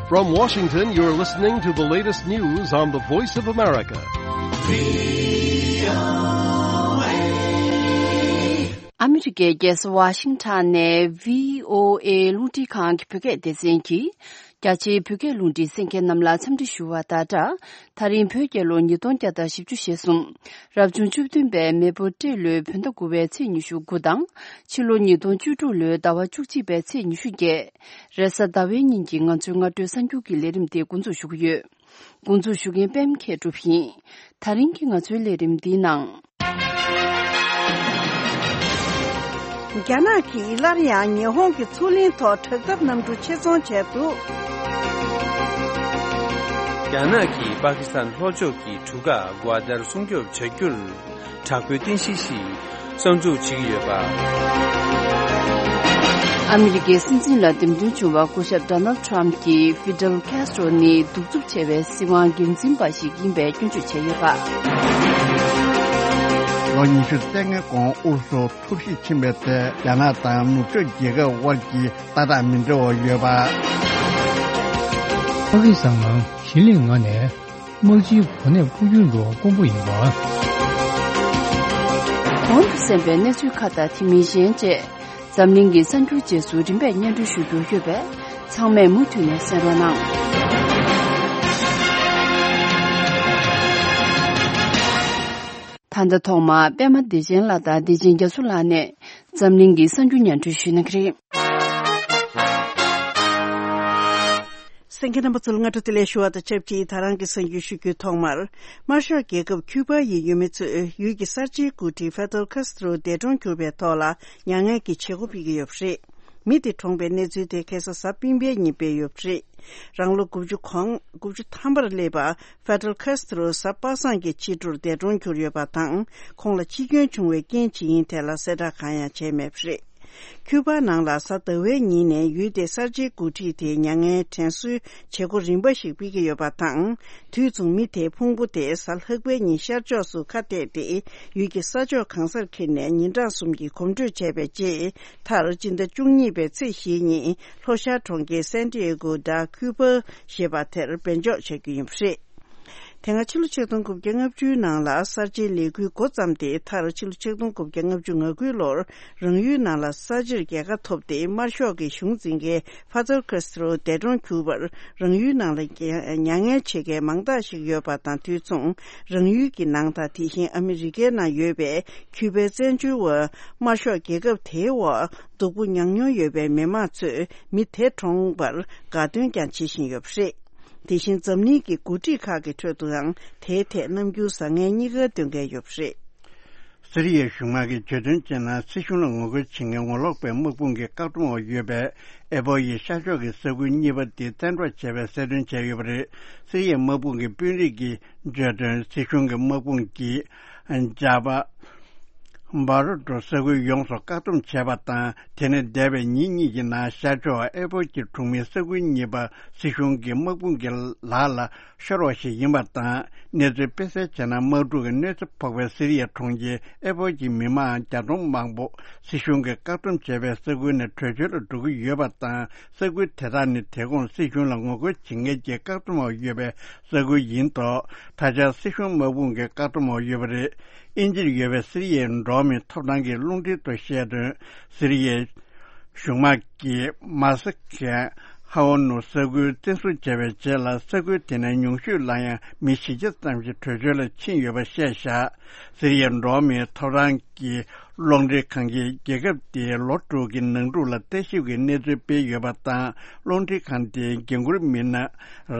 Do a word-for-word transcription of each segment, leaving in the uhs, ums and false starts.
From Washington, you're listening to the latest news on the Voice of America. ཨ་མི་རི་ཀའི་རྒྱལ་ས་ཝ་ཤིང་ཊོན་ནས་བྷི་ཨོ་ཨེ་རླུང་འཕྲིན་ཁང་གི་བོད་སྐད་སྡེ་ཚན་གྱིས། རྒྱ་ཆེའི་བོད་སྐད་རླུང་འཕྲིན་གསན་མཁན་རྣམས་ལ་འཚམས་འདྲི་ཞུ་བ་དང་སྦྲགས། ད་རིང་བོད་རྒྱལ་ལོ་ཉིས་སྟོང་བརྒྱ་དང་བཞི་བཅུ་ཞེ་གསུམ། རབ་བྱུང་བཅུ་བདུན་པའི་མེ་ཕོ་སྤྲེལ་ལོའི་བོད་ཟླ་དགུ་པའི་ཚེས་ཉི་ཤུ་དགུ་དང་། ཕྱི་ལོ་ཉིས་སྟོང་བཅུ་དྲུག་ལོའི་ཟླ་བ་བཅུ་གཅིག་པའི་ཚེས་ཉི་ཤུ་བརྒྱད། རེས་གཟའ་ཟླ་བའི་ཉིན་གྱི་ང་ཚོའི་སྔ་དྲོའི་གསར་འགྱུར་གྱི་ལས་རིམ་དེ་འགོ་འཛུགས་ཞུ་གི་ཡོད། འགོ་འཛུགས་ཞུ་མཁན་པད་མ་མཁས་གྲུབ་ཡིན། ད་རིང་གི་ང་ཚོའི་ལས་རིམ་འདིའི་ནང་། རྒྱ་ནག་གིས་སླར་ཡང་ཉི་ཧོང་གི་མཚོ་གླིང་ཐོག་དྲག་འཐབ་གནམ་གྲུ་ཆེད་རྫོང་བྱས་འདུག་རྒྱ་ནག་གིས་པ་ཀི་སི་ཐན་ལྷོ་ཕྱོགས་ཀྱི་གྲུ་ཁ་གུ་ཨ་ཏར་སྲུང་སྐྱོབ་བྱ་རྒྱུར། དྲག་པོའི་རྟེན་གཞི་ཞིག་གསར་འཛུགས་བྱེད་ཀྱི་ཡོད་པ། ཨ་མི་རི་ཀའི་སྲིད་འཛིན་ལ་འདེམས་ཐོན་བྱུང་བ་སྐུ་ཞབས་ཌོ་ནལ་ཊམ་གྱིས་ཧྥི་ཌེལ་ཁེ་སི་ཊོ་ནི་གདུག་རྩུབ་ཆེ་བའི་སྲིད་དབང་སྒེར་འཛིན་པ་ཞིག་ཡིན་པའི་སྐྱོན་བརྗོད་བྱས་ཡོད་པ། ལོ་ཉི་ཤུ་རྩ་ལྔའི་གོང་ཨུ་རུ་སུ་འཐབ་ཞིབ་ཕྱིན་པའི་ཐད་རྒྱ་ནག་དང་ནུབ་ཕྱོགས་རྒྱལ་ཁབ་དབར་གྱི་ལྟ་སྟངས་མི་འདྲ་བ་ཡོད་པ། པ་ཀི་སི་ཐན་ནང་གཞིས་ལུས་ངོས་ནས། དམག་སྤྱིའི་གོ་གནས་འཕོ་འགྱུར་འགྲོ་བ་དཀོན་པོ་ཡིན་པ། གོང་དུ་གསན་པའི་གནས་ཚུལ་ཁག་དང་དེ་མིན་གཞན་བཅས། འཛམ་གླིང་གི་གསར་འགྱུར་རྗེས་སུ་རིམ་པས་སྙན་སྒྲོན་ཞུ་རྒྱུ་ཡོད་པས། ཚང་མས་མུ་མཐུད་ནས་གསན་རོགས་གནང་། ད་ལྟ་ཐོག་མར་པད་མ་བདེ་ཆེན་ལགས་དང་བདེ་ཆེན་རྒྱ་མཚོ་ལགས་ནས་འཛམ་གླིང་གི་གསར་འགྱུར་སྙན་སྒྲོན་ཞུ་གནང་གི་རེད། གསན་མཁན་རྣམ་པ་ཚོ་ལ་སྔ་དྲོ་བདེ་ལེགས་ཞུ་བ་དང་ཆབས་ཅིག་ད་རང་གི་གསར་འགྱུར་ཞུ་རྒྱུའི་ཐོག་མར། དམར་ཤོག་རྒྱལ་ཁབ་ཁྱུ་པ་ཡི་ཡུལ་མི་ཚོས་ཡུལ་གྱི་གསར་བརྗེའི་འགོ་ཁྲིད་ཧྥེ་ཏེལ་ཁཱ་སི་ཏྲོ་འདས་གྲོངས་གྱུར་པའི་ཐོག་ལ་མྱ་ངན་གྱི་བྱེད་སྒོ་སྤེལ་གྱི་ཡོད་པ་རེད། མི་དེ་གྲོངས་པའི་གནས་ཚུལ་དེ་ཁ་སང་གཟའ་སྤེན་པའི་ཉིན་སྤེལ་ཡོད་པ་རེད། རང་ལོ་དགུ་བཅུ་གོང་དགུ་བཅུ་ཐམ་པར་སླེབས་པ་ཧྥེ་ཏེལ་ཁཱ་སི་ཏྲོ་གཟའ་པ་སངས་ཀྱི་ཕྱི་དྲོར་འདས་གྲོངས་གྱུར་ཡོད་པ་དང་། ཁོང་ལ་འཆི་སྐྱོན་བྱུང་བའི་རྐྱེན་ཇི་ཡིན་ཐད་ལ་གསལ་བསྒྲགས་གང་ཡང་བྱས་མེད་པ་རེད། ཁྱུ་པ་ནང་ལ་གཟའ་ཟླ་བའི་ཉིན་ནས་ཡུལ་དེའི་གསར་བརྗེའི་འགོ་ཁྲིད་དེ་མྱ་ངན་དྲན་གསོའི་བྱེད་སྒོ་རིམ་པ་ཞིག་སྤེལ་གྱི་ཡོད་པ་དང་། དུས་མཚུངས་མི་དེའི་ཕུང་པོ་དེ་གཟའ་ལྷག་པའི་ཉིན་ཤར་ཕྱོགས་སུ་ཁ་གཏད་དེ་ཡུལ་གྱི་ས་ཕྱོགས་གང་སར་འཁྱེར་ནས་ཉིན་གྲངས་གསུམ་གྱི་གོམ་བགྲོད་བྱས་པའི་རྗེས། མཐར་སྤྱི་ཟླ་བཅུ་གཉིས་པའི་ཚེས་བཞིའི་ཉིན་ལྷོ་ཤར་གྲོང་ཁྱེར་སན་ཏི་ཨེ་གོ་ཌ་ཁུ་པ་ཞེས་པ་དེར་འབེན་འཇོག་བྱ་རྒྱུ་ཡིན་པ་རེད། དེ་སྔ་ཕྱི་ལོ་ཆིག་སྟོང་དགུ་བརྒྱ་ལྔ་བཅུའི་ནང་ལ་གསར་བརྗེའི་ལས་འགུལ་འགོ་བརྩམས་ཏེ། མཐར་ཕྱི་ལོ་ཆིག་སྟོང་དགུ་བརྒྱ་ལྔ་བཅུ་ང་དགུའི་ལོར་རང་ཡུལ་ནང་ལ་ས་བྱིར་རྒྱལ་ཁ་ཐོབ་སྟེ། དམར་ཤོག་གི་གཞུང་འཛིན་མཁན་ཧྥ་ཛལ་ཁཱ་སི་ཏྲོ་འདས་གྲོངས་གྱུར་པར་རང་ཡུལ་ནང་ལ་མྱ་ངན་བྱེད་མཁན་མང་དག་ཞིག་ཡོད་པ་དང་། དུས་མཚུངས་རང་ཡུལ་གྱི་ནང་དང་། དེ་བཞིན་ཨ་མི་རི་ཀའི་ནང་ཡོད་པའི་ཁྱུ་པའི་བཙན་བྱོལ་བ་དམར་ཤོག་རྒྱལ་ཁབ་དེའི་འོག་སྡུག་པོ་མྱངས་མྱོང་ཡོད་པའི་མི་མང་ཚོས་མི་དེ་གྲོངས་པར་དགའ་སྟོན་ཀྱང་བྱེད་བཞིན་ཡོད་པ་རེད། དེ་བཞིན་འཛམ་གླིང་གི་འགོ་ཁྲིད་ཁག་གི་ཁྲོད་དུའང་དེའི་ཐད་རྣམ་འགྱུར་བཟང་ངན་གཉིས་ཀ་སྟོན་མཁན་ཡོད་པ་རེད། སི་རི་ཡའི་གཞུང་དམག་གིས་བརྗོད་དོན་བྱས་ན། སྲིད་གཞུང་ལ་ངོ་རྒོལ་བྱེད་མཁན་ངོ་ལོག་པའི་དམག་དཔུང་གི་བཀག་སྡོམ་འོག་ཡོད་པའི་ཨེ་པོ་ཡི་ཤར་ཕྱོགས་ཀྱི་ས་ཁུལ་གཉིས་པ་དེ་བཙན་འཕྲོག་བྱས་པའི་གསལ་སྟོན་བྱས་ཡོད་པ་རེད། སི་རི་ཡའི་དམག་དཔུང་གི་དཔོན་རིགས་ཀྱིས་བརྗོད་དོན། སྲིད་གཞུང་གི་དམག་དཔུང་གིས་ཇ་བ་འབར་ཏོ་ས་ཁུལ་ཡོངས་སུ་བཀག་སྡོམ་བྱས་པ་དང་། དེ་ནས་འདས་པའི་ཉིན་གཉིས་ཀྱི་ནང་ཤར་ཕྱོགས་ཨེ་པོ་གྱི་གྲོང་མིའི་ས་ཁུལ་གཉིས་པ་སྲིད་གཞུང་གི་དམག་དཔུང་གི་ལག་ལ་ཤོར་བ་ཞིག་ཡིན་པ་དང་། གནས་ཚུལ་སྤེལ་གསལ་བྱས་ན། དམག་འཁྲུག་གི་གནོད་འཚེ་ཕོག་པའི་སི་རི་ཡའི་གྲོང་ཁྱེར་ཨེ་པོ་གྱི་མི་མང་བརྒྱ་སྟོང་མང་པོ་སྲིད་གཞུང་གིས་བཀག་སྡོམ་བྱས་པའི་ས་ཁུལ་ནས་བྲོས་བྱོལ་དུ་འགྲོ་གི་ཡོད་པ་དང་། ས་ཁུལ་དེ་དག་ནི་དེ་གོང་སྲིད་གཞུང་ལ་ངོ་རྒོལ་བྱེད་མཁན་གྱི་བཀག་སྡོམ་འོག་ཡོད་པའི་ས་ཁུལ་ཡིན་ཐོག་ད་ཆ་སྲིད་གཞུང་དམག་དཔུང་གི་བཀག་སྡོམ་འོག་ཡོད་པ་རེད། དབྱིན་ཇིར་ཡོད་པའི་སི་རི་ཡའི་འགྲོ་བ་མིའི་ཐོབ་ཐང་གི་རླུང་འཕྲིན་དུ་བཤད་དོན། སི་རི་ཡའི་གཞུང་དམག་གིས་མ་སི་ཁན་ཧའོ་ནུ་ས་ཁུལ་བཙན་བཟུང་བྱས་པའི་རྗེས་ལ། ས་ཁུལ་དེ་ནས་ཉུང་ཤོས་ལ་ཡང་མི་བཞི་བརྒྱ་ཙམ་ཞིག་བྲོས་བྱོལ་ལ་ཕྱིན་ཡོད་པ་བཤད་བཞག་སི་རི་ཡའི་འགྲོ་བ་མིའི་ཐོབ་ཐང་གི་གློག་འཕྲིན་ཁང་གིས་རྒྱལ་ཁབ་དེའི་ལོ་དྲུག་གི་ནང་འཁྲུག་ལ་ལྟ་ཞིབ་ཀྱི་གནས་ཚུལ་སྤེལ་ཡོད་པ་དང་། གློག་འཕྲིན་ཁང་དེའི་འགན་འཁུར་མི་སྣ་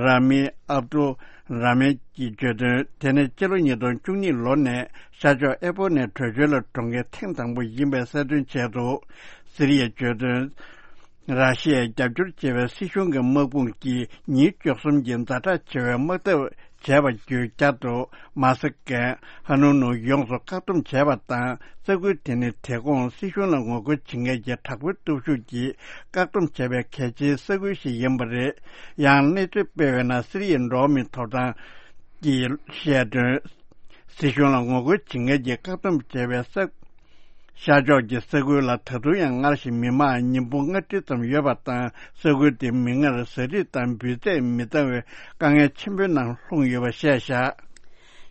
ར་མི་ཨབ་ཏུ་ར་མན་གྱིས་བརྗོད་དོན། དེ་ནས་སྤྱི་ལོ་ཉིས་སྟོང་བཅུ་གཉིས་ལོ་ནས་ཤར་ཕྱོགས་ཨེ་པོ་ནས་བྲོས་བྱོལ་ལ་འགྲོ་མཁན་ཐེངས་དང་པོ་ཡིན་པའི་གསལ་སྟོན་བྱས་འདུག་སི་རི་ཡས་བརྗོད་དོན། ར་ཤི་ཡས་རྒྱབ་སྐྱོར་བྱེད་པའི་སྲིད་གཞུང་གི་དམག་དཔུང་གིས་ཉིན་བཅུ་གསུམ་གྱི་ཛ་དྲག་ཆེ་བའི་དམག་འཐབ་བྱས་པ་བརྒྱུད། བསྐྱར་དུ་མ་སི་ཀན་ཧ་ནུ་ནུ་ཡོངས་སུ་བཀག་སྡོམ་བྱས་པ་དང་། ས་ཁུལ་དེ་ནི་དེ་གོང་སྲིད་གཞུང་ལ་ངོ་རྒོལ་བྱེད་མཁན་གྱི་དྲག་པོའི་སྟོབས་ཤུགས་ཀྱིས་བཀག་སྡོམ་བྱས་པའི་གལ་ཆེའི་ས་ཁུལ་ཞིག་ཡིན་པ་རེད། ཡང་གནས་ཚུལ་སྤེལ་བས་ན། སི་རི་ཡའི་འགྲོ་བ་མིའི་ཐོབ་ཐང་གིས་བཤད་དོན། སྲིད་གཞུང་ལ་ངོ་རྒོལ་བྱེད་མཁན་གྱིས་བཀག་སྡོམ་བྱས་པའི་ས་ ཤར་ཕྱོགས་ཀྱི་ས་ཁུལ་ལ་ད་དུང་ཡང་སྔར་བཞིན་མི་མང་ཉིས་སྟོང་ལྔ་བརྒྱ་ཙམ་ཡོད་པ་དང་། ས་ཁུལ་དེ་མིག་སྔར་ཟ་འཕྲུག་དང་འབུད་རྫས་མི་འདང་བའི་དཀའ་ངལ་ཆེན་པོའི་ནང་ལྷུང་ཡོད་པ་བཤད་བཞག།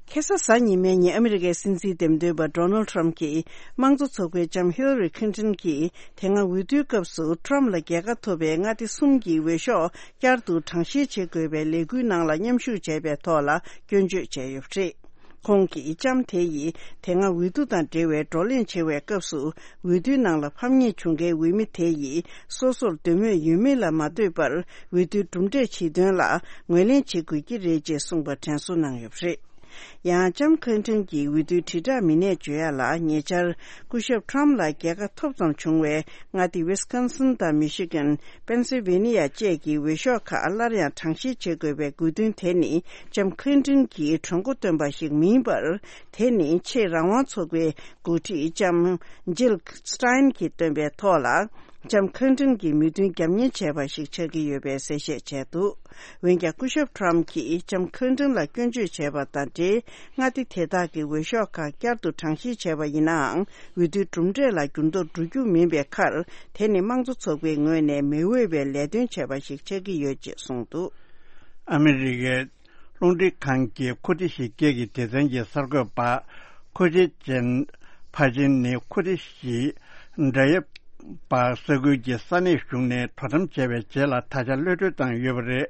ཁ་སང་གཟའ་ཉི་མའི་ཉིན་ཨ་མི་རི་ཀའི་སྲིད་འཛིན་འདེམས་ཐོན་པ་ཌོ་ནལ་ཌི་ཊརམ་གྱིས་དམངས་གཙོ་ཚོགས་པའི་ལྕམ་ཧི་ལ་རི་ཁིན་ཏོན་གྱིས་དེ་སྔ་འོས་བསྡུའི་སྐབས་སུ་ཊརམ་ལ་རྒྱལ་ཁ་ཐོབ་པའི་མངའ་སྡེ་གསུམ་གྱི་འོས་ཤོག་བསྐྱར་དུ་གྲངས་བཤེར་བྱེད་དགོས་པའི་ལས་འགུལ་ནང་ལ་མཉམ་ཞུགས་བྱས་པའི་ཐོག་ལ་སྐྱོན་བརྗོད་བྱས་ཡོད་པ་རེད། ཁོང་གིས་ལྕམ་དེ་ཡིས་དེ་སྔ་འོས་བསྡུ་དང་འབྲེལ་བའི་བགྲོ་གླེང་བྱེད་པའི་སྐབས་སུ། འོས་བསྡུའི་ནང་ལ་ཕམ་ཉེས་བྱུང་མཁན་འོས་མི་དེ་ཡིས་སོ་སོར་འདོད་མོས་ཡོད་མེད་ལ་མ་ལྟོས་པར། འོས་བསྡུའི་གྲུབ་འབྲས་ཕྱིར་འདོན་ལ་ངོས་ལེན་བྱེད་དགོས་ཀྱི་རེད་ཅེས་གསུངས་པ་དྲན་གསོ་གནང་ཡོད་པ་རེད། ཡང་ལྕམ་ཁ་ལིན་ཏོན་གྱིས་འོས་བསྡུའི་དྲིལ་བསྒྲགས་མི་སྣས་བརྗོད་ཡ་ལ། ཉེ་ཆར་སྐུ་ཞབས་ཊརམ་ལ་རྒྱལ་ཁ་ཐོབ་ཙམ་བྱུང་བའི་མངའ་སྡེ་ཝི་སི་ཀོན་སིན་དང་མི་ཤི་གན། པེན་སིལ་ཝེ་ནི་ཡ་བཅས་ཀྱི་འོས་ཤོག་ཁག་སླར་ཡང་གྲངས་བཤེར་བྱེད་དགོས་པའི་དགོས་འདུན་དེ་ནི་ལྕམ་ཁ་ལིན་ཏོན་གྱིས་གྲོས་འགོ་བཏོན་པ་ཞིག་མིན་པར། དེ་ནི་ཆེས་རང་དབང་ཚོགས་པའི་འགོ་ཁྲིད་ལྕམ་ཇིལ་སི་ཊེན་གྱིས་བཏོན་པའི་ཐོག་ལ། ལྕམ་ཁ་ལིན་ཏོན་གྱི་མོས་མཐུན་རྒྱབ་གཉེར་བྱས་པ་ཞིག་ཆགས་ཀྱི་ཡོད་པའི་གསལ་བཤད་བྱས་འདུག། འོན་ཀྱང་སྐུ་ཞབས་ཊརམ་གྱིས་ལྕམ་ཁ་ལིན་ཏོན་ལ་སྐྱོན་བརྗོད་བྱས་པ་དང་འབྲེལ། མངའ་སྡེ་དེ་དག་གི་འོས་ཤོག་ཁག་བསྐྱར་དུ་གྲངས་བཤེར་བྱས་པ་ཡིན་ནའང་། འོས་བསྡུའི་གྲུབ་འབྲས་ལ་འགྱུར་ལྡོག་འགྲོ་རྒྱུ་མིན་པའི་ཁར། དེ་ནི་དམངས་གཙོ་ཚོགས་པའི་ངོས་ནས་མི་འོས་པའི་ལས་དོན་བྱས་པ་ཞིག་ཆགས་ཀྱི་ཡོད་ཅེས་གསུངས་འདུག། ཨ་མི་རི་ཀའི་རླུང་འཕྲིན་ཁང་གི་ཁུ་ཏི་ཤི་སྐད་ཀྱི་སྡེ་ཚན་གྱི་གསར་འགོད་པ། ཁུ་ཆེ་ཅིན་ཕ་ཅིན་ནི་ཁུ་ཏི་ཤི་འདྲ་ཡབ་པ་ས་ཁུལ་གྱི་ས་གནས་གཞུང་ནས་དོ་དམ་བྱས་པའི་རྗེས་ལ་ད་ཆ་གློད་གྲོལ་བཏང་ཡོད་པ་རེད།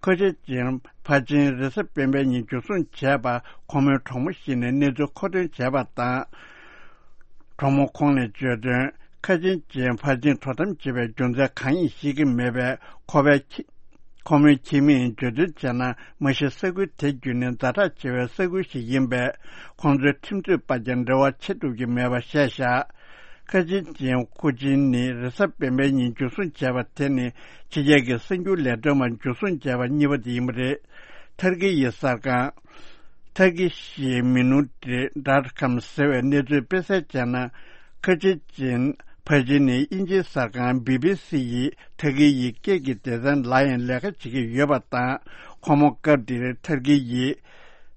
ཁུ་ཆེ་ཅིན་ཕ་ཅིན་རེས་གཟའ་སྤེན་པའི་ཉིན་འཇུ་བཟུང་བྱས་པ་ཁོ་མོའི་གྲོགས་མོ་ཞིག་ནས་གནས་ཚུལ་མཁོ་འདོན་བྱས་པ་དང་། གྲོགས་མོ་ཁོང་ནས་བརྗོད་དོན། ཁ་ཆེ་ཅིན་ཕ་ཅིན་དོ་དམ་བྱེད་པའི་རྒྱུ་མཚན་གང་ཡིན་ཤེས་ཀྱི་མེད་པས། ཁོ་པའི་ཁྱི། ཁོ་མོའི་ཁྱིམ་མིས་བརྗོད་དོན་བྱས་ན། མ་གཞི་ས་ཁུལ་དེ་བརྒྱུད་ནས་ཛ་དྲག་ཆེ་བའི་ས་ཁུལ་ཞིག་ཡིན་པས། ཁོང་ཚོའི་ཁྲིམས་རྩོད་པ་ཀྱང་འབྲེལ་བ་བྱེད་ཐུབ་ཀྱི་མེད་པ་བཤད་བཞག། ཁ་ཆེ་ཅིན་ཁུ་ཆིན་ནི་རེས་གཟའ་སྤེན་པའི་ཉིན་འཇུ་བཟུང་བྱས་པ་དེ་ནི་ཕྱི་རྒྱལ་གྱི་གསར་འགྱུར་ལས་དོན་པ་འཇུ་བཟུང་བྱས་པ་གཉིས་པ་དེ་ཡིན་པ་རེད། ཐར་ཀི་ཡི་གསར་ཁང་། ཐར་ཀི་ཤི་མི་ནུ་ཏི་ཌོཊ་ཀོམ་ཟེར་བའི་གནས་ཚུལ་སྤེལ་གསལ་བྱས་ན། ཁ་ཆེ་ཅིན་ཕ་ཅིན་ནི་དབྱིན་ཇིའི་གསར་ཁང་བི་བི་སི་ཡིས་ཐར་ཀི་ཡི་སྐད་ཀྱི་སྡེ་ཚན་ལ་ཡང་ལས་ཀ་བྱེད་ཀྱི་ཡོད་པ་དང་། ཁོ་མོ་སྐབས་དེར་ཐར་ཀི་ཡི་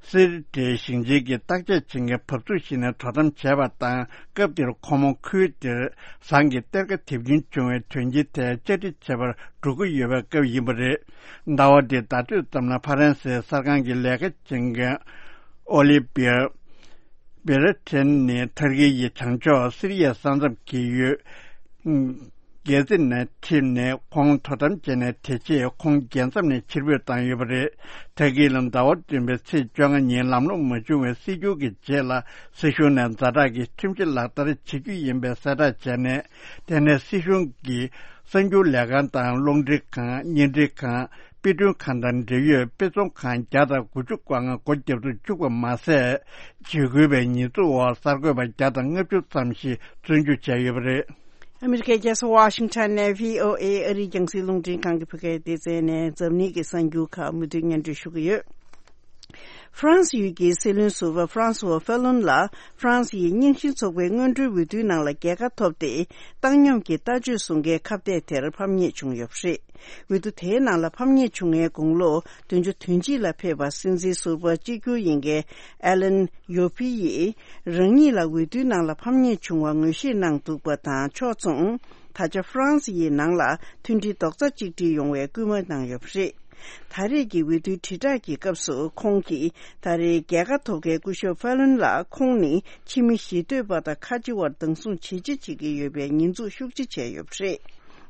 སི་རི་ཏའི་ཞིང་ཆེན་གྱི་བརྟག་དཔྱད་བྱེད་མཁན་བབས་ཚུགས་ཤིག་ནས་དོ་དམ་བྱས་པ་དང་། སྐབས་དེར་ཁོ་མོ་ཁུལ་དེར་ཟངས་ཀྱི་གཏེར་ཁ་དེབ་སྐྱེལ་བྱུང་བའི་དོན་རྐྱེན་དེ་བཅར་འདྲི་བྱེད་པར་འགྲོ་གི་ཡོད་པའི་སྐབས་ཡིན་པ་རེད། ཟླ་བ་འདིའི་ཟླ་སྟོད་ཙམ་ལ་ཕ་རན་སིའི་གསར་ཁང་གི་ལས་ཀ་བྱེད་མཁན་ཨོ་ལི་བིར་བེ་ར་ཐེན་ནི་ཐར་ཀི་ཡི་བྱང་ཕྱོགས་སི་རི་ཡའི་ས་མཚམས་ཀྱི་ཡུལ་གེ་ཛི་ནས་ཁྲིད་ནས་ཁོང་དོ་དམ་བྱས་ནས། དེ་རྗེས་ཁོང་རྒྱལ་མཚམས་ནས་ཕྱིར་འབུད་བཏང་ཡོད་པ་རེད། ཐར་ཀི་ལ་ཟླ་བ་བདུན་པའི་ཚེས་བཅོ་ལྔ་ཉིན་ལམ་ལྷོང་མ་བྱུང་བའི་སྲིད་སྐྱོང་གི་རྗེས་ལ། སྲིད་གཞུང་ནས་ཛ་དྲག་གི་ཁྲིམས་གཞི་ལག་བསྟར་བྱེད་རྒྱུ་ཡིན་པའི་གསལ་བསྒྲགས་བྱས་ནས། དེ་ནས་སྲིད་གཞུང་གིས་གསར་འགྱུར་ལས་ཁང་དང་། རླུང་འཕྲིན་ཁང་། བརྙན་འཕྲིན་ཁང་། དཔེ་སྐྲུན་ཁང་དང་འབྲེལ་ཡོད་དཔེ་ཚོང་ཁང་བརྒྱ་དང་དགུ་བཅུ་གོ་ལྔ་སྒོ་བརྒྱབ་ཏུ་བཅུག་པ་མ་ཟད། འཇིགས་སྐུལ་བའི་ཉེས་འཛུགས་འོག་གསར་འགོད་པ་བརྒྱ་དང་ལྔ་བཅུ་ཙམ་ཞིག་བཙོན་འཇུག་བྱས་ཡོད་པ་རེད། ཨ་མི་རི་ཀའི་རྒྱལ་ས་ཝ་ཤིང་ཊོན་ནས་བྷི་ཨོ་ཨེ་ཨ་རིའི་རྒྱང་སྲིང་རླུང་འཕྲིན་ཁང་གི་བོད་སྐད་སྡེ་ཚན་ནས་འཛམ་གླིང་གི་གསར་འགྱུར་ཁག་མུ་མཐུད་སྙན་སྒྲོན་ཞུ་གི་ཡོད། ཧྥ་རན་སི་ཡུལ་གྱི་སྲིད་བློན་ཟུར་པ་ཧྥ་རན་སུ་ཝ་ཧྥེ་ལོན་ལ་ཧྥ་རན་སི་ཡི་རྙིང་ཞེན་ཚོགས་པའི་སྔོན་འགྲོའི་འོས་བསྡུའི་ནང་ལ་རྒྱལ་ཁ་ཐོབ་སྟེ། བཏང་སྙོམས་ཀྱི་ལྟ་སྤྱོད་བཟུང་མཁན་ཁ་གཏད་དེར་ཕམ་ཉེས་བྱུང་ཡོད་པ་རེད། འོས་བསྡུ་དེའི་ནང་ལ་ཕམ་ཉེས་བྱུང་བའི་དགུང་ལོ་བདུན་ཅུ་དོན་གཅིག་ལ་ཕེབས་པ་སྲིད་འཛིན་ཟུར་པ་གཅིག་གྱུར་ཡིན་མཁན་ཨེ་ལན་ཡོ་ཕི་ཡིས། རང་ཉིད་ལ་འོས་བསྡུའི་ནང་ལ་ཕམ་ཉེས་བྱུང་བ་ངོས་བཞེས་གནང་འདུག་པ་དང་། ཕྱོགས་མཚུངས། ད་ཆ་ཧྥ་རན་སི་ཡི་ནང་ལ་མཐུན་སྒྲིལ་རྡོག་རྩ་གཅིག་སྒྲིལ་ཡོང་བའི་སྐུལ་མ་གནང་ཡོད་པ་རེད། ད་རེས་ཀྱི་འོས་བསྡུའི་དྲིལ་བསྒྲགས་ཀྱི་སྐབས་སུ། ཁོང་གིས་ད་རེས་རྒྱལ་ཁ་ཐོབ་མཁན་སྐུ་ཞབས་ཧྥ་ལོན་ལ། ཁོང་ནི་ཕྱི་མི་ཞི་འདོད་པ་དང་ཁ་ཆེ་བར་སྡང་ཟུང་ཇེ་ཆེ་བྱེད་ཀྱི་ཡོད་པའི་ཉེས་འཛུགས་ཤུགས་ཆེ་བྱས་ཡོད་པ་རེད།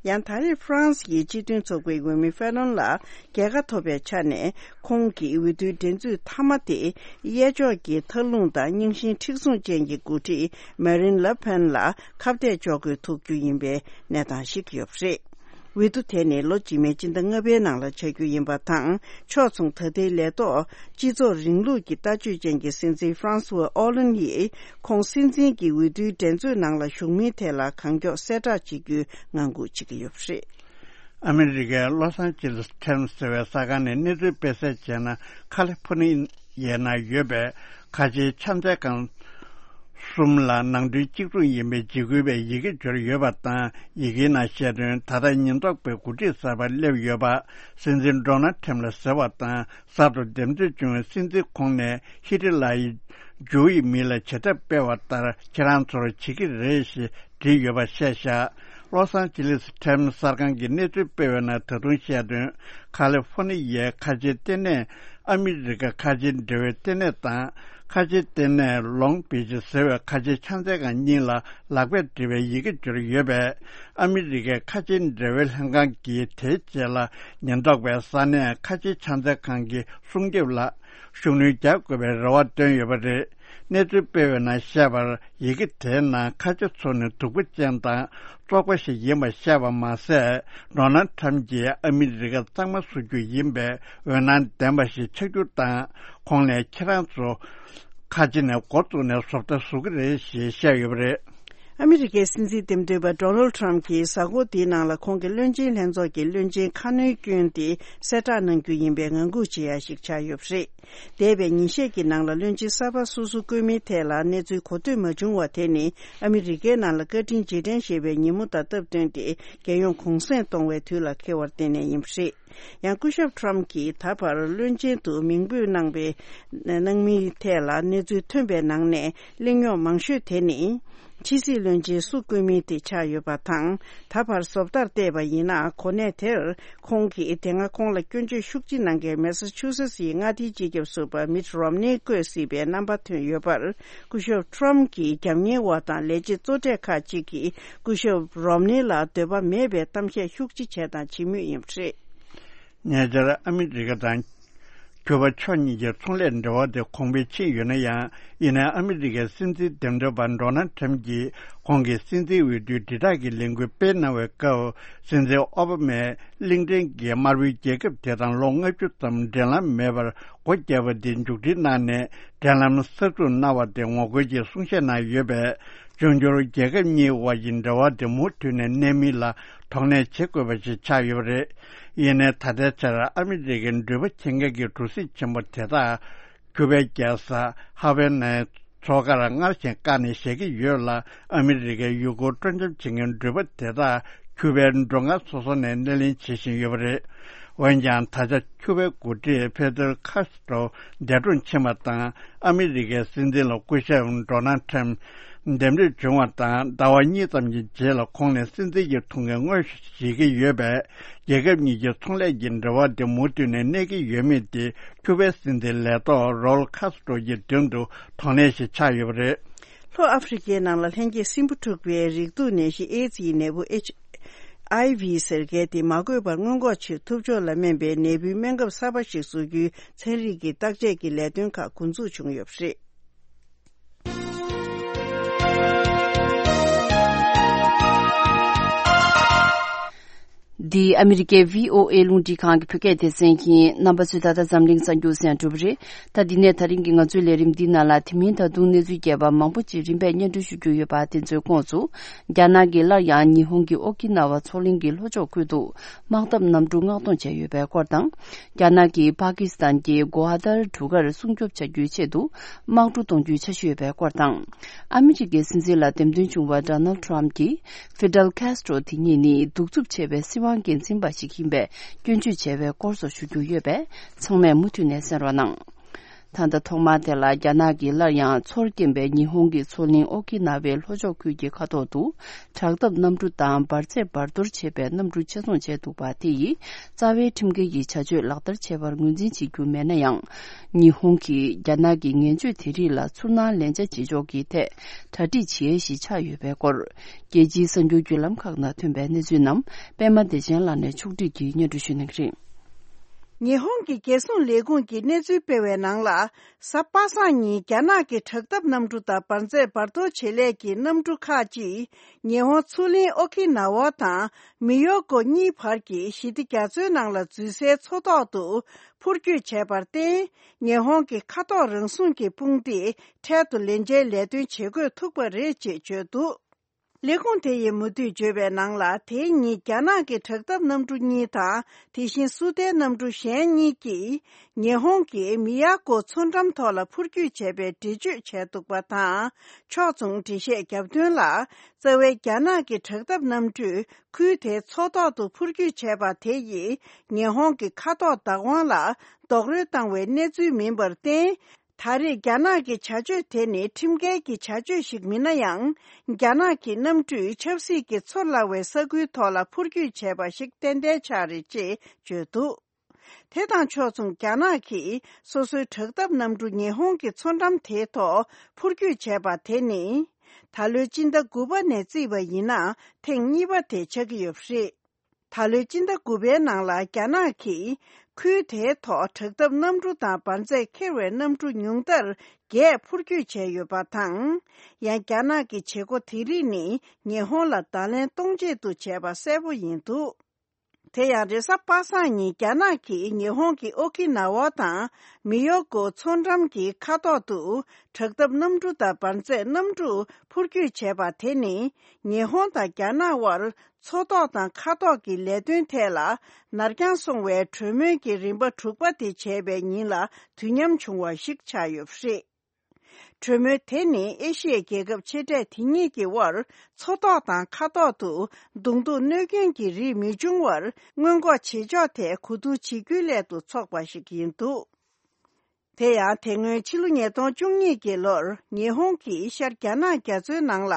ཡང་ད་རེས་ཧྥ་རན་སི་ཡི་སྤྱི་མཐུན་ཚོགས་པའི་འོས་མི་ཧྥེ་ལོན་ལ་རྒྱལ་ཁ་ཐོབ་པའི་ཆ་ནས། ཁོང་གི་འོས་བསྡུའི་འགྲན་རྩོད་མཐའ་མ་དེ་གཡས་ཕྱོགས་ཀྱི་མཐའ་ལྷུང་དང་རྙིང་ཞེན་མཁྲེགས་བཟུང་ཅན་གྱི་འགོ་ཁྲིད་མེ་རིན་ལེ་ཕན་ལ་ཁ་གཏད་གཅོག་དགོས་ཐུག་རྒྱུ་ཡིན་པའི་གནས་སྟངས་ཤིག་ཡོད་པ་རེད། འོས་བསྡུ་དེ་ནི་ལོ་རྗེས་མའི་སྤྱི་ཟླ་ལྔ་པའི་ནང་ལ་བྱ་རྒྱུ་ཡིན་པ་དང་། ཕྱོགས་མཚུངས་ད་ལྟའི་ལས་ཐོག་སྤྱི་ཚོགས་རིང་ལུགས་ཀྱི་ལྟ་སྤྱོད་ཅན་གྱི་སྲིད་འཛིན་ཧྥ་རན་སུ་ཝ་ཨོ་ལན་ཡིས། ཁོང་སྲིད་འཛིན་གྱི་འོས་བསྡུའི་འགྲན་རྩོད་ནང་ལ་ཞུགས་མིན་ཐད་ལ་གང་མགྱོགས་གསལ་བསྒྲགས་བྱེད་རྒྱུའི་ངང་སྒུག་བྱེད་ཀྱི་ཡོད་པ་རེད། ཨ་མི་རི་ཀའི་ལོ་སན་ཇི་ལིས་ཊེམ་ཟེར་བའི་གསར་ཁང་ནས་གནས་ཚུལ་སྤེལ་གསལ་བྱས་ན། ཁ་ལི་ཕོར་ནི་ཡའི་ནང་ཡོད་པའི་ཁ་ཆེའི་ཕྱག་འཚལ་ཁང་ གསུམ་ལ་ནང་དོན་གཅིག་མཚུངས་ཡིན་པའི་འཇིགས་སྐུལ་བའི་ཡི་གེ་འབྱོར་ཡོད་པ་དང་། ཡི་གེའི་ནང་བཤད་དོན། ད་ལྟ་ཉེན་རྟོག་པའི་འགོ་ཁྲིད་གསར་པ་སླེབས་ཡོད་པ། སྲིད་འཛིན་ཌོ་ནལ་ཁྲམ་ལ་ཟེར་བ་དང་། གསར་དུ་འདེམས་ཐོན་བྱུང་བའི་སྲིད་འཛིན་ཁོང་ནས་ཧི་ཏི་ལ་ཡི་ཇོའུ་ཡི་མི་ལ་བྱེད་ཐབས་སྤེལ་བ་ལྟར་ཁྱེད་རང་ཚོར་བྱེད་ཀྱི་རེད་ཞེས་བྲིས་ཡོད་པ་བཤད་བཞག་ལོ་སང་ཅི་ལིས་ཁྲེམ་གསར་ཁང་གིས་གནས་ཚུལ་སྤེལ་བའི་ནང་ད་དུང་བཤད་དོན། ཁ་ལི་ཧྥོ་ནི་ཡའི་ཁ་ཆེའི་ལྟེ་གནས། ཨ་མི་རི་ཀ་ཁ་ཆེའི་འབྲེལ་བའི་ལྟེ་གནས་དང་། ཁ་ཆེའི་ལྟེ་གནས་ལོང་བི་ཅི་ཟེར་བའི་ཁ་ཆེའི་ཕྱག་འཚལ་ཁང་གཉིས་ལ་ལག་པས་བྲིས་པའི་ཡི་གེ་འབྱོར་ཡོད་པས། ཨ་མི་རི་ཀའི་ཁ་ཆེའི་འབྲེལ་བའི་ལྷན་ཁང་གིས་དེའི་རྗེས་ལ་ཉེན་རྟོག་པས་ས་གནས་ཁ་ཆེའི་ཕྱག་འཚལ་ཁང་གི་སྲུང་སྐྱོབ་ལ་ཤུགས་སྣོན་རྒྱག་དགོས་པའི་རེ་བ་བཏོན་ཡོད་པ་རེད། གནས་ཚུལ་སྤེལ་བའི་ནང་བཤད་པར། ཡི་གེ་དེའི་ནང་ཁ་ཆེ་ཚོ་ནི་སྡུག་པོ་ཅན་དང་བཙོག་པ་ཞིག་ཡིན་པ་བཤད་པ་མ་ཟད། ཌོ་ནལ་ཁྲམ་གྱིས་ཨ་མི་རི་ཀ་གཙང་མ་བཟོ་རྒྱུ་ཡིན་པའི་འོད་སྣང་ལྡན་པ་ཞིག་ཆགས་རྒྱུ་དང་། ཁོང་ནས་ཁྱེད་རང་ཚོ་ཁ་ཆེ་ནས་འགོ་བཙུགས་ནས་བཟོ་ལྟ་བཟོ་གི་རེད་ཞེས་བཤད་ཡོད་པ་རེད། ཨ་མི་རི་ཀའི་སྲིད་འཛིན་འདེམས་ཐོན་པ་ཌོ་ནལ་ཁྲམ་གྱིས་གཟའ་འཁོར་འདིའི་ནང་ལ་ཁོང་གི་བློན་ཆེན་ལྷན་ཚོགས་ཀྱི་བློན་ཆེན་ཁ་སྣོན་བསྐྱོན་ཏེ་གསལ་བསྒྲགས་གནང་རྒྱུ་ཡིན་པའི་ངང་སྒུག་བྱེད་ཡ་ཞིག་ཆགས་ཡོད་པ་རེད། འདས་པའི་ཉིན་ཤས་ཀྱི་ནང་ལ་བློན་ཆེན་གསར་པ་སོ་སོ་བསྐོས་མིན་ཐད་ལ་གནས་ཚུལ་གོ་ཐོས་མ་བྱུང་བ་དེ་ནི་ཨ་མི་རི་ཀའི་ནང་ལ་བཀའ་དྲིན་རྗེས་དྲན་ཞེས་པའི་ཉིན་མོ་དང་སྟབས་བསྟུན་ཏེ་རྒྱལ་ཡོངས་གུང་སེང་གཏོང་བའི་དུས་ལ་འཁེལ་བར་བརྟེན་ནས་ཡིན་པ་རེད། ཡང་སྐུ་ཞབས་ཁྲམ་གྱིས་ད་བར་བློན་ཆེན་དུ་མིང་འབོད་གནང་བའི་གནང་མིན་ཐད་ལ་གནས་ཚུལ་ཐོན་པའི་ནང་ནས་གླེང་རྙོག་མང་ཤོས་དེ་ནི། ཕྱི་སྲིད་བློན་ཆེན་སུ་བསྐོས་མིན་དེ་ཆགས་ཡོད་པ་དང་། ད་བར་བཟོ་ལྟར་བལྟས་པ་ཡིན་ན། གོ་གནས་དེར་ཁོང་གིས་དེ་སྔ་ཁོང་ལ་སྐྱོན་བརྗོད་ཤུགས་ཆེ་གནང་མཁན་མེ་སཱ་ཆུ་སེ་སི་ཡི་མངའ་སྡེའི་སྤྱི་ཁྱབ་ཟུར་པ་མིཊ་རོམ་ནེ་བསྐོས་སྲིད་པའི་རྣམ་པ་ཐོན་ཡོད་པར། སྐུ་ཞབས་ཁྲོམ་གྱི་རྒྱབ་གཉེར་བ་དང་ལས་བྱེད་གཙོ་གྲས་ཁག་ཅིག་གིས་སྐུ་ཞབས་རོམ་ནེ་ལ་འདོད་པ་མེད་པའི་གཏམ་བཤད་ཤུགས་ཆེ་བྱས་དང་བྱེད་མུས་ཡིན་པ་རེད། ཉེ་ཆར་ཨ་མི་རི་ཀ་དང་། ཁྱུ་པ་ཕྱོགས་གཉིས་ཀྱི་ཚོང་ལས་འབྲེལ་བ་དེ་གོང་འཕེལ་ཕྱིན་ཡོད་ན་ཡང་། ཡིན་ནའི་ཨ་མི་རི་ཀའི་སྲིད་འཛིན་འདེམས་ཐོན་པ་ཌོ་ནལ་ཁྲམ་གྱིས་ཁོང་གི་སྲིད་འཛིན་འོས་བསྡུའི་དྲིལ་བསྒྲགས་ཀྱི་ལས་འགུལ་སྤེལ་གནང་བའི་སྐབས། སྲིད་འཛིན་ཨོ་བྷ་མས་གླིང་ཕྲན་གྱིས་དམར་པོའི་རྒྱལ་ཁབ་དེ་དང་ལོ་ལྔ་བཅུ་ཙམ་འབྲེལ་ལམ་མེད་པར་སྒོ་བརྒྱབ་པ་དེ་མཇུག་སྒྲིལ་གནང་ནས། འབྲེལ་ལམ་གསར་འཛུགས་གནང་བ་དེ་ངོ་རྒོལ་གྱི་གསུང་བཤད་གནང་ཡོད་པས། འབྱུང་འགྱུར་རྒྱལ་ཁབ་གཉིས་དབར་གྱི་འབྲེལ་བ་དེ་མུ་མཐུད་ནས་གནས་མིན་ལ་དོགས་གནས་བྱེད་དགོས་པ་ཞིག་ཆགས་ཡོད་པ་རེད། ཡིན་ནའི་ད་ལྟའི་ཆར་ཨ་མི་རི་ཀའི་འགྲུལ་པ་ཁྱེར་མཁན་གྱི་གྲུ་གཟིངས་ཆེན་པོ་དེ་དག་ཁྱུ་པའི་རྒྱལ་ས་ཧ་ཝེ་ནའི་མཚོ་ཁར་སྔར་བཞིན་བཀག་ནས་བཞག་གི་ཡོད་ལ། ཨ་མི་རི་ཀའི་ཡུལ་སྐོར་སྤྲོ་འཆམ་བྱེད་མཁན་འགྲུལ་པ་དེ་དག་ཁྱུ་པའི་མགྲོན་ཁང་སོ་སོ་ནས་སྣེ་ལེན་བྱེད་བཞིན་ཡོད་པ་རེད། འོན་ཀྱང་ད་ཆ་ཁྱུ་པའི་འགོ་ཁྲིད་ཕེ་དེལ་ཁཱ་སི་ཏྲོ་འདས་གྲོངས་ཕྱིན་པ་དང་། ཨ་མི་རི་ཀའི་སྲིད་འཛིན་ལ་སྐུ་ཞབས་ཌོ་ནལ་ཁྲམ་འདེམས་ཐོན་བྱུང་བ་དང་ཟླ་བ་གཉིས་ཙམ་གྱི་རྗེས་ལ་ཁོང་ནས་སྲིད་འཛིན་གྱི་ཐུགས་འགན་དངོས་བཞེས་ཀྱི་ཡོད་པས། རྒྱལ་ཁབ་གཉིས་ཀྱི་ཚོང་ལས་ཀྱི་འབྲེལ་བ་དེ་མུ་མཐུད་ནས་གནས་ཀྱི་ཡོད་མེད་དེ་ཁྱུ་པའི་སྲིད་འཛིན་ལས་ཐོག་རོལ་ཁཱ་སི་ཏྲོ་གྱི་མདུན་དུ་དོགས་གནས་ཤིག་ཆགས་ཡོད་པ་རེད། ལྷོ་ཨ་ཧྥེ་རི་ཁའི་ནང་ལ་ལྷན་སྐྱེས་སྲིན་འབུ་འཁྲུགས་པའི་རེག་དུག་ནད་གཞི་ཨེ་ཙི་ཡི་ནད་འབུ་ཨེཆ་ཨའི་ཝི་ཟེར་མཁན་དེ་མ་འགོས་པར་སྔོན་འགོག་ཆེད་ཐུབ་ཕྱོགས་ལ་སྨན་པའི་ནད་འབུའི་སྨན་ཁབ་གསར་པ་ཞིག་བཟོ་རྒྱུའི་ཚན་རིག་གི་བརྟག་དཔྱད་ཀྱི་ལས་དོན་ཁག་འགོ་འཛུགས་བྱུང་ཡོད་པ་རེད། འདི་ཨ་མི་རི་ཀའི་བྷི་ཨོ་ཨེ་རླུང་འཕྲིན་ཁང་གི་བོད་སྐད་སྡེ་ཚན་ཡིན། རྣམ་པ་ཚོས་ད་ལྟ་འཛམ་གླིང་གསར་འགྱུར་གསན་གྲུབ་རེད། ད་འདི་ནས་ད་རིང་གི་ང་ཚོའི་ལས་རིམ་འདི་ནང་ལ་དེ་མིན་ད་དུང་གནས་ཚུལ་རྒྱས་པ་མང་པོ་ཅིག་རིམ་པས་སྙན་སྒྲོན་ཞུ་རྒྱུ་ཡོད་པ་དེ་ཚོའི་ཁོངས་སུ། རྒྱ་ནག་གིས་སླར་ཡང་ཉི་ཧོང་གི་ཨོ་ཀི་ན་ཝ་མཚོ་གླིང་གི་ལྷོ་ཕྱོགས་ཁུལ་དུ་དམག་འཐབ་གནམ་གྲུ་མངགས་གཏོང་བྱས་ཡོད་པའི་སྐོར་དང་། རྒྱ་ནག་གིས་པ་ཀི་སི་ཐན་གྱི་གོ་ཨ་དར་གྲུ་ཁར་སྲུང་སྐྱོབ་བྱ་རྒྱུའི་ཆེད་དུ་དམག་གྲུ་གཏོང་རྒྱུའི་འཆར་གཞི་ཡོད་པའི་སྐོར་དང་། ཨ་མི་རི་ཀའི་སྲིད་འཛིན་ལ་འདེམས་ཐོན་བྱུང་བ་ཌོ་ནལ་ཊམ་གྱིས་ཧྥི་ཌེལ་ཁཱས་ཏྲོ་དེ་ཉིད་ནི་གདུག་རྩུབ་ཆེ་བའི་སྲིད་དབང་སྒེར་འཛིན་པ་ཞིག་ཡིན་པའི་སྐྱོན་བརྗོད་བྱས་པའི་སྐོར་སོགས་ཞུ་རྒྱུ་ཡོད་པས། ཚང་མས་མུ་མཐུད་ནས་གསན་རོགས་གནང་། ད་ལྟ་ཐོག་མར་དེ་ལ་རྒྱ་ནག་གིས་སླར་ཡང་ཚོར་སྐྱེན་པའི་ཉི་ཧོང་གི་མཚོ་གླིང་ཨོ་ཀི་ན་ཝའི་ལྷོ་ཕྱོགས་ཁུལ་གྱི་མཁའ་ཐོག་ཏུ་དྲག་འཐབ་གནམ་གྲུ་དང་འབར་རྫས་འབར་གཏོར་བྱེད་པའི་གནམ་གྲུ་ཆེད་རྫོང་བྱས་འདུག་པ་དེ་ཡིས་རྩ་བའི་ཁྲིམས་འགལ་གྱི་བྱ་སྤྱོད་ལག་བསྟར་བྱས་པར་ངོས་འཛིན་བྱེད་རྒྱུ་མེད་ན་ཡང་། ཉི་ཧོང་གིས་རྒྱ་ནག་གི་ངན་སྤྱོད་དེ་རིགས་ལ་ཚུར་སྣང་ལན་ཆ་བྱེད་ཕྱོགས་ཀྱི་ཐད་གྲ་སྒྲིག་བྱེད་ཡས་ཤིག་ཆགས་ཡོད་པའི་སྐོར། རྒྱལ་སྤྱིའི་གསར་འགྱུར་བརྒྱུད་ལམ་ཁག་ནང་ཐོན་པའི་གནས་ཚུལ་རྣམས་པད་མ་བདེ་ཆེན་ལགས་ནས་ཕྱོགས་བསྒྲིགས་ཀྱིས་སྙན་སྒྲོན་ཞུ་གནང་གི་རེད། ཉི་ཧོང་གི་རྒྱལ་སྲུང་ལས་ཁུངས་ཀྱིས་གནས་ཚུལ་སྤེལ་བའི་ནང་ལ། གཟའ་པ་སངས་ཉིན་རྒྱ་ནག་གི་དྲག་འཐབ་གནམ་གྲུ་དང་འབར་རྫས་འབར་གཏོར་བྱེད་ལས་ཀྱི་གནམ་གྲུ་ཁག་ཅིག་ཉི་ཧོང་མཚོ་གླིང་ཨོ་ཁི་ན་ཝ་དང་མི་ཡོ་ཀོ་གཉིས་བར་གྱི་ཞི་བདེ་རྒྱ་མཚོའི་ནང་ལ་འཛུལ་སའི་མཚོ་ཐོག་ཏུ་འཕུར་སྐྱོད་བྱས་པར་བརྟེན། ཉི་ཧོང་གི་མཁའ་ཐོག་རང་སྲུང་གི་དཔུང་སྡེས་འཕྲལ་དུ་ལན་ཆའི་ལས་དོན་བྱེད་དགོས་ཐུག་པ་རེད་ཅེས་བརྗོད་འདུག་ལས་ཁུངས་དེ་ཡིས་མུ་མཐུད་བརྗོད་པའི་ནང་ལ། དེའི་ཉིན་རྒྱ་ནག་གི་དྲག་འཐབ་གནམ་གྲུ་གཉིས་དང་། དེ་བཞིན་སུའུ་ཏན་གནམ་གྲུ་གཞན་གཉིས་ཀྱིས་ཉི་ཧོང་གི་མི་ཡ་ཀོ་མཚོ་འགྲམ་ཐོག་ལ་འཕུར་སྐྱོད་བྱས་པའི་འགྲེལ་བརྗོད་བྱས་འདུག་པ་དང་། ཕྱོགས་མཚུངས་འགྲེལ་བཤད་བརྒྱབ་དོན་ལ། རྩ་བའི་རྒྱ་ནག་གི་དྲག་འཐབ་གནམ་གྲུས་ཁུལ་དེའི་མཚོ་ཐོག་ཏུ་འཕུར་སྐྱོད་བྱས་པ་དེ་ཡིས་ཉི་ཧོང་གི་མཁའ་ཐོག་བདག་དབང་ལ་རྡོག་རོལ་བཏང་བའི་གནས་ཚུལ་མིན་པར་བརྟེན། ད་རེས་རྒྱ་ནག་གི་བྱ་སྤྱོད་དེ་ནི་ཁྲིམས་འགལ་གྱི་བྱ་སྤྱོད་ཞིག་མིན་ན་ཡང་། རྒྱ་ནག་གི་གནམ་གྲུས་ཆབ་སྲིད་ཀྱི་ཚོར་སླ་བའི་ས་ཁུལ་ཐོག་ལ་འཕུར་སྐྱོད་བྱས་པ་ཞིག་ཏན་ཏན་ཆགས་རེད་ཅེས་བརྗོད་འདུག་དེ་དང་ཕྱོགས་མཚུངས། རྒྱ་ནག་གིས་སོ་སོའི་དྲག་འཐབ་གནམ་གྲུ་ཉི་ཧོང་གི་མཚོ་འགྲམ་དེའི་ཐོག་འཕུར་སྐྱོད་བྱས་པ་དེ་ནི། ད་ལོའི་སྤྱི་ཟླ་དགུ་པ་ནས་བརྩིས་པ་ཡིན་ན་ཐེངས་གཉིས་པ་དེ་ཆགས་ཀྱི་ཡོད་པ་རེད། ད་ལོའི་སྤྱི་ཟླ་དགུ་པའི་ནང་ལ་རྒྱ་ནག་གིས་ཁུལ་དེའི་ཐོག་དྲག་འཐབ་གནམ་གྲུ་དང་འབར་རྫས་འཁྱེར་བའི་གནམ་གྲུ་ཉུང་མཐར་བརྒྱད་འཕུར་སྐྱོད་བྱས་ཡོད་པ་དང་། ཡང་རྒྱ་ནག་གི་བྱེད་སྒོ་དེ་རིགས་ནི་ཉི་ཧོང་ལ་བརྡ་ལན་གཏོང་ཆེད་དུ་བྱས་པ་གསལ་པོ་ཡིན་འདུག་དེ་ཡང་རེས་གཟའ་པ་སངས་ཉིན་རྒྱ་ནག་གིས་ཉི་ཧོང་གི་ཨོ་ཁི་ན་ཝ་དང་མི་ཡོ་ཀོ་མཚོ་འགྲམ་གྱི་མཁའ་ཐོག་ཏུ་དྲག་འཐབ་གནམ་གྲུ་དང་འབར་རྫས་གནམ་གྲུ་འཕུར་སྐྱོད་བྱས་པ་དེ་ནི། ཉི་ཧོང་དང་རྒྱ་ནག་དབར་མཚོ་ཐོག་དང་མཁའ་ཐོག་གི་ལས་དོན་ཐད་ལ་ནར་འགྱངས་སོང་བའི་གྲོས་མོལ་གྱི་རིམ་པ་དྲུག་པ་དེ་བྱས་པའི་ཉིན་ལ་དུས་མཉམ་བྱུང་བ་ཞིག་ཆགས་ཡོད་པ་རེད། གྲོས་མོལ་དེ་ནི་ཨེ་ཤི་ཡའི་རྒྱལ་ཁབ་ཆེ་གྲས་དེ་གཉིས་ཀྱི་དབར་མཚོ་ཐོག་དང་མཁའ་ཐོག་ཏུ་གདོང་ཐུག་གནོད་སྐྱོན་གྱི་རིགས་མི་འབྱུང་བར་སྔོན་འགོག་བྱེད་ཕྱོགས་ཐད་གོ་བསྡུར་བྱེད་རྒྱུའི་སླད་དུ་འཚོགས་པ་ཞིག་ཡིན་འདུག་དེ་ཡང་དེ་སྔོན་ཕྱི་ལོ་ཉིས་སྟོང་བཅུ་གཉིས་ཀྱི་ལོར་ཉི་ཧོང་གིས་ཤར་རྒྱ་ནག་རྒྱ་མཚོའི་ནང་ལ་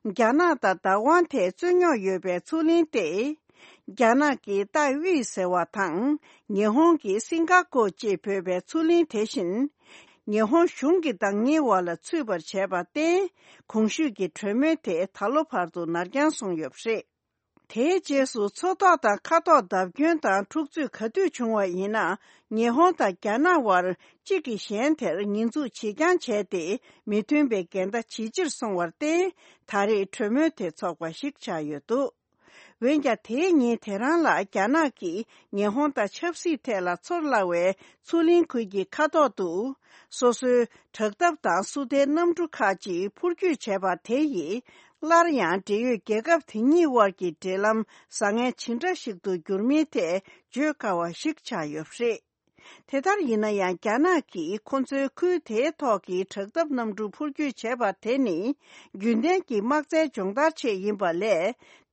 རྒྱ་ནག་དང་བདག་དབང་ཐད་རྩོད་རྙོག་ཡོད་པའི་མཚོ་གླིང་སྟེ། རྒྱ་ནག་གི་ཏཱའི་དབྱི་ཟེར་བ་དང་ཉི་ཧོང་གི་སིང་ག་ཀོ་ཅེས་འབོད་པའི་མཚོ་གླིང་དེ་བཞིན། ཉི་ཧོང་གཞུང་གི་བདག་གཉེར་འོག་ལ་ཚུད་པར་བྱས་པར་བརྟེན། གོང་ཞུས་ཀྱི་གྲོས་མོལ་དེ་ད་ལོ་བར་དུ་ནར་འགྱངས་སོང་ཡོད་པ་རེད། དེའི་རྗེས་སུ་མཚོ་ཐོག་དང་མཁའ་ཐོག་བརྡབ་སྐྱོན་དང་འཁྲུག་རྩོད་ག་དུས་བྱུང་བ་ཡིན་ན། ཉི་ཧོང་དང་རྒྱ་ནག་དབར་གཅིག་གིས་གཞན་དེར་ཉེས་འཛུགས་བྱེད་རྐྱང་བྱས་ཏེ། མི་མཐུན་པའི་འགལ་ཟླ་ཇེ་ཆེར་སོང་བར་བརྟེན། ད་རེས་གྲོས་མོལ་དེ་འཚོགས་པ་ཞིག་ཆགས་ཡོད་འདུག་འོན་ཀྱང་། དེའི་ཉིན་དེ་རང་ལ་རྒྱ་ནག་གིས་ཉི་ཧོང་དང་ཆབ་སྲིད་ཐད་ལ་ཚོར་སླ་བའི་མཚོ་གླིང་ཁུལ་གྱི་མཁའ་ཐོག་ཏུ། སོ་སོའི་དྲག་འཐབ་དང་སུའུ་ཏན་གནམ་གྲུ་ཁག་ཅིག་འཕུར་སྐྱོད་བྱས་པ་དེ་ཡིས། སླར་ཡང་འབྲེལ་ཡོད་རྒྱལ་ཁབ་དེ་གཉིས་དབར་གྱི་འབྲེལ་ལམ་བཟང་ངན་ཇི་འདྲ་ཞིག་ཏུ་འགྱུར་མིན་ཐད་བརྗོད་དཀའ་བ་ཞིག་ཆགས་ཡོད་པ་རེད། དེ་ལྟར་ཡིན་ན་ཡང་། རྒྱ་ནག་གིས་ཁོ་ཚོའི་ཁུལ་དེའི་ཐོག་གི་དྲག་འཐབ་གནམ་གྲུ་འཕུར་སྐྱོད་བྱས་པ་དེ་ནི། རྒྱུན་ལྡན་གྱི་དམག་རྩལ་སྦྱོང་བརྡར་ཆེད་ཡིན་པ་ལས།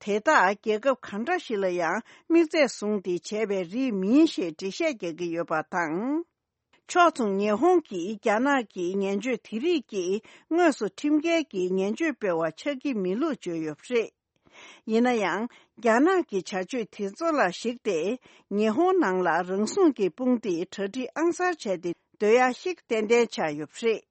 དེ་དག་རྒྱལ་ཁབ་གང་འདྲ་ཞིག་ལ་ཡང་དམིགས་བརྩེ་བཟུང་སྟེ་བྱས་པའི་རིགས་མིན་ཞེས་འགྲེལ་བཤད་རྒྱག་གི་ཡོད་པ་དང་། ཕྱོགས་མཚུངས། ཉི་ཧོང་གིས་རྒྱ་ནག་གི་ངན་བྱུས་དེ་རིགས་ཀྱིས་དངོས་སུ་ཁྲིམས་འགལ་གྱི་ངན་བྱུས་སྤེལ་བ་ཆགས་ཀྱི་མེད་ལུགས་བརྗོད་ཡོད་པ་རེད། ཡིན་ན་ཡང་། རྒྱ་ནག་གི་བྱ་སྤྱོད་དེ་ཚོ་ལ་གཞིགས་ཏེ། ཉི་ཧོང་ནང་ལ་རང་སྲུང་གི་དཔུང་སྡེ་གྲ་སྒྲིག་ཨང་གསར་བྱས་ཏེ་སྡོད་ཡག་ཞིག་ཏན་ཏན་ཆགས་ཡོད་པ་རེད།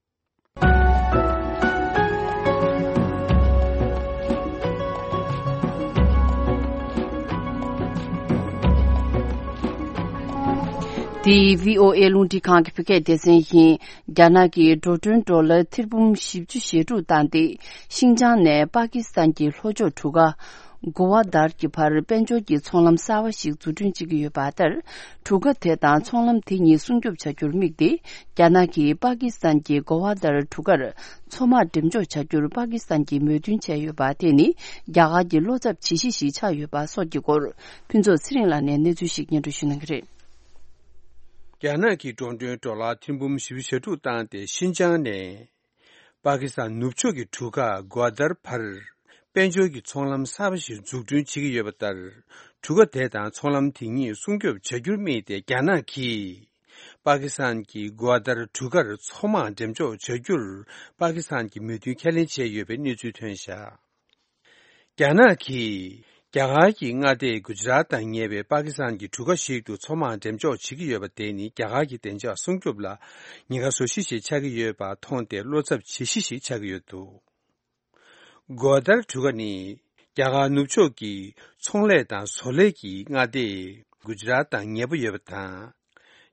འདི་བྷི་ཨོ་ཨེ་རླུང་འཕྲིན་ཁང་གི་བོད་སྐད་སྡེ་ཚན་ཡིན། རྒྱ་ནག་གིས་འགྲོ་གྲོན་ཌོ་ལར་ཐེར་འབུམ་བཞི་བཅུ་ཞེ་དྲུག་བཏང་སྟེ། ཤིན་ཅང་ནས་པ་ཀི་སི་ཐན་གྱི་ལྷོ་ཕྱོགས་གྲུ་ཁ་གོ་ཝ་དར་གྱི་བར་དཔལ་འབྱོར་གྱི་ཚོང་ལམ་གསར་བ་ཞིག་འཛུགས་སྐྲུན་བྱེད་ཀྱི་ཡོད་པ་ལྟར། གྲུ་ཁ་དེ་དང་ཚོང་ལམ་དེ་གཉིས་སྲུང་སྐྱོབ་བྱ་རྒྱུར་དམིགས་ཏེ། རྒྱ་ནག་གིས་པ་ཀི་སི་ཐན་གྱི་གོ་ཝ་དར་གྲུ་ཁར་མཚོ་དམག་འགྲེམས་འཇོག་བྱ་རྒྱུར་པ་ཀི་སི་ཐན་གྱིས་མོས་མཐུན་བྱས་ཡོད་པ་དེ་ནི། རྒྱ་གར་གྱི་བློ་འཚབ་བྱེད་གཞི་ཞིག་ཆགས་ཡོད་པ་སོགས་ཀྱི་སྐོར། ཕུན་ཚོགས་ཚེ་རིང་ལགས་ནས་གནས་ཚུལ་ཞིག་སྙན་སྒྲོན་ཞུ་གནང་གི་རེད། རྒྱ་ནག་གིས་འགྲོ་གྲོན་ཌོ་ལར་ཐེར་འབུམ་བཞི་བཅུ་ཞེ་དྲུག་བཏང་སྟེ། ཤིན་ཅང་ནས་པ་ཀི་སི་ཐན་ནུབ་ཕྱོགས་ཀྱི་གྲུ་ཁ་གོ་ཝ་དར་བར་དཔལ་འབྱོར་གྱི་ཚོང་ལམ་གསར་པ་ཞིག་འཛུགས་སྐྲུན་བྱེད་ཀྱི་ཡོད་པ་ལྟར། གྲུ་ཁ་དེ་དང་ཚོང་ལམ་དེ་གཉིས་སྲུང་སྐྱོབ་བྱ་རྒྱུར་དམིགས་ཏེ། རྒྱ་ནག་གིས་པ་ཀི་སི་ཐན་གྱི་གོ་ཝ་དར་གྲུ་ཁར་མཚོ་དམག་འགྲེམས་འཇོག་བྱ་རྒྱུར་པ་ཀི་སི་ཐན་གྱིས་མོས་མཐུན་ཁས་ལེན་བྱས་ཡོད་པའི་གནས་ཚུལ་ཐོན་བཞག་རྒྱ་ནག་གིས་རྒྱ་གར་གྱི་མངའ་སྡེ་གུ་ཇི་རཱཏ་དང་ཉེ་བའི་པ་ཀི་སི་ཐན་གྱི་གྲུ་ཁ་ཞིག་ཏུ་མཚོ་དམག་འགྲེམས་འཇོག་བྱེད་ཀྱི་ཡོད་པ་དེ་ནི། རྒྱ་གར་གྱི་བདེ་འཇགས་སྲུང་སྐྱོབ་ལ་ཉེན་ཁ་བཟོ་གཞི་ཞིག་ཆགས་ཀྱི་ཡོད་པ་མཐོང་སྟེ། བློ་འཚབ་བྱེད་གཞི་ཞིག་ཆགས་ཀྱི་ཡོད་འདུག་གོ་ཝ་དར་གྲུ་ཁ་ནི། རྒྱ་གར་ནུབ་ཕྱོགས་ཀྱི་ཚོང་ལས་དང་བཟོ་ལས་ཀྱི་མངའ་སྡེ་གུ་ཇི་རཱཏ་དང་ཉེ་པོ་ཡོད་པ་དང་།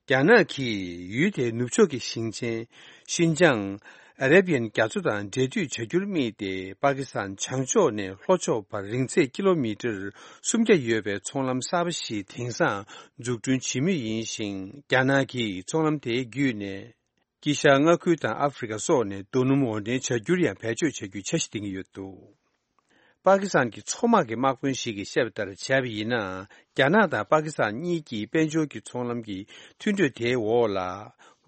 རྒྱ་ནག་གིས་ཡུལ་དེའི་ནུབ་ཕྱོགས་ཀྱི་ཞིང་ཆེན་ཤིན་ཅང་ཨ་རེ་བི་ཡན་རྒྱ་མཚོ་དང་འབྲེལ་མཐུད་བྱ་རྒྱུར་དམིགས་ཏེ། པ་ཀི་སི་ཐན་བྱང་ཕྱོགས་ནས་ལྷོ་ཕྱོགས་བར་རིང་ཚད་ཀི་ལོ་མི་ཊར་སུམ་བརྒྱ་ཡོད་པའི་ཚོང་ལམ་གསར་པ་ཞིག་དེང་སང་འཛུགས་སྐྲུན་བྱེད་མུས་ཡིན་ཞིང་། རྒྱ་ནག་གིས་ཚོང་ལམ་དེའི་བརྒྱུད་ནས། དཀྱིལ་ཤར་མངའ་ཁུལ་དང་ཨ་ཧྥེ་རི་ཁ་སོགས་ནས་རྡོ་སྣུམ་འོར་འདྲེན་བྱ་རྒྱུར་ཡང་བེད་སྤྱོད་བྱ་རྒྱུའི་འཆར་གཞི་འདིང་གི་ཡོད་འདུག་པ་ཀི་སི་ཐན་གྱི་མཚོ་དམག་གི་དམག་དཔོན་ཞིག་གིས་བཤད་པ་ལྟར་བྱས་པ་ཡིན་ན། རྒྱ་ནག་དང་པ་ཀི་སི་ཐན་གཉིས་ཀྱིས་དཔལ་འབྱོར་གྱི་ཚོང་ལམ་གྱི་མཐུན་གྲོས་དེའི་འོག་ལ།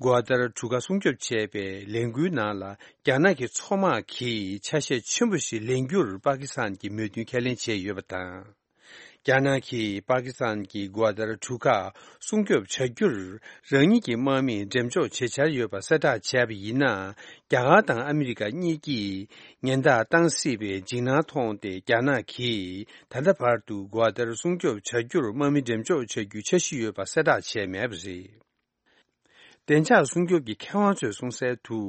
གོ་ཨ་དར་གྲུ་ཁ་སྲུང་སྐྱོབ་བྱས་པའི་ལས་འགུལ་ནང་ལ། རྒྱ་ནག་གི་མཚོ་དམག་གིས་ཆ་ཤས་ཆེན་པོ་ཞིག་ལེན་རྒྱུར་པ་ཀི་སི་ཐན་གྱིས་མོས་མཐུན་ཁས་ལེན་བྱས་ཡོད་པ་དང་། རྒྱ་ནག་གིས་པ་ཀི་སི་ཐན་གྱི་གོ་ཨ་དར་གྲུ་ཁ་སྲུང་སྐྱོབ་བྱ་རྒྱུར་རང་ཉིད་ཀྱི་དམག་མིས་འགྲེམས་འཇོག་བྱེད་འཆར་ཡོད་པ་གསལ་བསྒྲགས་བྱས་པ་ཡིན་ན། རྒྱ་གར་དང་ཨ་མི་རི་ཀ་གཉིས་ཀྱིས་ཉེན་བརྡ་བཏང་སྲིད་པའི་འཇིགས་སྣང་མཐོང་སྟེ། རྒྱ་ནག་གིས་ད་ལྟ་བར་དུ་གོ་ཨ་དར་སྲུང་སྐྱོབ་བྱ་རྒྱུར་དམག་མི་འགྲེམས་འཇོག་བྱ་རྒྱུའི་འཆར་གཞི་ཡོད་པ་གསལ་བསྒྲགས་བྱས་མེད་པ་རེད། བདེ་འཇགས་སྲུང་སྐྱོབ་ཀྱི་མཁས་དབང་ཚོས་གསུངས་གསལ་དུ།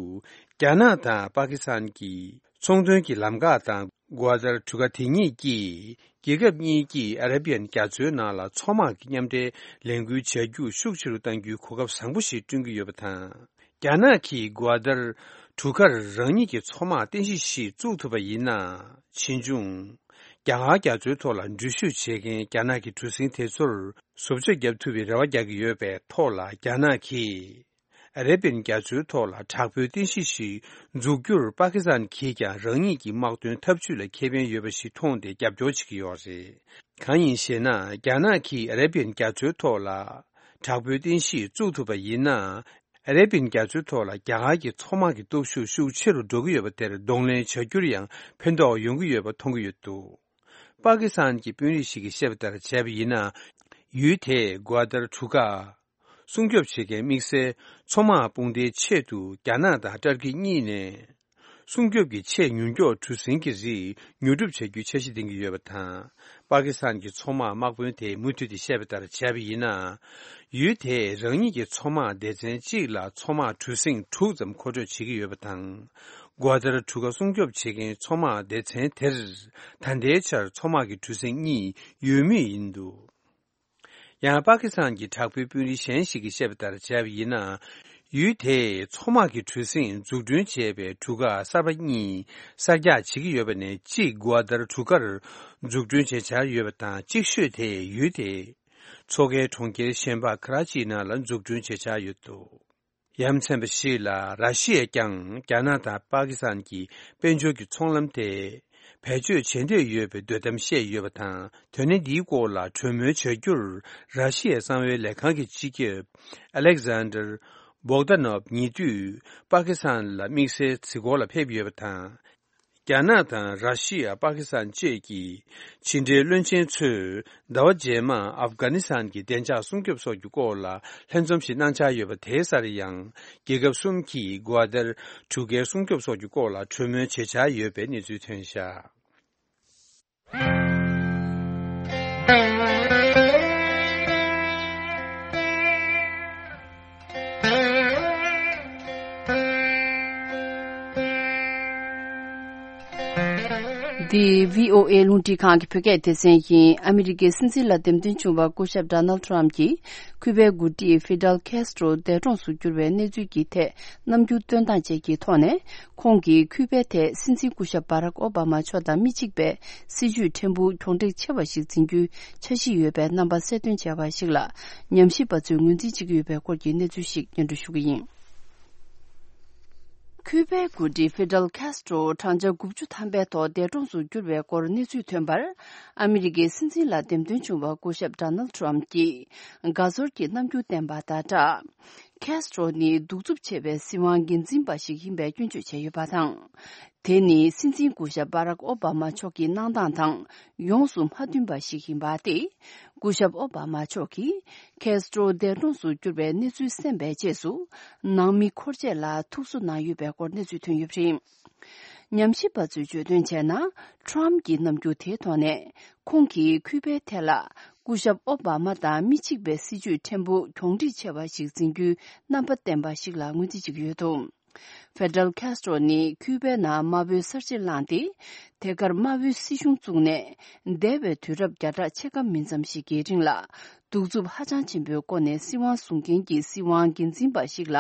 རྒྱ་ནག་དང་པ་ཀི་སི་ཐན་གྱི་ཚོང་དོན་གྱི་ལམ་ཁ་དང་། གོ་ཨ་དར་གྲུ་ཁ་དེ་གཉིས་ཀྱིས་རྒྱལ་ཁབ་གཉིས་ཀྱིས་ཨ་ར་བི་ཡན་རྒྱ་མཚོའི་ནང་ལ་མཚོ་དམག་གི་མཉམ་འབྲེལ་ལས་འགུལ་བྱ་རྒྱུ་ཤུགས་ཆེ་རུ་གཏང་རྒྱུའི་གོ་སྐབས་བཟང་པོ་ཞིག་བསྐྲུན་གྱི་ཡོད་པ་དང་། རྒྱ་ནག་གིས་གོ་ཨ་དར་གྲུ་ཁར་རང་ཉིད་ཀྱི་མཚོ་དམག་རྟེན་གཞི་ཞིག་བཙུགས་ཐུབ་པ་ཡིན་ན། ཕྱིས་འབྱུང་རྒྱ་གར་རྒྱ་མཚོའི་ཐོག་ལ་འགྲུལ་བཞུད་བྱེད་མཁན་རྒྱ་ནག་གི་གྲུ་གཟིངས་དེ་ཚོར་བཟོ་བཅོས་བརྒྱབ་ཐུབ་པའི་རེ་བ་རྒྱག་གི་ཡོད་པའི་ཐོག་ལ། རྒྱ་ནག་གིས་ཨ་རེ་བིའན་རྒྱ་མཚོའི་ཐོག་ལ་དྲག་པོའི་རྟེན་གཞི་ཞིག་འཛུགས་རྒྱུར་པ་ཀི་སི་ཐན་གྱིས་ཀྱང་རང་ཉིད་ཀྱི་དམག་དོན་འཐབ་ཇུས་ལ་ཁེ་ཕན་ཡོད་པ་ཞིག་མཐོང་སྟེ་རྒྱབ་སྐྱོར་བྱེད་ཀྱི་ཡོད་རེད། གང་ཡིན་ཞེ་ན། རྒྱ་ནག་གིས་ཨ་རེ་བིའན་རྒྱ་མཚོའི་ཐོག་ལ་དྲག་པོའི་རྟེན་གཞི་བཙུགས་ཐུབ་པ་ཡིན་ན། ཨ་རེ་བིའན་རྒྱ་མཚོའི་ཐོག་ལ་རྒྱ་གར་གྱི་མཚོ་དམག་གི་སྟོབས་ཤུགས་ཤུགས་ཆེ་རུ་འགྲོ་གི་ཡོད་པ་དེར་གདོང་ལེན་བྱ་རྒྱུར་ཡང་ཕན་ཐོགས་ཡོང་གི་ཡོད་པ་མཐོང་གི་ཡོད་འདུག་པ་ཀི་སི་ཐན་གྱི་དཔོན་རིགས་ཤིག་གིས་བཤད་པ་ལྟར་བྱས་པ་ཡིན་ན། ཡུལ་དེས་གོ་ཨ་དར་གྲུ་ཁ་སྲུང་སྐྱོབ་བྱེད་མཁན་དམིགས་བསལ་མཚོ་དམག་དཔུང་སྡེའི་ཆེད་དུ་རྒྱ་ནག་དང་ཏར་ཀི་གཉིས་ནས་སྲུང་སྐྱོབ་ཀྱི་ཆེས་མྱུར་མགྱོགས་གྲུ་གཟིངས་ཀྱི་རིགས་ཉོ་སྒྲུབ་བྱ་རྒྱུའི་འཆར་གཞི་འདིང་གི་ཡོད་པ་དང་། པ་ཀི་སི་ཐན་གྱི་མཚོ་དམག་དམག་དཔོན་དེས་མུ་མཐུད་དེ་བཤད་པ་ལྟར་བྱས་པ་ཡིན་ན། ཡུལ་དེས་རང་ཉིད་ཀྱི་མཚོ་དམག་སྡེ་ཚན་གཅིག་ལ་མཚོ་དམག་གྲུ་གཟིངས་དྲུག་ཙམ་མཁོ་སྤྲོད་བྱེད་ཀྱི་ཡོད་པ་དང་། གོ་ཨ་དར་གྲུ་ཁ་སྲུང་སྐྱོབ་བྱེད་མཁན་མཚོ་དམག་སྡེ་ཚན་དེར་ད་ལྟའི་ཆར་མཚོ་དམག་གི་གྲུ་གཟིངས་གཉིས་ཡོད་མུས་ཡིན་འདུག་ཡང་པ་ཀི་སི་ཐན་གྱི་དྲག་པོའི་དཔོན་རིགས་གཞན་ཞིག་གིས་བཤད་པ་ལྟར་བྱས་པ་ཡིན་ན། ཡུལ་དེས་མཚོ་དམག་གི་གྲུ་གཟིངས་འཛུགས་སྐྲུན་བྱས་པའི་གྲུ་ཁ་གསར་པ་གཉིས་གསར་རྒྱག་བྱེད་ཀྱི་ཡོད་པ་ནས་གཅིག་གོ་ཨ་དར་གྲུ་ཁར་འཛུགས་སྐྲུན་བྱེད་འཆར་ཡོད་པ་དང་། གཅིག་ཤོས་དེ་ཡུལ་དེའི་མཚོ་ཁའི་གྲོང་ཁྱེར་གཞན་པ་ཁ་ར་ཅིའི་ནང་ལ་འཛུགས་སྐྲུན་བྱེད་འཆར་ཡོད་འདུག་ཡ་མཚན་པ་ཞིག་ལ། ར་ཤི་ཡས་ཀྱང་རྒྱ་ནག་དང་པ་ཀི་སི་ཐན་གྱི་དཔལ་འབྱོར་གྱི་ཚོང་ལམ་དེ་བེད་སྤྱོད་བྱེད་འདོད་ཡོད་པའི་འདོད་གཏམ་བཤད་ཡོད་པ་དང་། དོན་གནད་འདིའི་སྐོར་ལ་གྲོས་མོལ་བྱ་རྒྱུར་ར་ཤི་ཡའི་གསང་བའི་ལས་ཁང་གི་སྤྱི་ཁྱབ་ཨ་ལེག་ཟན་ཌར་བོག་ད་ནོབ་ཉེ་དུས་པ་ཀི་སི་ཐན་ལ་དམིགས་བསལ་གཟིགས་སྐོར་ལ་ཕེབས་ཡོད་པ་དང་། རྒྱ་ནག་དང་ར་ཤི་ཡ། པ་ཀི་སི་ཐན་བཅས་ཀྱི་ཕྱི་འབྲེལ་བློན་ཆེན་ཚོས་ཟླ་བ་རྗེས་མར་ཨབ་གྷ་ནི་སི་ཐན་གྱི་བདེ་འཇགས་སྲུང་སྐྱོབ་སོགས་ཀྱི་སྐོར་ལ་ལྷན་འཛོམས་ཤིག་གནང་འཆར་ཡོད་པ། དེའི་སར་ཡང་རྒྱལ་ཁབ་གསུམ་གྱིས་གོ་ཨ་དར་གྲུ་ཁའི་སྲུང་སྐྱོབ་སོགས་ཀྱི་སྐོར་ལ་གྲོས་མོལ་བྱེད་འཆར་ཡོད་པའི་གནས་ཚུལ་ཐོན་བཞག་འདི་བྷི་ཨོ་ཨེ་རླུང་འཕྲིན་ཁང་གི་བོད་སྐད་སྡེ་ཚན་ཡིན། ཨ་མི་རི་ཀའི་སྲིད་འཛིན་ལ་འདེམས་ཐོན་བྱུང་བ་སྐུ་ཞབས་ཌོ་ནལ་ཌི་ཊམ་གྱིས་ཁུ་པའི་འགོ་ཁྲིད་ཧྥི་ཌལ་ཁེ་སི་ཏྲོ་འདས་གྲོངས་སུ་གྱུར་བའི་གནས་ཚུལ་གྱི་ཐད་རྣམ་འགྱུར་སྟོན་སྟངས་བཅས་ཀྱི་ཐོག་ནས། ཁོང་གིས་ཁུ་པའི་ཐད་སྲིད་འཛིན་སྐུ་ཞབས་བྷ་རག་ཨོ་བྷ་མ་མཆོག་དང་མི་གཅིག་པའི་སྲིད་ཇུས་ཕྲན་བུ་གྱོང་འདྲེས་ཆེ་བ་ཞིག་འཛིན་རྒྱུའི་འཆར་གཞི་ཡོད་པའི་རྣམ་པ་གསལ་སྟོན་བྱས་པ་ཞིག་ལ། ཉམས་ཞིབ་པ་ཚོས་ངོས་འཛིན་བྱེད་ཀྱི་ཡོད་པའི་སྐོར་གྱི་གནས་ཚུལ་ཞིག་སྙན་སྒྲོན་ཞུ་གི་ཡིན། ཁུ་པའི་འགོ་ཁྲིད་ཧྥི་ཌལ་ཁེ་སི་ཏྲོ་བགྲང་བྱ་དགུ་བཅུ་ཐམ་པའི་ཐོག་འདས་གྲོངས་སུ་གྱུར་བའི་སྐོར་གནས་ཚུལ་ཐོན་པར། ཨ་མི་རི་ཀའི་སྲིད་འཛིན་ལ་འདེམས་ཐོན་བྱུང་བ་སྐུ་ཞབས་ཌོ་ནལ་ཌི་ཊམ་གྱིས་དགའ་ཚོར་གྱི་རྣམ་འགྱུར་བསྟན་པ་དང་སྦྲགས། ཁེ་སི་ཏྲོ་ནི་གདུག་རྩུབ་ཆེ་བའི་སྲིད་དབང་འགན་འཛིན་པ་ཞིག་ཡིན་པའི་སྐྱོན་བརྗོད་བྱས་ཡོད་པ་དང་། དེ་ནི་སྲིད་འཛིན་སྐུ་ཞབས་བྷ་རག་ཨོ་བྷ་མ་མཆོག་གི་གནང་སྟངས་དང་ཡོངས་སུ་མ་མཐུན་པ་ཞིག་ཡིན་པ་སྟེ། སྐུ་ཞབས་ཨོ་བྷ་མ་མཆོག་གིས་ཁེ་སི་ཏྲོ་འདས་གྲོངས་སུ་གྱུར་བའི་གནས་ཚུལ་གསན་པའི་རྗེས་སུ། ནང་མི་འཁོར་བཅས་ལ་ཐུགས་གསོ་གནང་ཡོད་པའི་སྐོར་གནས་ཚུལ་ཐོན་ཡོད་པ་རེད། ཉམས་ཞིབ་པ་ཚོས་བརྗོད་དོན་བྱས་ན། ཊམ་གྱི་རྣམ་འགྱུར་དེའི་ཐོག་ནས། ཁོང་གིས་ཁུ་པའི་ཐད་ལ་སྐུ་ཞབས་ཨོ་བྷ་མ་དང་མི་གཅིག་པའི་སྲིད་ཇུས་ཕྲན་བུ་གྱོང་འདྲེས་ཆེ་བ་ཞིག་འཛིན་རྒྱུའི་རྣམ་པ་བསྟན་པ་ཞིག་ལ་ངོས་འཛིན་བྱེད་ཀྱི་ཡོད་འདུག་ཧྥེ་ཌེ་རལ་ཁེ་སི་ཏྲོ་ནི་ཁུ་པའི་ནང་དམར་པོའི་གསར་བརྗེ་བསླངས་ཏེ། དེ་གར་དམར་པོའི་སྲིད་གཞུང་བཙུགས་ནས། འདས་པའི་དུས་རབས་བརྒྱ་ཕྲག་ཕྱེད་ཀ་མིན་ཙམ་ཞིག་གི་རིང་ལ། གདུག་རྩུབ་ཧ་ཅང་ཆེན་པོའི་སྒོ་ནས་སྲིད་དབང་བཟུང་མཁན་གྱི་སྲིད་དབང་འགན་འཛིན་པ་ཞིག་ལ་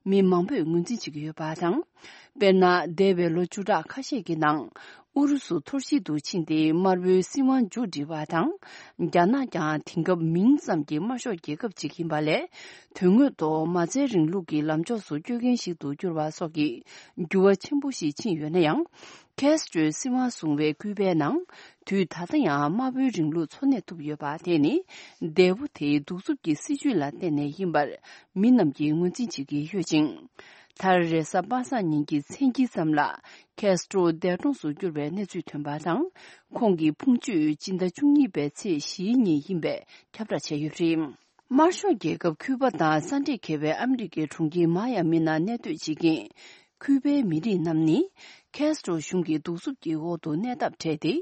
མི་མང་པོས་ངོས་འཛིན་བྱེད་ཀྱི་ཡོད་པ་དང་། དཔེར་ན། འདས་པའི་ལོ་བཅུ་ཕྲག་ཁ་ཤས་ཀྱི་ནང་ ཨུ་རུ་སུ་འཐོར་བཤིག་ཏུ་ཕྱིན་ཏེ་དམར་པོའི་སྲིད་དབང་མཇུག་བསྒྲིལ་བ་དང་། རྒྱ་ནག་ཀྱང་དེང་སྐབས་མིང་ཙམ་གྱི་དམར་ཤོག་རྒྱལ་ཁབ་ཅིག་ཡིན་པ་ལས། དོན་དངོས་ཐོག་མ་རྩའི་རིང་ལུགས་ཀྱི་ལམ་ཕྱོགས་སུ་བསྐྱོད་མཁན་ཞིག་ཏུ་གྱུར་བ་སོགས་ཀྱི་འགྱུར་བ་ཆེན་པོ་ཞིག་ཕྱིན་ཡོད་ན་ཡང་། ཁེ་སི་ཏྲོས་སྲིད་དབང་བཟུང་བའི་ཁུལ་པའི་ནང་། དུས་ད་ལྟ་ཡང་དམར་པོའི་རིང་ལུགས་འཚོ་གནས་ཐུབ་ཡོད་པ་དེ་ནི། འདས་པོ་དེའི་གདུག་རྩུབ་ཀྱི་སྲིད་བྱུས་ལ་བརྟེན་ནས་ཡིན་པར། མི་རྣམས་ཀྱིས་ངོས་འཛིན་བྱེད་ཀྱི་ཡོད་ཅིང་། མཐར་རེས་གཟའ་པ་སངས་ཉིན་གྱི་མཚན་དཀྱིལ་ཙམ་ལ། ཁེ་སི་ཏྲོ་འདས་གྲོངས་སུ་གྱུར་བའི་གནས་ཚུལ་ཐོན་པ་དང་། ཁོང་གི་ཕུང་མཆོད་སྤྱི་ཟླ་བཅུ་གཉིས་པའི་ཚེས་བཞིའི་ཉིན་ཡིན་པའི་ཁྱབ་བསྒྲགས་བྱས་ཡོད་པ་རེད། དམར་ཤོག་རྒྱལ་ཁབ་ཁུ་པ་དང་ས་འདྲེས་འགེལ་བའི་ཨ་མི་རི་ཀའི་གྲོང་ཁྱེར་མ་ཡ་མི་ནང་གནས་སྡོད་བྱེད་མཁན། ཁུ་པའི་མི་རིགས་རྣམས་ནི། ཁེ་སི་ཏྲོ་གཞུང་གི་གདུག་རྩུབ་ཀྱི་འོག་ཏུ་གནས་ཐབས་བྲལ་ཏེ།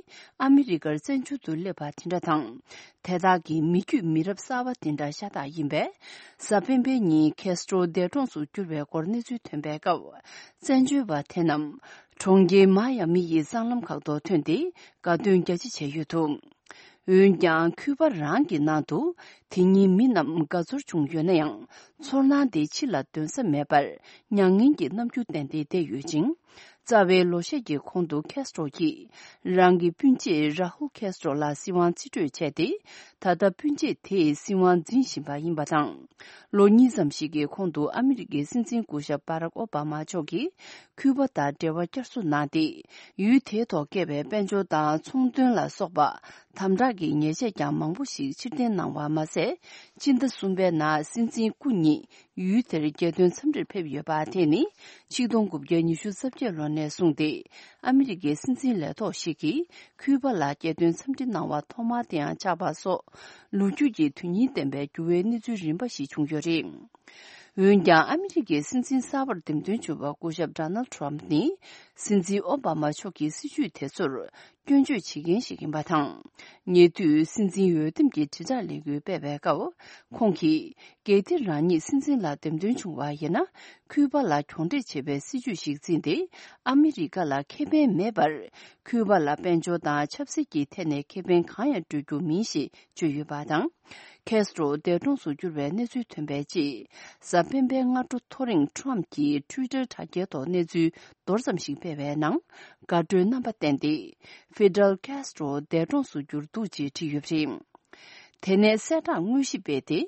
ཨ་མི་རི་ཀར་བཙན་བྱོལ་དུ་སླེབས་པ་དེ་འདྲ་དང་། དེ་དག་གི་མི་རྒྱུད་མི་རབས་གསར་པ་དེ་འདྲ་ཤ་སྟག་ཡིན་པས། གཟའ་སྤེན་པའི་ཉིན་ཁེ་སི་ཏྲོ་འདས་གྲོངས་སུ་གྱུར་བའི་སྐོར་གནས་ཚུལ་ཐོན་པའི་སྐབས། བཙན་བྱོལ་བ་དེ་རྣམས། གྲོང་ཁྱེར་མ་ཡ་མི་ཡི་སྲང་ལམ་ཁག་ཏུ་ཐོན་ཏེ། དགའ་སྟོན་རྒྱ་ཆེ་བྱས་ཡོད་འདུག་འོན་ཀྱང་། ཁུ་པ་རང་གི་ནང་དུ། དེ་ཉིན་མི་རྣམས་དགའ་ཚོར་བྱུང་ཡོད་ན་ཡང་། ཚོར་སྣང་དེ་ཕྱི་ལ་འདོན་ས་མེད་པར། མྱ་ངན་གྱི་རྣམ་འགྱུར་བསྟན་ཏེ་བསྡད་ཡོད་ཅིང་། རྩ་བའི་ལོ་ཤས་ཀྱི་གོང་དུ་ཁེ་སི་ཏྲོ་གིས། རང་གི་སྤུན་མཆེད་ར་ཧུལ་ཁེ་སི་ཏྲོ་ལ་སྲིད་དབང་རྩིས་སྤྲོད་བྱས་ཏེ། ད་ལྟ་སྤུན་མཆེད་དེས་སྲིད་དབང་འཛིན་བཞིན་པ་ཡིན་པ་དང་། ལོ་གཉིས་ཙམ་ཞིག་གི་གོང་དུ་ཨ་མི་རི་ཀའི་སྲིད་འཛིན་སྐུ་ཞབས་བྷ་རག་ཨོ་བྷ་མ་མཆོག་གིས། ཁུ་པ་དང་འབྲེལ་བ་བསྐྱར་གསོ་གནང་སྟེ། ཡུལ་དེའི་ཐོག་བཀལ་བའི་དཔལ་འབྱོར་དང་ཚོང་དོན་ལ་སོགས་པ། དམ་དྲག་གི་ཉེས་ཆད་ཀྱང་མང་པོ་ཞིག་ཕྱིར་འཐེན་གནང་བ་མ་ཟད། སྤྱི་ཟླ་གསུམ་པའི་ནང་སྲིད་འཛིན་སྐུ་ཉིད་ཡུལ་དེར་རྒྱལ་དོན་འཚམས་འདྲིར་ཕེབས་ཡོད་པ་དེ་ནི། ཆིག་སྟོང་དགུ་བརྒྱ་ཉི་ཤུ་རྩ་བརྒྱད་ལོ་ནས་བཟུང་སྟེ། ཨ་མི་རི་ཀའི་སྲིད་འཛིན་ལས་ཐོག་ཞིག་གིས། ཁུ་པ་ལ་རྒྱལ་དོན་འཚམས་འདྲི་གནང་བ་ཐོག་མ་དེའང་ཆགས་པ་སོགས། ལོ་རྒྱུས་ཀྱི་དོན་སྙིང་ལྡན་པའི་འགྱུར་བའི་གནས་ཚུལ་རིམ་པ་ཞིག་བྱུང་ཡོད་རེད། འོན་ཀྱང་། ཨ་མི་རི་ཀའི་སྲིད་འཛིན་གསར་པར་འདེམས་ཐོན་བྱུང་བ་སྐུ་ཞབས་ཌོ་ནལ་ཌི་ཊརམ་ཕི་ནི། སྲིད་འཛིན་ཨོ་བྷ་མ་མཆོག་གི་སྲིད་བྱུས་དེ་ཚོར་སྐྱོན་བརྗོད་བྱེད་མཁན་ཞིག་ཡིན་པ་དང་། ཉེ་དུས་སྲིད་འཛིན་འོས་འདེམས་ཀྱི་དྲིལ་བསྒྲགས་ལས་འགུལ་སྤེལ་བའི་སྐབས། ཁོང་གིས། གལ་ཏེ་རང་ཉིད་སྲིད་འཛིན་ལ་འདེམས་ཐོན་བྱུང་བ་ཡིན་ན། ཁུ་པ་ལ་གྱོང་འབྲེལ་བྱེད་པའི་སྲིད་བྱུས་ཤིག་འཛིན་ཏེ། ཨ་མི་རི་ཀ་ལ་ཁེ་ཕན་མེད་པར། ཁུ་པ་ལ་དཔལ་འབྱོར་དང་ཆབ་སྲིད་ཀྱི་ཐད་ནས་ཁེ་ཕན་གང་ཡང་སྤྲོད་རྒྱུ་མིན་ཞེས་བརྗོད་ཡོད་པ་དང་། ཁེ་སི་ཏྲོ་འདས་གྲོངས་སུ་གྱུར་བའི་གནས་ཚུལ་ཐོན་པའི་རྗེས། གཟའ་སྤེན་པའི་སྔ་དྲོ་ཐོ་རེངས་ཊརམ་ཕི་གྱིས་ཊུའི་ཊར་དྲ་རྒྱའི་ཐོག་གནས་ཚུལ་མདོར་ཙམ་ཞིག་སྤེལ་བའི་ནང་། དགའ་སྤྲོའི་རྣམ་པ་བསྟན་ཏེ། ཕི་ཌེལ་ཀེ་སི་ཏྲོ་འདས་གྲོངས་སུ་གྱུར་འདུག་ཅེས་བྲིས་ཡོད་པ་རེད། དེ་ནས་གསལ་བསྒྲགས་དངོས་གཞི་སྤེལ་ཏེ།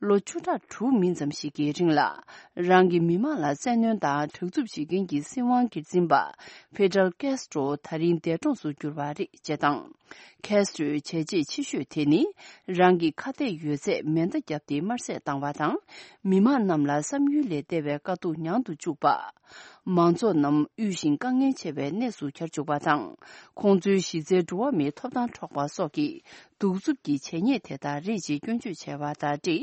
ལོ་བཅུ་ཕྲག་དྲུག་མིན་ཙམ་ཞིག་གི་རིང་ལ། རང་གི་མི་མང་ལ་བཙན་གནོན་དང་དྲག་རྩུབ་བྱེད་མཁན་གྱི་སྲིད་དབང་སྒེར་འཛིན་པ། ཕི་ཌེལ་ཀེ་སི་ཏྲོ་ད་རིང་འདས་གྲོངས་སུ་གྱུར་བ་རེད་ཅེས་དང་། ཁེ་སི་ཏྲོའི་བྱས་རྗེས་ཆེ་ཤོས་དེ་ནི། རང་གི་ཁ་གཏད་ཡོད་ཚད་མེ་མདའ་བརྒྱབ་སྟེ་དམར་བསད་བཏང་བ་དང་། མི་མང་རྣམས་ལ་བསམ་ཡུལ་ལས་འདས་པའི་དཀའ་སྡུག་མྱངས་དུ་བཅུག་པ། མང་ཚོགས་རྣམས་དབུལ་ཞིང་དཀའ་ངལ་ཆེ་བའི་གནས་སུ་གྱར་བཅུག་པ་དང་། ཁོང་ཚོའི་གཞི་རྩའི་འགྲོ་བ་མིའི་ཐོབ་ཐང་འཕྲོག་པ་སོགས་ཀྱི་གདུག་རྩུབ་ཀྱི་བྱས་ཉེས་དེ་དག་རེད་ཅེས་སྐྱོན་བརྗོད་བྱས་པ་དང་འབྲེལ།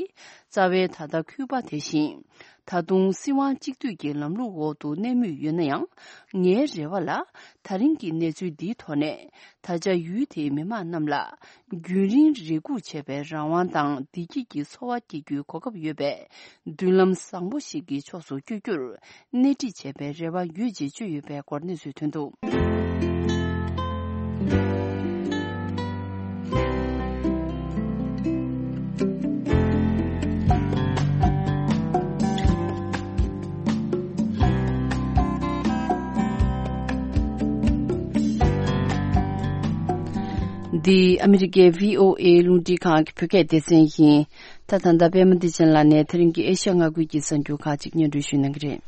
རྩ་བའི་ད་ལྟ་ཁུ་པ་དེ་བཞིན། ད་དུང་སྲིད་དབང་གཅིག་སྡུད་ཀྱི་ལམ་ལུགས་འོག་ཏུ་གནས་མུས་ཡོད་ན་ཡང་། ངའི་རེ་བ་ལ། ད་རིང་གི་གནས་ཚུལ་འདིའི་ཐོག་ནས། ད་ཆ་ཡུལ་དེའི་མི་མང་རྣམས་ལ། རྒྱུན་རིང་རེ་སྒུག་བྱས་པའི་རང་དབང་དང་བདེ་སྐྱིད་ཀྱི་འཚོ་བ་སྐྱེལ་རྒྱུའི་གོ་སྐབས་ཡོད་པའི། མདུན་ལམ་བཟང་པོ་ཞིག་གི་ཕྱོགས་སུ་བསྐྱོད་རྒྱུར། སྣེ་ཁྲིད་བྱས་པའི་རེ་བ་ཡོད་ཅེས་བརྗོད་ཡོད་པའི་སྐོར་གནས་ཚུལ་ཐོན་འདུག། འདི་ཨ་མི་རི་ཀའི་བྷི་ཨོ་ཨེ་རླུང་འཕྲིན་ཁང་གི་བོད་སྐད་སྡེ་ཚན་ཡིན། ད་ད་ལྟ་པད་མ་བདེ་ཆེན་ལགས་ནས་དེ་རིང་གི་ཨེ་ཤ་ཡ་མངའ་ཁུལ་གྱི་གསར་འགྱུར་ཁག་ཅིག་སྙན་སྒྲོན་ཞུ་གནང་གི་རེད།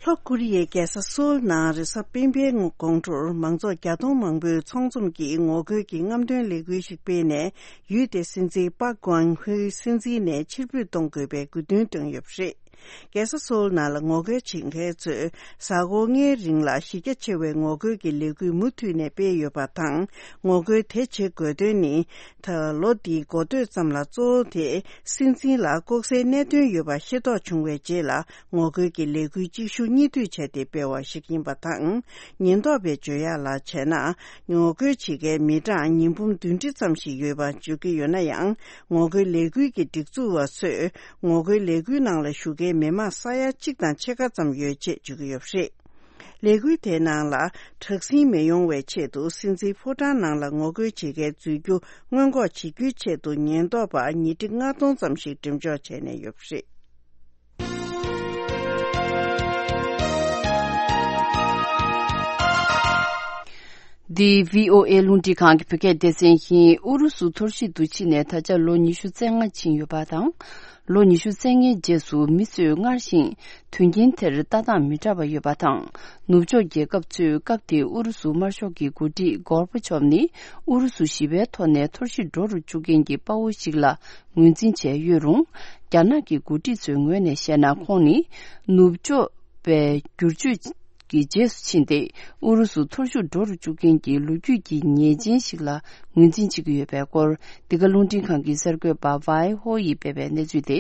ལྷོ་ཀོ་རི་ཡའི་རྒྱལ་ས་སོལ་ནང་རེས་གཟའ་སྤེན་པའི་དགོང་དྲོར་མང་ཚོགས་བརྒྱ་སྟོང་མང་པོས་ཚོགས་འཛོམས་ཀྱིས་ངོ་རྒོལ་གྱི་རྔམ་སྟོན་ལས་འགུལ་ཞིག་སྤེལ་ནས། ཡུལ་དེའི་སྲིད་འཛིན་པཱ་ཀོང་ཧུའི་སྲིད་འཛིན་ནས་ཕྱིར་འབུད་གཏོང་དགོས་པའི་དགོས་འདུན་བཏོན་ཡོད་པ་རེད། རྒྱལ་ས་སོལ་ནང་ལ་ངོ་རྒོལ་བྱེད་མཁན་ཚོས་གཟའ་འཁོར་ལྔའི་རིང་ལ་གཞི་རྒྱ་ཆེ་བའི་ངོ་རྒོལ་གྱི་ལས་འགུལ་མུ་མཐུད་ནས་སྤེལ་ཡོད་པ་དང་། ངོ་རྒོལ་དེ་བྱེད་དགོས་དོན་ནི། ད་ལོ་འདིའི་འགོ་སྟོད་ཙམ་ལ་གཙོ་བོ་དེ་སྲིད་འཛིན་ལ་ལྐོག་ཟའི་གནད་དོན་ཡོད་པ་ཤེས་རྟོགས་བྱུང་བའི་རྗེས་ལ། ངོ་རྒོལ་གྱི་ལས་འགུལ་གཅིག་མཇུག་གཉིས་མཐུད་བྱས་ཏེ་སྤེལ་བ་ཞིག་ཡིན་པ་དང་། ཉེན་རྟོག་པས་བརྗོད་ཡག་ལ་བྱས་ན། ངོ་རྒོལ་བྱེད་མཁན་མི་གྲངས་ཉིས་འབུམ་བདུན་ཁྲི་ཙམ་ཞིག་ཡོད་པ་བརྗོད་ཀྱི་ཡོད་ན་ཡང་། ངོ་རྒོལ་ལས་འགུལ་གྱི་སྒྲིག་འཛུགས་པ་ཚོས། ངོ་རྒོལ་ལས་འགུལ་ནང་ལ་ཞུགས་མཁན་མི་མང་ས་ཡ་གཅིག་དང་ཕྱེད་ཀ་ཙམ་ཡོད་ཅེས་བརྗོད་ཀྱི་ཡོད་པ་རེད། ལས་འགུལ་དེའི་ནང་ལ་དྲག་ཟིང་མི་ཡོང་བའི་ཆེད་དུ། སྲིད་འཛིན་ཕོ་བྲང་ནང་ལ་ངོ་རྒོལ་བྱེད་མཁན་འཛུལ་རྒྱུ་སྔོན་འགོག་བྱེད་རྒྱུའི་ཆེད་དུ། ཉེན་རྟོག་པ་ཉིས་ཁྲི་ལྔ་སྟོང་ཙམ་ཞིག་འགྲེམས་འཇོག་བྱས་ནས་ཡོད་པ་རེད། འདི་བྷི་ཨོ་ཨེ་རླུང་འཕྲིན་ཁང་གི་བོད་སྐད་སྡེ་ཚན་ཡིན། ཨུ་རུ་སུ་འཐོར་ཞིག་ཏུ་ཕྱིན་ནས་ད་ཆ་ལོ་ཉི་ཤུ་རྩ་ལྔ་ཕྱིན་ཡོད་པ་དང་། ལོ་ཉི་ཤུ་རྩ་ལྔའི་རྗེས་སུ་མི་ཚོས་སྔར་བཞིན་དོན་རྐྱེན་དེར་ལྟ་སྟངས་མི་འདྲ་བ་ཡོད་པ་དང་། ནུབ་ཕྱོགས་རྒྱལ་ཁབ་ཚོས་སྐབས་དེའི་ཨུ་རུ་སུ་དམར་ཤོག་གི་འགོ་ཁྲིད་གོར་པ་ཆོབ་ནི་ཨུ་རུ་སུ་ཞི་བའི་ཐོག་ནས་འཐོར་ཞིག་འགྲོ་རུ་བཅུག་མཁན་གྱི་དཔའ་བོ་ཞིག་ལ་ངོས་འཛིན་བྱས་ཡོད་རུང་། རྒྱ་ནག་གི་འགོ་ཁྲིད་ཚོའི་ངོས་ནས་བཤད་ན། ཁོང་ནི་ནུབ་ཕྱོགས་པའི་བསྒྱུར་བཅོས་ཀྱི་རྗེས་སུ་ཕྱིན་ཏེ། ཨུ་རུ་སུ་འཐོར་ཞིག་འགྲོ་རུ་བཅུག་མཁན་གྱི་ལོ་རྒྱུས་ཀྱི་ཉེས་ཅན་ཞིག་ལ་ངོས་འཛིན་བྱེད་ཀྱི་ཡོད་པའི་སྐོར། འདི་ག་རླུང་འཕྲིན་ཁང་གི་གསར་འགོད་པ་ཝའེ་ཧོ་ཡིས་སྤེལ་བའི་གནས་ཚུལ་དེ།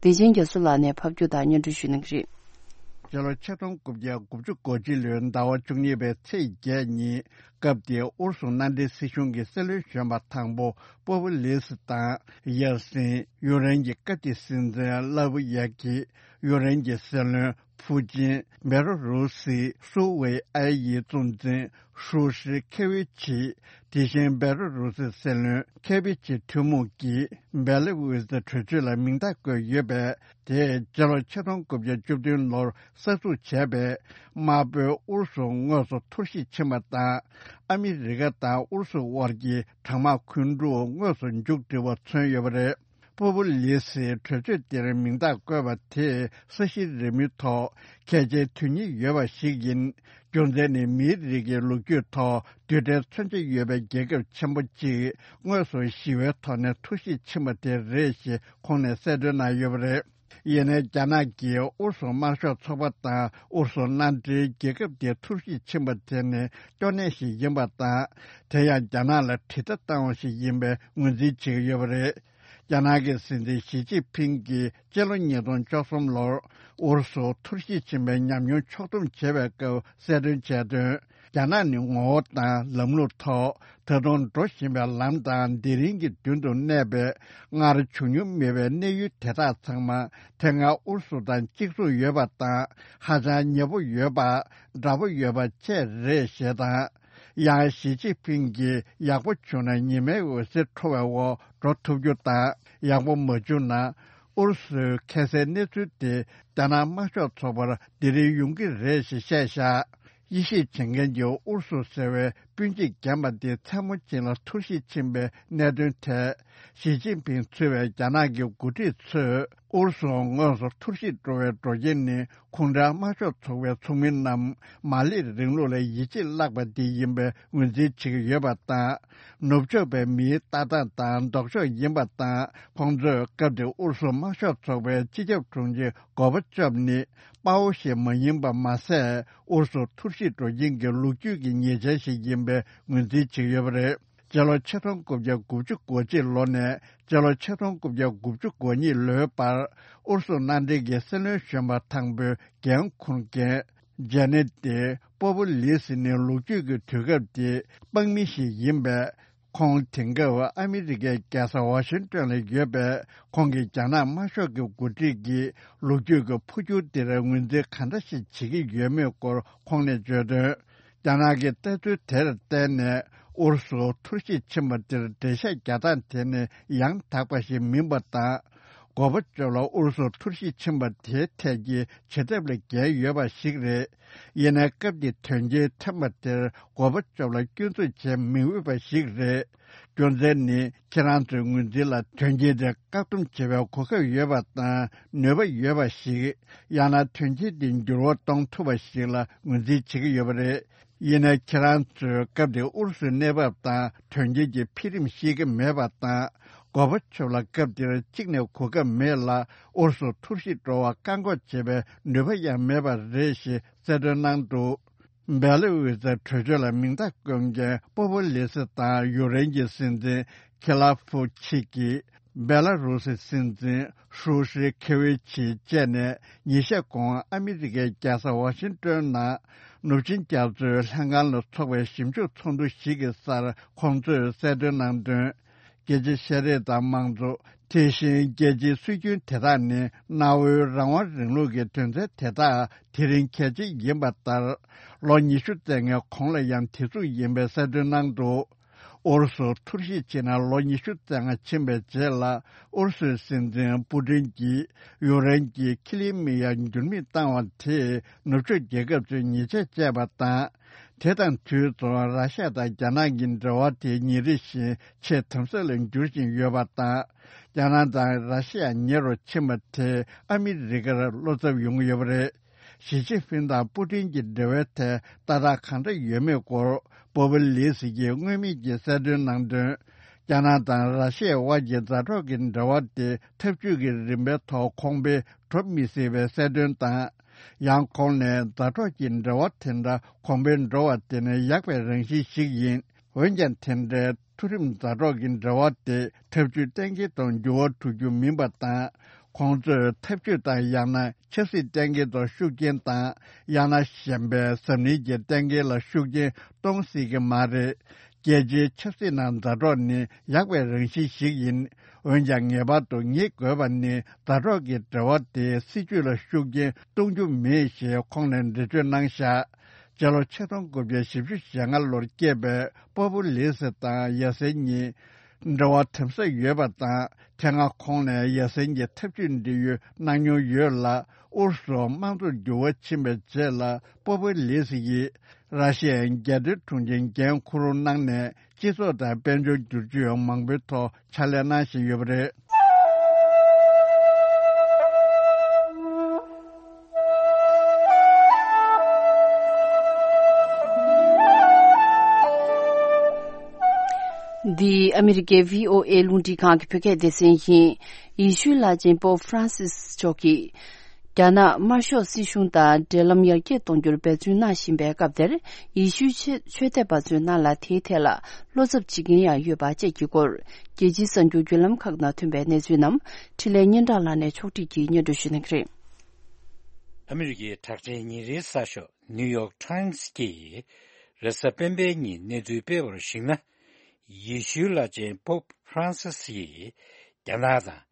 བདེ་ཆེན་རྒྱ་མཚོ་ལགས་ནས་ཕབ་སྒྱུར་དང་སྙན་སྒྲོན་ཞུ་གནང་གི་རེད། སྤྱི་ལོ་ཆིག་སྟོང་དགུ་བརྒྱ་དགུ་བཅུ་གོ་གཅིག་ལོའི་ཟླ་བ་བཅུ་གཉིས་པའི་ཚེས་བརྒྱད་ཉིན། སྐབས་དེའི་ཨུ་རུ་སུ་མནའ་འབྲེལ་སྲིད་གཞུང་གི་སྲིད་བློན་གཞོན་པ་དང་པོ་པོ་པོ་ལིས་དང་། ཡེལ་སིན། ཡུཀ་རེན་གྱི་སྐབས་དེའི་སྲིད་འཛིན་ལ་བུ་ཡ་ཀི། ཡུཀ་རེན་གྱི་སྲིད་བློན་ཕུ་ཅིན། བེ་ལ་རུ་སི་སུའུ་ཝེ་ཨའེ་ཡི་གཙོ་འཛིན་ཧྲུའུ་ཧྲི་ཁེ་ཝི་ཆི། དེ་བཞིན་བེ་ལ་རུ་སི་སྲིད་བློན་ཁེ་ཝི་ཆི་ཐུན་མོང་གིས་བེ་ལ་ཝི་ཙི་གྲོས་ཆོད་ལ་མིང་རྟགས་བཀོད་ཡོད་པས། དེས་སྤྱི་ལོ་ཆིག་སྟོང་དགུ་བརྒྱ་བཅུ་བདུན་ལོར་གསར་འཛུགས་བྱས་པའི་དམར་པོའི་ཨུ་རུ་སུ་དངོས་སུ་འཐོར་ཞིག་ཕྱིན་པ་དང་། ཨ་མི་རི་ཀ་དང་ཨུ་རུ་སུ་དབར་གྱི་གྲང་དམག་འཁོན་འཁྲུག་དངོས་སུ་མཇུག་སྒྲིལ་བ་མཚོན་ཡོད་པ་རེད། པོ་པོ་ལི་སིའི་གྲོས་ཆོད་དེར་མིང་རྟགས་བཀོད་པ་དེས་ས་གཞི་རིལ་མོའི་ཐོག་གལ་ཆེའི་དོན་སྙིང་ཡོད་པ་ཞིག་ཡིན། རྒྱུ་མཚན་ནི་མིའི་རིགས་ཀྱི་ལོ་རྒྱུས་ཐོག་རྡུལ་ཕྲན་མཚོན་ཆ་ཡོད་པའི་རྒྱལ་ཁབ་ཆེན་པོ་གཅིག་དངོས་སུ་ཞི་བའི་ཐོག་ནས་འཐོར་ཞིག་ཕྱིན་པ་དེ་རེད་ཞེས་ཁོང་ནས་གསལ་སྟོན་གནང་ཡོད་པ་རེད། ཡིན་ནའི་རྒྱ་ནག་གིས་ཨུ་རུ་སུ་དམར་ཤོག་ཚོགས་པ་དང་ཨུ་རུ་སུ་མནའ་འབྲེལ་རྒྱལ་ཁབ་དེ་འཐོར་ཞིག་ཕྱིན་པ་དེ་ནི་སྐྱོ་གནས་ཤིག་ཡིན་པ་དང་། དེ་ཡང་རྒྱ་ནག་ལ་དྲིལ་བརྡ་བཏང་བ་ཞིག་ཡིན་པའི་ངོས་འཛིན་བྱེད་ཀྱི་ཡོད་པ་རེད། རྒྱ་ནག་གི་སྲིད་འཛིན་ཞི་ཅིན་ཕིང་གིས་སྤྱི་ལོ་ཉིས་སྟོང་བཅུ་གསུམ་ལོར་ཨུ་རུ་སུ་འཐོར་ཞིག་ཕྱིན་པའི་ཉམས་མྱོང་ཕྱོགས་བསྡོམས་བྱས་པའི་སྐབས་གསལ་སྟོན་བྱས་དོན། རྒྱ་ནག་ནི་ངོ་བོ་དང་ལམ་ལུགས་ཐོག་ད་དུང་འགྲོ་བཞིན་པའི་ལམ་དང་དེ་རིང་གི་མདུན་དུ་གནས་པའི་སྔར་བྱུང་མྱོང་མེད་པའི་གནས་ཡུལ་དེ་དག་ཚང་མ་དེ་སྔ་ཨུ་རུ་སུ་དང་གཅིག་མཚུངས་ཡོད་པ་དང་། ཧ་ཅང་ཉེ་པོ་ཡོད་པ། འདྲ་པོ་ཡོད་པ་བཅས་རེད་ཞེས་དང་། ཡང་ཞི་ཅིན་ཕིང་གིས་ཡག་པོ་བྱུང་ན་ཉི་མའི་འོད་ཟེར་འཕྲོ་བའི་འོག་འགྲོ་ཐུབ་རྒྱུ་དང་། ཡག་པོ་མ་བྱུང་ན། ཨུ་རུ་སུའི་ཁ་སའི་གནས་ཚུལ་དེ་རྒྱ་ནག་དམར་ཤོག་ཚོགས་པར་དེ་རིང་ཡོང་གི་རེད་ཞེས་བཤད་བཞག་དབྱེ་ཞིབ་བྱེད་མཁན་གྱིས་ཨུ་རུ་སུ་ཟེར་བའི་སྤུན་མཆེད་རྒན་པ་འདི་མཚན་མོ་ཅན་ལ་འཐོར་ཞིག་ཕྱིན་པའི་གནད་དོན་ཐད། ཞི་ཅིན་ཕིང་གཙོས་པའི་རྒྱ་ནག་གི་འགོ་ཁྲིད་ཚོས་ཨུ་རུ་སུ་དངོས་སུ་འཐོར་ཞིག་འགྲོ་བའི་འགྲོ་རྐྱེན་ནི། ཁོང་རང་དམར་ཤོག་ཚོགས་པའི་ཚོགས་མི་རྣམས་མར་ལེ་རིང་ལུགས་ལ་ཡིད་ཆེས་བརླག་པ་འདི་ཡིན་པའི་ངོས་འཛིན་བྱེད་ཀྱི་ཡོད་པ་དང་། ནུབ་ཕྱོགས་པའི་མིའི་ལྟ་སྟངས་དང་ལྡོག་ཕྱོགས་ཡིན་པ་དང་། ཁོང་ཚོས་སྐབས་དེར་ཨུ་རུ་སུ་དམར་ཤོག་ཚོགས་པའི་སྤྱི་ཁྱབ་དྲུང་ཆེ་གོར་པ་ཆོབ་ནི་དཔའ་བོ་ཞིག་མ་ཡིན་པ་མ་ཟད། ཨུ་རུ་སུ་འཐོར་ཞིག་འགྲོ་རྐྱེན་གྱི་ལོ་རྒྱུས་ཀྱི་ཉེས་ཆད་ཞིག་ཡིན་པའི་ངོས་འཛིན་བྱེད་ཀྱི་ཡོད་པ་རེད། སྤྱི་ལོ་ཆིག་སྟོང་དགུ་བརྒྱ་དགུ་བཅུ་གོ་གཅིག་ལོ་ནས་སྤྱི་ལོ་ཆིག་སྟོང་དགུ་བརྒྱ་དགུ་བཅུ་གོ་གཉིས་ལོའི་བར། ཨུ་རུ་སུ་མནའ་འབྲེལ་གྱི་སྲིད་བློན་གཞོན་པ་དང་པོའི་འགན་འཁུར་མཁན་ཇེ་ནེ་ཏི་པོ་པོ་ལི་སི་ནི་ལོ་རྒྱུས་ཀྱི་དུས་སྐབས་དེའི་དཔང་མི་ཞིག་ཡིན་པས། ཁོང་དེང་སྐབས་ཨ་མི་རི་ཀའི་རྒྱལ་ས་ཝ་ཤིང་ཏོན་ལ་ཡོད་པས། ཁོང་གིས་རྒྱ་ནག་དམར་ཤོག་གི་འགོ་ཁྲིད་ཀྱིས་ལོ་རྒྱུས་ཀྱི་འཕོ་འགྱུར་འདིར་ངོས་འཛིན་ག་འདྲ་ཞིག་བྱེད་ཀྱི་ཡོད་མེད་སྐོར་ཁོང་ནས་བརྗོད་དོན། རྒྱ་ནག་གི་ལྟ་ཚུལ་དེར་བརྟེན་ནས་ཨུ་རུ་སུ་འཐོར་ཞིག་ཕྱིན་པ་འདིར་འགྲེལ་བཤད་རྒྱག་སྟངས་དེ་ནི་ཡང་དག་པ་ཞིག་མིན་པ་དང་། གོར་པ་ཆོབ་ལ་ཨུ་རུ་སུ་འཐོར་ཞིག་ཕྱིན་པ་དེའི་ཐད་ཀྱི་བྱེད་ཐབས་ལ་འགལ་ཡོད་པ་ཞིག་རེད། ཡིན་ནའི་སྐབས་ཀྱི་དོན་རྐྱེན་ཐོན་པ་དེར་གོར་པ་ཆོབ་ལ་སྐྱོན་འཛུགས་བྱེད་མི་འོས་པ་ཞིག་རེད། རྒྱུ་མཚན་ནི་ཁྱེད་རང་ཚོའི་ངོས་འཛིན་ལ་དོན་རྐྱེན་དེ་བཀག་སྡོམ་བྱེད་པའི་གོ་སྐབས་ཡོད་པ་དང་ནུས་པ་ཡོད་པ་ཞིག་ཡང་ན་དོན་རྐྱེན་དེ་འགྱུར་བ་གཏོང་ཐུབ་པ་ཞིག་ལ་ངོས་འཛིན་བྱེད་ཀྱི་ཡོད་པ་རེད། ཡིན་ནའི་ཁྱེད་རང་ཚོས་སྐབས་དེའི་ཨུ་རུ་སུའི་གནས་བབ་དང་དོན་རྐྱེན་གྱི་འཕེལ་རིམ་ཤེས་ཀྱི་མེད་པ་དང་། གོར་པ་ཆོབ་ལ་སྐབས་དེར་གཅིག་ནས་གོ་སྐབས་མེད་ལ། ཨུ་རུ་སུ་འཐོར་ཞིག་འགྲོ་བར་བཀག་འགོག་བྱེད་པའི་ནུས་པ་ཡང་མེད་པ་རེད་ཞེས་གསལ་སྟོན་གནང་འདུག་བེ་ལ་ཝི་ཙི་གྲོས་ཆོད་ལ་མིང་རྟགས་བཀོད་མཁན་པོ་པོ་ལི་སི་དང་ཡུཀ་རེན་གྱི་སྲིད་འཛིན་ཁི་ལ་ཕུ་ཆི་གིས། བེ་ལ་རུ་སི་སྲིད་འཛིན་ཧྲུའུ་ཧྲི་ཁེ་ཝེ་ཆི་བཅས་ནས་ཉིན་ཤས་གོང་ཨ་མི་རི་ཀའི་རྒྱལ་ས་ཝ་ཤིང་ཏོན་ནང་ནུབ་ཆིངས་རྒྱ་མཚོའི་ལྷན་ཁང་ལ་འཚོགས་པའི་ཞིབ་འཇུག་ཚོགས་འདུ་ཞིག་གི་སར་ཁོང་ཚོས་གསལ་སྟོན་གནང་དོན། རྒྱལ་སྤྱིའི་ཤེས་རིག་དང་མང་གཙོ། དེ་བཞིན་རྒྱལ་སྤྱིའི་སྲོལ་རྒྱུན་དེ་དག་ནི་གནའ་བོའི་རང་དབང་རིང་ལུགས་ཀྱི་དོན་ཚན་དེ་དག་དེ་རིང་གལ་ཆེ་ཡིན་པ་ལྟར། ལོ་ཉི་ཤུ་རྩ་ལྔའི་གོང་ལ་ཡང་དེ་ཚུགས་ཡིན་པའི་གསལ་སྟོན་གནང་འདུག་ཨུ་རུ་སུ་འཐོར་ཞིག་ཕྱིན་ནས་ལོ་ཉི་ཤུ་རྩ་ལྔ་ཕྱིན་པའི་རྗེས་ལ། ཨུ་རུ་སུའི་སྲིད་འཛིན་པུ་ཏིན་གྱིས་ཡུཀ་རེན་གྱི་ཁི་ལི་མི་ཡ་འགྱུར་མེད་བཏང་བ་དེས་ནུབ་ཕྱོགས་རྒྱལ་ཁབ་ཚོས་ཉེས་ཆད་བཅད་པ་དང་། དེ་དང་དུས་མཚུངས་ར་ཤི་ཡ་དང་རྒྱ་ནག་གི་འབྲེལ་བ་དེ་ཉིན་རེ་བཞིན་ཆེས་དམ་ཟབ་ལ་འགྱུར་བཞིན་ཡོད་པ་དང་། རྒྱ་ནག་དང་ར་ཤི་ཡ་ཉེ་རུ་ཕྱིན་པ་དེས་ཨ་མི་རི་ཀར་བློ་འཚབ་ཡོང་གི་ཡོད་པ་རེད། ཞི་ཅིན་ཕིང་དང་པུ་ཏིན་གྱི་འབྲེལ་བའི་ཐད་ལྟ་སྟངས་གང་འདྲ་ཡོད་མེད་སྐོར། པོ་པོ་ལི་སི་ཡིས་སྔོན་མེད་ཀྱི་གསལ་སྟོན་གནང་དོན། རྒྱ་ནག་དང་ར་ཤི་ཡའི་དབར་གྱི་མཛའ་གྲོགས་ཀྱི་འབྲེལ་བ་དེ་འཐབ་ཇུས་ཀྱི་རིམ་པའི་ཐོག་གོང་འཕེལ་འགྲོ་མི་སྲིད་པའི་གསལ་སྟོན་དང་། ཡང་ཁོང་ནས་མཛའ་གྲོགས་ཀྱི་འབྲེལ་བ་དེ་འདྲ་གོང་འཕེལ་འགྲོ་བ་དེ་ནི་ཡག་པའི་རང་བཞིན་ཞིག་ཡིན། འོན་ཀྱང་དེ་འདྲའི་མཐོ་རིམ་མཛའ་གྲོགས་ཀྱི་འབྲེལ་བ་དེ་འཐབ་ཇུས་གཏན་འཁེལ་དང་འགྱུར་བ་འགྲོ་རྒྱུ་མིན་པ་དང་། ཁོང་ཚོས་འཐབ་ཇུས་དང་ཡང་ན་ཆབ་སྲིད་གཏན་འཁེལ་དང་ཤུགས་རྐྱེན་དང་། ཡང་ན་གཞན་པའི་འཛམ་གླིང་གི་གཏན་འཁེལ་ལ་ཤུགས་རྐྱེན་གཏོང་སྲིད་ཀྱི་མ་རེད། རྒྱལ་སྤྱིའི་ཆབ་སྲིད་ནང་མཛའ་གྲོགས་ནི་ཡག་པའི་རང་བཞིན་ཞིག་ཡིན། འོན་ཀྱང་ངེས་པར་དུ་ངེས་དགོས་པ་ནི་མཛའ་གྲོགས་ཀྱི་འབྲེལ་བ་དེ་སྲིད་ཇུས་ལ་ཤུགས་རྐྱེན་གཏོང་རྒྱུ་མེད་ཞེས་ཁོང་ནས་འགྲེལ་བརྗོད་གནང་བཞག་སྤྱི་ལོ་ཆིག་སྟོང་དགུ་བརྒྱ་བཞི་བཅུ་ཞེ་ལྔ་ལོར་སྐྱེས་པའི་པོ་པོ་ལི་སི་དང་ཡ་སེན་གཉིས་འབྲེལ་བ་དམ་ཟབ་ཡོད་པ་དང་། དེ་སྔ་ཁོང་ནས་ཡ་སེན་གྱི་འཐབ་ཇུས་འབྲེལ་ཡོད་གནང་མྱོང་ཡོད་ལ། ཨུ་རུ་སུ་དམངས་གཙོར་འགྱུར་བ་ཕྱིན་པའི་རྗེས་ལ་པོ་པོ་ལི་སི་ཡིས་ར་ཤི་ཡའི་རྒྱལ་དོན་དྲུང་ཆེའི་འགན་འཁུར་གནང་ནས། སྤྱི་ཚོགས་དང་དཔལ་འབྱོར་བསྒྱུར་བཅོས་མང་པོའི་ཐོག་ཕྱག་ལས་གནང་བཞིན་ཡོད་པ་རེད། འདི་ཨ་མི་རི་ཀའི་བྷི་ཨོ་ཨེ་རླུང་འཕྲིན་ཁང་གི་བོད་སྐད་སྡེ་ཚན་ཡིན། ཡེ་ཤུའི་བླ་ཆེན་པོབ་ཧྥ་རན་སིས་མཆོག་གིས། རྒྱ་ནག་དམར་ཤོག་སྲིད་གཞུང་དང་འབྲེལ་ལམ་ཡར་རྒྱས་གཏོང་རྒྱུར་འབད་བརྩོན་གནང་བཞིན་པའི་སྐབས་དེར། ཡེ་ཤུའི་ཆོས་ཆོས་དད་པ་ཚོའི་ནང་ལ་དེའི་ཐད་ལ་བློ་འཚབ་བྱེད་མཁན་ཡང་ཡོད་པ་བཅས་ཀྱི་སྐོར། རྒྱལ་སྤྱིའི་གསར་འགྱུར་བརྒྱུད་ལམ་ཁག་ནང་ཐོན་པའི་གནས་ཚུལ་རྣམས་འཕྲིན་ལས་སྙན་གྲགས་ལགས་ནས་ཕྱོགས་སྒྲིག་གིས་སྙན་སྒྲོན་ཞུ་གནང་གི་རེད། ཨ་མི་རི་ཀའི་གྲགས་ཅན་ཉིན་རེའི་གསར་ཤོག་ནིའུ་ཡོག་ཊའིམ་སི་ཀྱིས་རེས་གཟའ་སྤེན་པའི་ཉིན་གནས་ཚུལ་སྤེལ་བར་གཞིགས་ན། ཡེ་ཤུའི་བླ་ཆེན་པོབ་ཧྥ་རན་སིས་ཡིས་རྒྱ་ནག་དང་།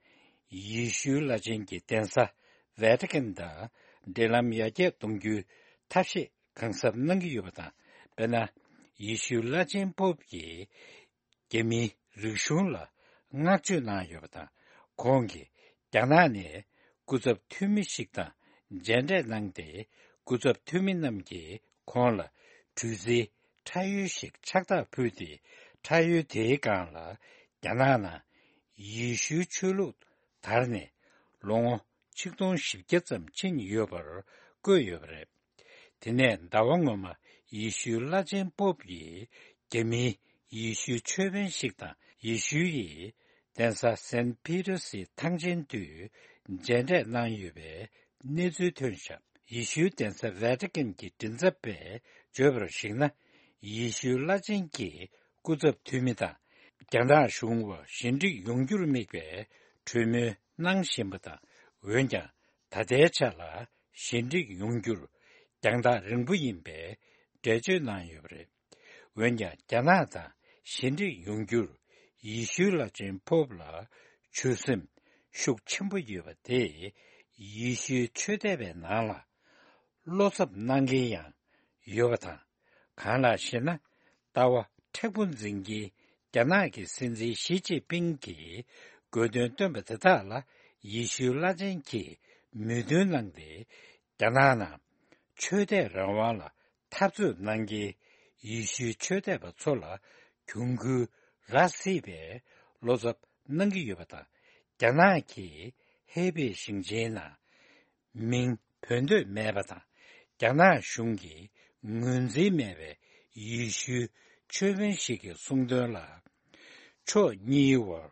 ཡེ་ཤུའི་བླ་ཆེན་གྱི་གདན་ས་ཝེ་ཏི་ཀན་དང་འབྲེལ་ལམ་ཡར་རྒྱས་གཏོང་རྒྱུའི་ཐབས་ཤེས་གང་གཟབ་གནང་གི་ཡོད་པ་དང་། དཔེར་ན། ཡེ་ཤུའི་བླ་ཆེན་པོབ་ཀྱིས་རྒྱ་མིའི་རིག་གཞུང་ལ་བསྔགས་བརྗོད་གནང་ཡོད་པ་དང་། ཁོང་གིས་རྒྱ་ནག་ནས་སྐུ་ཚབ་འཐུས་མི་ཞིག་དང་མཇལ་འཕྲད་གནང་སྟེ། སྐུ་ཚབ་འཐུས་མི་རྣམས་ཀྱིས་ཁོང་ལ་གྲུ་གཟིངས་ཁྲ་ཡོལ་ཞིག་ཕྱག་རྟགས་ཕུལ་ཏེ། ཁྲ་ཡོལ་དེའི་སྒང་ལ་རྒྱ་ནག་ནང་ཡེ་ཤུའི་ཆོས་ལུགས་དར་ནས་ལོ་ངོ་ཆིག་སྟོང་བཞི་བརྒྱ་ཙམ་ཕྱིན་ཡོད་པར་བཀོད་ཡོད་པ་རེད། དེ་ནས་ཟླ་བ་སྔོན་མ་ཡེ་ཤུའི་བླ་ཆེན་པོབ་ཡིས་རྒྱ་མིའི་ཡེ་ཤུའི་ཆོས་དཔོན་ཞིག་དང་། ཡེ་ཤུའི་གདན་ས་སན་ཕི་ཏར་སི་ཐང་ཆེན་དུ་མཇལ་འཕྲད་གནང་ཡོད་པའི་གནས་ཚུལ་ཐོན་བཞག་ཡེ་ཤུའི་གདན་ས་ཝེ་ཏི་ཀན་གྱི་མགྲིན་ཚབ་པས་བརྗོད་པར་གཞིགས་ན། ཡེ་ཤུའི་བླ་ཆེན་གྱི་སྐུ་ཚབ་འཐུས་མི་དང་། རྒྱ་ནག་གཞུང་བར་ཞི་འགྲིག་ཡོང་རྒྱུར་དམིགས་པའི་གྲོས་མོལ་གནང་བཞིན་པ་དང་། འོན་ཀྱང་ད་ལྟའི་ཆ་ལ་ཞི་འགྲིག་ཡོང་རྒྱུར་རྒྱང་ཐག་རིང་པོ་ཡིན་པའི་འགྲེལ་བརྗོད་གནང་ཡོད་པ་རེད། འོན་ཀྱང་རྒྱ་ནག་དང་ཞི་འགྲིག་ཡོང་རྒྱུར་ཡེ་ཤུའི་བླ་ཆེན་པོབ་ལ་ཆོད་སེམས་ཤུགས་ཆེན་པོ་ཡོད་པ་དེས་ཡེ་ཤུའི་ཆོས་དད་པའི་ནང་ལ་བློ་འཚབ་གནང་མཁན་ཡང་ཡོད་པ་དང་། གང་ལགས་ཤེ་ན། ལྟ་བ་མཁྲེགས་པོ་འཛིན་གྱིན་རྒྱ་ནག་གི་སྲིད་འཛིན་ཞི་ཅིན་ཕིང་གིས་དགོས་འདུན་བཏོན་པ་དེ་དག་ལ་ཡེ་ཤུའི་བླ་ཆེན་གྱིས་མོས་མཐུན་གནང་སྟེ། རྒྱ་ནག་ནང་ཆོས་དད་རང་དབང་ལ་འཐབ་རྩོད་གནང་མཁན་ཡེ་ཤུའི་ཆོས་དད་པ་ཚོ་ལ་གྱོང་གུན་རག་སྲིད་པའི་བློ་འཚབ་གནང་གི་ཡོད་པ་དང་། རྒྱ་ནག་གིས་ཧེ་པེ་ཞིང་ཆེན་ནང་མིང་འབོད་འདོད་མེད་པ་དང་། རྒྱ་ནག་གཞུང་གིས་ངོས་འཛིན་མེད་པའི་ཡེ་ཤུའི་ཆོས་དཔོན་ཞིག་གི་གསུང་དོན་ལ། ཕྱོགས་གཉིས་བར་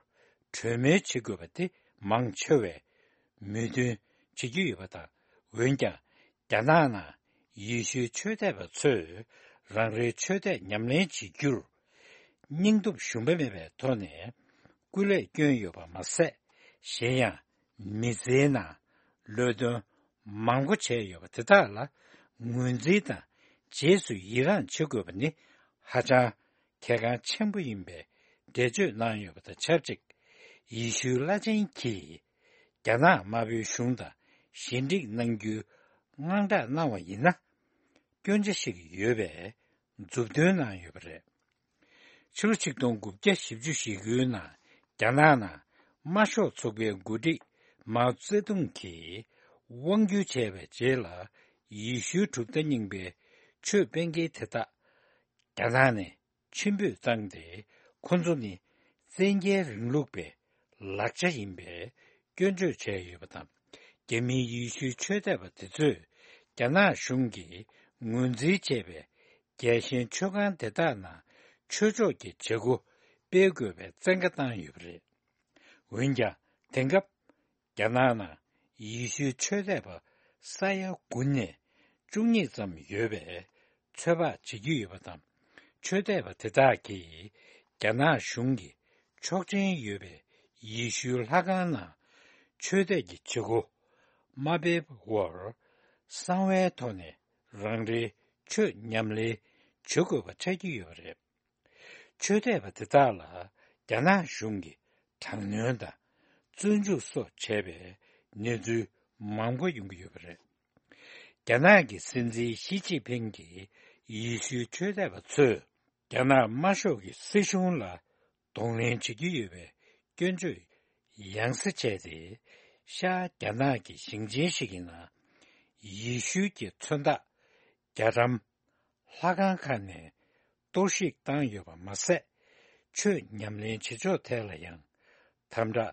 གྲོས་མོལ་བྱེད་དགོས་པ་དེ་མང་ཆེ་བས་མོས་མཐུན་བྱེད་ཀྱི་ཡོད་པ་དང་། འོན་ཀྱང་རྒྱ་ནག་ནང་ཡེ་ཤུའི་ཆོས་དད་པ་ཚོས་རང་རེའི་ཆོས་དད་ཉམས་ལེན་བྱེད་རྒྱུར་སྙིང་སྟོབས་ཞུམ་པ་མེད་པའི་ཐོག་ནས་སྐུ་ལས་བསྐྱོན་ཡོད་པ་མ་ཟད། གཞན་ཡང་མི་ཚེའི་ནང་ལས་དོན་མང་པོ་བྱས་ཡོད་པ་དེ་དག་ལ་ངོས་འཛིན་དང་རྗེས་སུ་ཡི་རངས་བྱེད་དགོས་པ་ནི་ཧ་ཅང་གལ་འགངས་ཆེན་པོ་ཡིན་པའི་འགྲེལ་བརྗོད་གནང་ཡོད་པ་དང་ཆབས་ཅིག་ཡེ་ཤུའི་བླ་ཆེན་གྱིས་རྒྱ་ནག་དམར་པོའི་གཞུང་དང་ཞི་འགྲིག་གནང་རྒྱུའི་དངངས་སྐྲག་གནང་བ་ཡིན་ན། སྐྱོན་ཆ་ཞིག་ཡོད་པའི་མཛུབ་སྟོན་གནང་ཡོད་པ་རེད། ཕྱི་ལོ་ཆིག་སྟོང་དགུ་བརྒྱ་བཞི་བཅུ་ཞེ་དགུའི་ནང་རྒྱ་ནག་ནང་དམར་ཤོག་ཚོགས་པའི་འགོ་ཁྲིད་མའོ་ཙེ་ཏུང་གིས་དབང་བསྒྱུར་བྱས་པའི་རྗེས་ལ། ཡེ་ཤུའི་གྲུབ་མཐའ་རྙིང་པའི་ཆོས་སྤེལ་མཁན་དེ་དག་ རྒྱ་ནག་ནས་ཕྱིར་འབུད་བཏང་སྟེ། ཁོ་ཚོ་ནི་བཙན་རྒྱལ་རིང་ལུགས་པའི་ལག་ཆ་ཡིན་པའི་སྐྱོན་བརྗོད་བྱས་ཡོད་པ་དང་། རྒྱ་མིའི་ཡེ་ཤུའི་ཆོས་དད་པ་དེ་ཚོས་རྒྱ་ནག་གཞུང་གིས་ངོས་འཛིན་བྱས་པའི་རྒྱལ་ཞེན་ཆོས་ཁང་དེ་དག་ནང་ཆོས་ཕྱོགས་ཀྱི་བྱེད་སྒོ་སྤེལ་དགོས་པའི་བཙན་བཀའ་བཏང་ཡོད་པ་རེད། འོན་ཀྱང་། དེང་སྐབས་རྒྱ་ནག་ནང་ཡེ་ཤུའི་ཆོས་དད་པ་ས་ཡ་དགུ་ནས་བཅུ་གཉིས་ཙམ་ཡོད་པའི་ཚོད་དཔག་བྱེད་ཀྱི་ཡོད་པ་དང་། ཆོས་དད་པ་དེ་དག་གིས་རྒྱ་ནག་གཞུང་གི་ཆོག་མཆན་ཡོད་པའི་ཡེ་ཤུའི་ལྷ་ཁང་ནང་ཆོས་དད་ཀྱི་བྱེད་སྒོ་མ་སྤེལ་བར། གསང་བའི་ཐོག་ནས་རང་རེའི་ཆོས་ཉམས་ལེན་བྱེད་དགོས་པ་ཆགས་ཀྱི་ཡོད་པ་རེད། ཆོས་དད་པ་དེ་དག་ལ་རྒྱ་ནག་གཞུང་གིས་དྲག་གནོན་དང་བཙོན་འཇུག་སོགས་བྱས་པའི་གནས་ཚུལ་མང་པོ་ཡོང་གི་ཡོད་པ་རེད། རྒྱ་ནག་གི་སྲིད་འཛིན་ཞི་ཅིན་ཕིང་གིས་ཡེ་ཤུའི་ཆོས་དད་པ་ཚོས་རྒྱ་ནག་དམར་ཤོག་གི་སྲིད་གཞུང་ལ་གདོང་ལེན་བྱེད་ཀྱི་ཡོད་པའི་སྐྱོན་བརྗོད་ཡང་སེ་བྱས་ཏེ། ཤར་རྒྱ་ནག་གི་ཞིང་ཆེན་ཞིག་གི་ནང་ཡེ་ཤུའི་གི་མཚོན་རྟགས་རྒྱ་གྲམ་ལྷ་ཁང་ཁག་ནས་གཏོར་བཤིག་བཏང་ཡོད་པ་མ་ཟད། ཆོས་ཉམས་ལེན་བྱེད་ཕྱོགས་ཐད་ལ་ཡང་དམ་དྲག་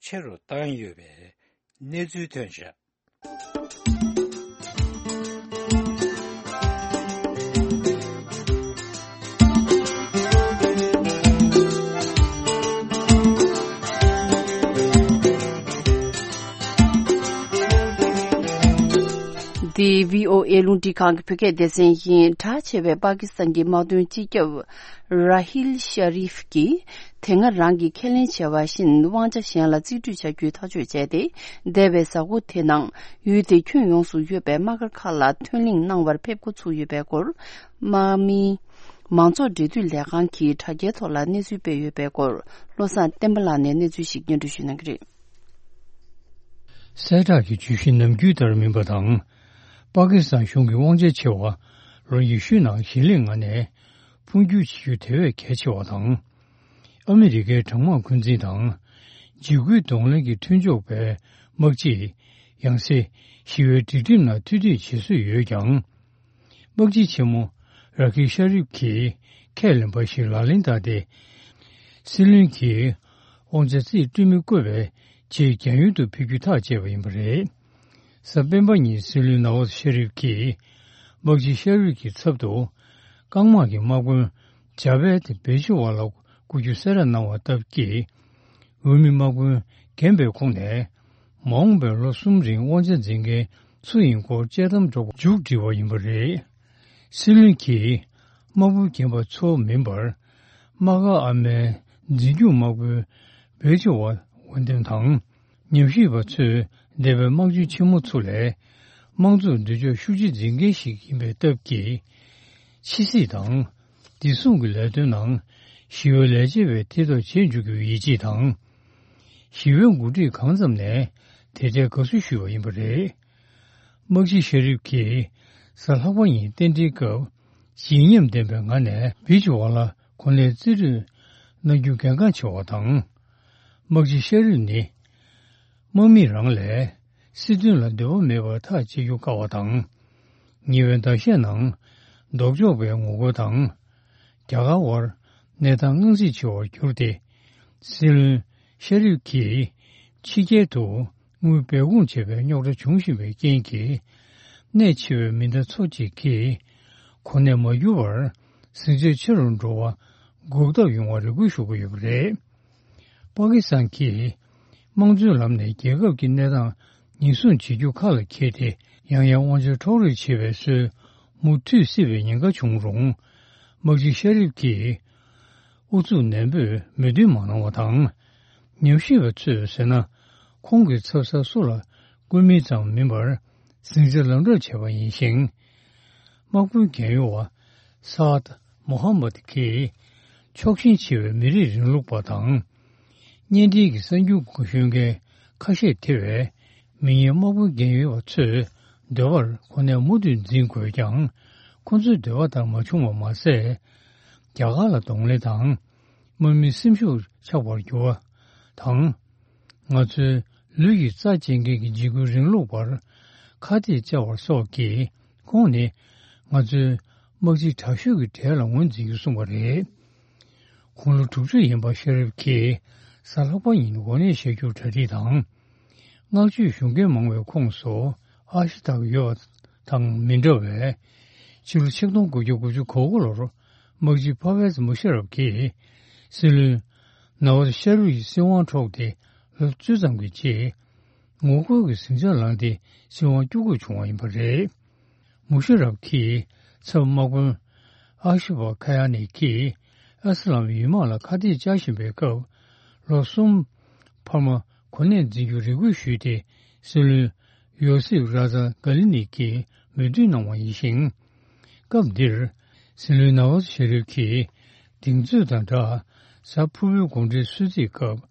ཆེ་རུ་བཏང་ཡོད་པའི་གནས་ཚུལ་ཐོན་བཞག་འདི་བྷི་ཨོ་ཨེ་རླུང་འཕྲིན་ཁང་གི་བོད་སྐད་སྡེ་ཚན་ཡིན། གྲགས་ཆེ་བའི་པ་ཀི་སི་ཐན་གྱི་དམག་དོན་སྤྱི་ཁྱབ་ར་ཧིལ་ཤ་རིབ་ཀྱིས། དེ་སྔ་རང་གིས་ཁས་ལེན་བྱས་པ་བཞིན་དབང་ཆ་གཞན་ལ་རྩིས་སྤྲོད་བྱ་རྒྱུའི་ཐག་གཅོད་བྱས་ཏེ། འདས་པའི་གཟའ་འཁོར་དེ་ནང་ཡུལ་དེའི་ཁྱོན་ཡོངས་སུ་ཡོད་པའི་དམག་སྒར་ཁག་ལ་ཐོན་ལེན་གནང་བར་ཕེབས་འགོ་ཚུགས་ཡོད་པའི་སྐོར། དམག་མིའི་མང་ཚོགས་འབྲེལ་མཐུད་ལས་ཁང་གིས་དྲ་རྒྱའི་ཐོག་ལ་གནས་ཚུལ་སྤེལ་ཡོད་པའི་སྐོར། བློ་བཟང་བསྟན་པ་ལགས་ནས་གནས་ཚུལ་ཞིག་སྙན་སྒྲོན་ཞུ་གནང་གི་རེད། གསལ་བསྒྲགས་ཀྱི་བརྗོད་གཞི་ནམ་རྒྱུན་ལྟར་མིན་པ་དང་། པ་ཀི་སི་ཐན་གཞུང་གི་དབང་ཆ་ཆེ་བ་ལོ་ཉི་ཤུའི་ནང་གཞིས་ལེགས་ལྔ་ནས་འཕོ་འགྱུར་བྱེད་རྒྱུ་དེ་བས་གལ་ཆེ་བ་དང་། ཨ་མི་རི་ཀའི་གྲང་དམག་འཁོན་འཛིན་དང་འཇིགས་སྐུལ་གདོང་ལེན་གྱི་མཐུན་ཕྱོགས་པའི་དམག་སྤྱིས་ཡང་སེ་ཞི་བའི་སྒྲིག་ཁྲིམས་ནང་ཐུགས་འདོད་བྱེད་སྲོལ་ཡོད་ཀྱང་། དམག་སྤྱི་ཆེན་མོ་ར་ཁི་ཤ་རིབ་ཀྱིས་ཁས་ལེན་པ་ཞིག་ལག་ལེན་བསྟར་ཏེ། སྲིད་བློན་གྱིས་དབང་ཆ་རྩིས་སྤྲོད་མི་བསྐོས་པའི་ཆེད་རྒྱ་ཡུལ་དུ་ཕེབས་རྒྱུ་ཐག་བཅད་པ་ཡིན་པ་རེད། གཟའ་སྤེན་པ་ཉིན་སྲིད་བློན་ནཱ་ཝཱ་ཤ་རིབ་ཀྱིས་དམག་སྤྱི་ཤ་རིབ་ཀྱི་ཚབ་ཏུ་རྐང་དམག་གི་དམག་དཔོན་ཇ་བེད་བེ་ཆི་ཝ་ལ་བསྐོ་རྒྱུ་གསལ་བསྒྲགས་གནང་བ་སྟབས་ཀྱིས། འོས་མི་དམག་དཔོན་རྒན་པའི་ཁོངས་ནས་མ་འོངས་པའི་ལོ་གསུམ་རིང་དབང་ཆ་འཛིན་མཁན་སུ་ཡིན་སྐོར་དཔྱད་གཏམ་སྒྲོག་པར་མཇུག་བསྒྲིལ་བ་ཡིན་པ་རེད། སྲིད་བློན་གྱིས་དམག་དཔོན་རྒན་པ་ཚོ་མིན་པར། དམག་སྒར་ཨ་མའི་འཛིན་སྐྱོང་དམག་དཔོན་བེ་ཆི་ཝ་འོས་འདེམས་དང་། ཉམས་ཞིབ་པ་ཚོས་འདས་པའི་དམག་སྤྱི་ཆེན་མོ་ཚོ་ལས་དམངས་གཙོར་འདོད་ཕྱོགས་ཤུགས་ཆེ་འཛིན་མཁན་ཞིག་ཡིན་པའི་སྟབས་ཀྱིས། ཕྱི་སྲིད་དང་། བདེ་སྲུང་གི་ལས་དོན་ནང་ཞི་བའི་ལས་བྱེད་པའི་མཐིལ་རྟོགས་བྱེད་འཇུག་རྒྱུའི་ཡིད་ཆེས་དང་། ཞི་བའི་འགོ་ཁྲིད་གང་ཙམ་ནས་དེ་འཕྲལ་དགའ་བསུ་ཞུས་པ་ཡིན་པ་རེད། དམག་སྤྱི་ཤ་རིབ་ཀྱིས་གཟའ་ལྷག་པ་ཉིན་རྟེན་འབྲེལ་སྐབས་བརྗིད་ཉམས་ལྡན་པའི་ངང་ནས་བེ་ཆི་ཝ་ལ་གོ་གནས་རྩིས་སྤྲོད་གནང་རྒྱུ་གལ་འགངས་ཆེ་བ་དང་། དམག་སྤྱི་ཤ་རིབ་ནི་དམག་མི་རང་ལས་སྲིད་དོན་ལ་འདོད་པ་མེད་པར་ཐག་བཅད་རྒྱུ་དཀའ་བ་དང་། ཉེ་བའི་ཟླ་ཤས་ནང་ལྡོག་ཕྱོགས་པའི་ངོ་རྒོལ་དང་། རྒྱ་གར་དབར་གནས་སྟངས་དངངས་འཚབ་ཆེ་བར་གྱུར་ཏེ། སྲིད་བློན་ཤ་རིབ་ཀྱིས་ཕྱི་རྒྱལ་དུ་དངུལ་སྦས་སྐུང་བྱེད་པའི་རྙོག་དྲ་བྱུང་བཞིན་པའི་རྐྱེན་གྱིས། གནད་ཆེ་བའི་མི་སྣ་ཚོ་གཅིག་གིས་གོ་གནས་མ་བསྒྱུར་བར་ཟིང་ཆ་ཆེ་རུ་འགྲོ་བ་འགོག་ཐབས་ཡོང་བར་རེ་སྐུལ་ཞུ་གི་ཡོད་པ་རེད། པ་ཀི་སི་ཐན་གྱིས་དམངས་གཙོའི་ལམ་ནས་རྒྱལ་ཁབ་ཀྱི་གནས་སྟངས་ཉེན་སྲུང་བྱེད་རྒྱུ་ཁ་ལ་འཁྱེར་ཏེ། ཡང་ཡང་དབང་ཆ་འཕྲོག་རེས་བྱེད་པའི་སྲོལ་མུ་མཐུད་སྲིད་པའི་ཉེན་ཁ་བྱུང་རུང་། དམག་སྤྱི་ཤ་རིབ་ཀྱིས་ཨུ་ཚུགས་ནན་པོས་མོས་མཐུན་མ་གནང་བ་དང་། ཉམས་ཞིབ་པ་ཚོས་ཟེར་ན། ཁོང་གི་ཚབ་གསར་སུ་ལ་བསྐོས་མིན་ཙམ་མིན་པར་ཟིང་ཆ་ལམ་འགྲོ་བྱས་པ་ཡིན་ཞིང་། དམག་དཔོན་རྒན་ཡོལ་བ་སཱ་ཨད་མོ་ཧ་མད་ཀྱིས་ཕྱོགས་ཞེན་ཆེ་བའི་མི་རིགས་རིང་ལུགས་པ་དང་། གཉེན་འབྲེལ་གྱི་གསར་འགྱུར་འགོ་ཤོད་མཁན་ཁ་ཤས་ཐེ་བའི་མི་ངན་དམག་དཔོན་རྒན་ཡོལ་བ་ཚོའི་འདོད་པར་གོ་གནས་མུ་མཐུད་འཛིན་དགོས་ཀྱང་། ཁོ་ཚོའི་འདོད་པ་ལྟར་མ་བྱུང་བ་མ་ཟད། རྒྱ་གར་ལ་གདོང་ལེན་དང་། དམག་མིའི་སེམས་ཤུགས་ཆག་པར་གྱུར་བ་དང་། ང་ཚོའི་ལུས་ཀྱི་རྩ་བཅད་མཁན་གྱི་འཇིགས་སྐུལ་རིང་ལུགས་པར་ཁ་གཏད་བཅག་པ་སོགས་ཀྱིས། ཁོང་ནི་ང་ཚོའི་ དམག་སྤྱི་དྲག་ཤོས་ཀྱི་གྲས་ལ་ངོས་འཛིན་རྒྱུ་གསུངས་པ་རེད། དགུང་ལོ་དྲུག་ཅུ་ཡིན་པ་ཤེ་རིབ་ཀྱིས་གཟའ་ལྷག་པ་ཉིན་འགོ་ནད་བཤལ་རྒྱུར་གྲ་སྒྲིག་དང་། བསྔགས་བརྗོད་ཞུ་མཁན་མང་བའི་ཁོངས་སུ་ཨ་ཤི་དག་ཡོད་པ་དང་མི་འདྲ་བས། ཕྱི་ལོ་ཆིག་སྟོང་དགུ་བརྒྱ་དགུ་བཅུ་གོ་དགུ་ལོར་དམག་སྤྱི་ཕ་ཝེ་ཛི་མུ་ཤེ་རབ་ཀྱིས་སྲིད་བློན་ནཱ་ཝ་ཛི་ཤ་རུ་ཡི་སྲིད་དབང་འཕྲོག་སྟེ་ལོ་བཅུ་ཙམ་གྱི་རྗེས། ངོ་རྒོལ་གྱི་ཟིང་ཆ་ལངས་ཏེ་སྲིད་དབང་བསྐྱུར་དགོས་བྱུང་བ་ཡིན་པ་རེད། མུ་ཤེ་རབ་ཀྱིས་ཚབ་དམག་དཔོན་ཨ་ཤི་ཕ་ཁ་ཡ་ནི་ཀྱིས་ཨ་སི་ལམ་ཡུལ་དམག་ལ་ཁ་གཏད་བཅག་བཞིན་པའི་སྐབས། ལོ་གསུམ་འཕར་མ་གོ་གནས་འཛིན་རྒྱུ་རེ་སྐུལ་ཞུས་ཏེ། སྲིད་བློན་ཡོ་སིབ་ར་ཛ་ག་ལི་ནི་ཀྱིས་མོས་མཐུན་གནང་བ་ཡིན་ཞིང་། སྐབས་འདིར་སྲིད་བློན་ནཱ་ཝ་ཛི་ཤེ་རིབ་ཀྱིས་གདེང་ཚོད་དང་སྦྲགས། གཟའ་ཕུར་བུའི་དགོང་དྲོའི་གསོལ་ཚིགས་སྐབས།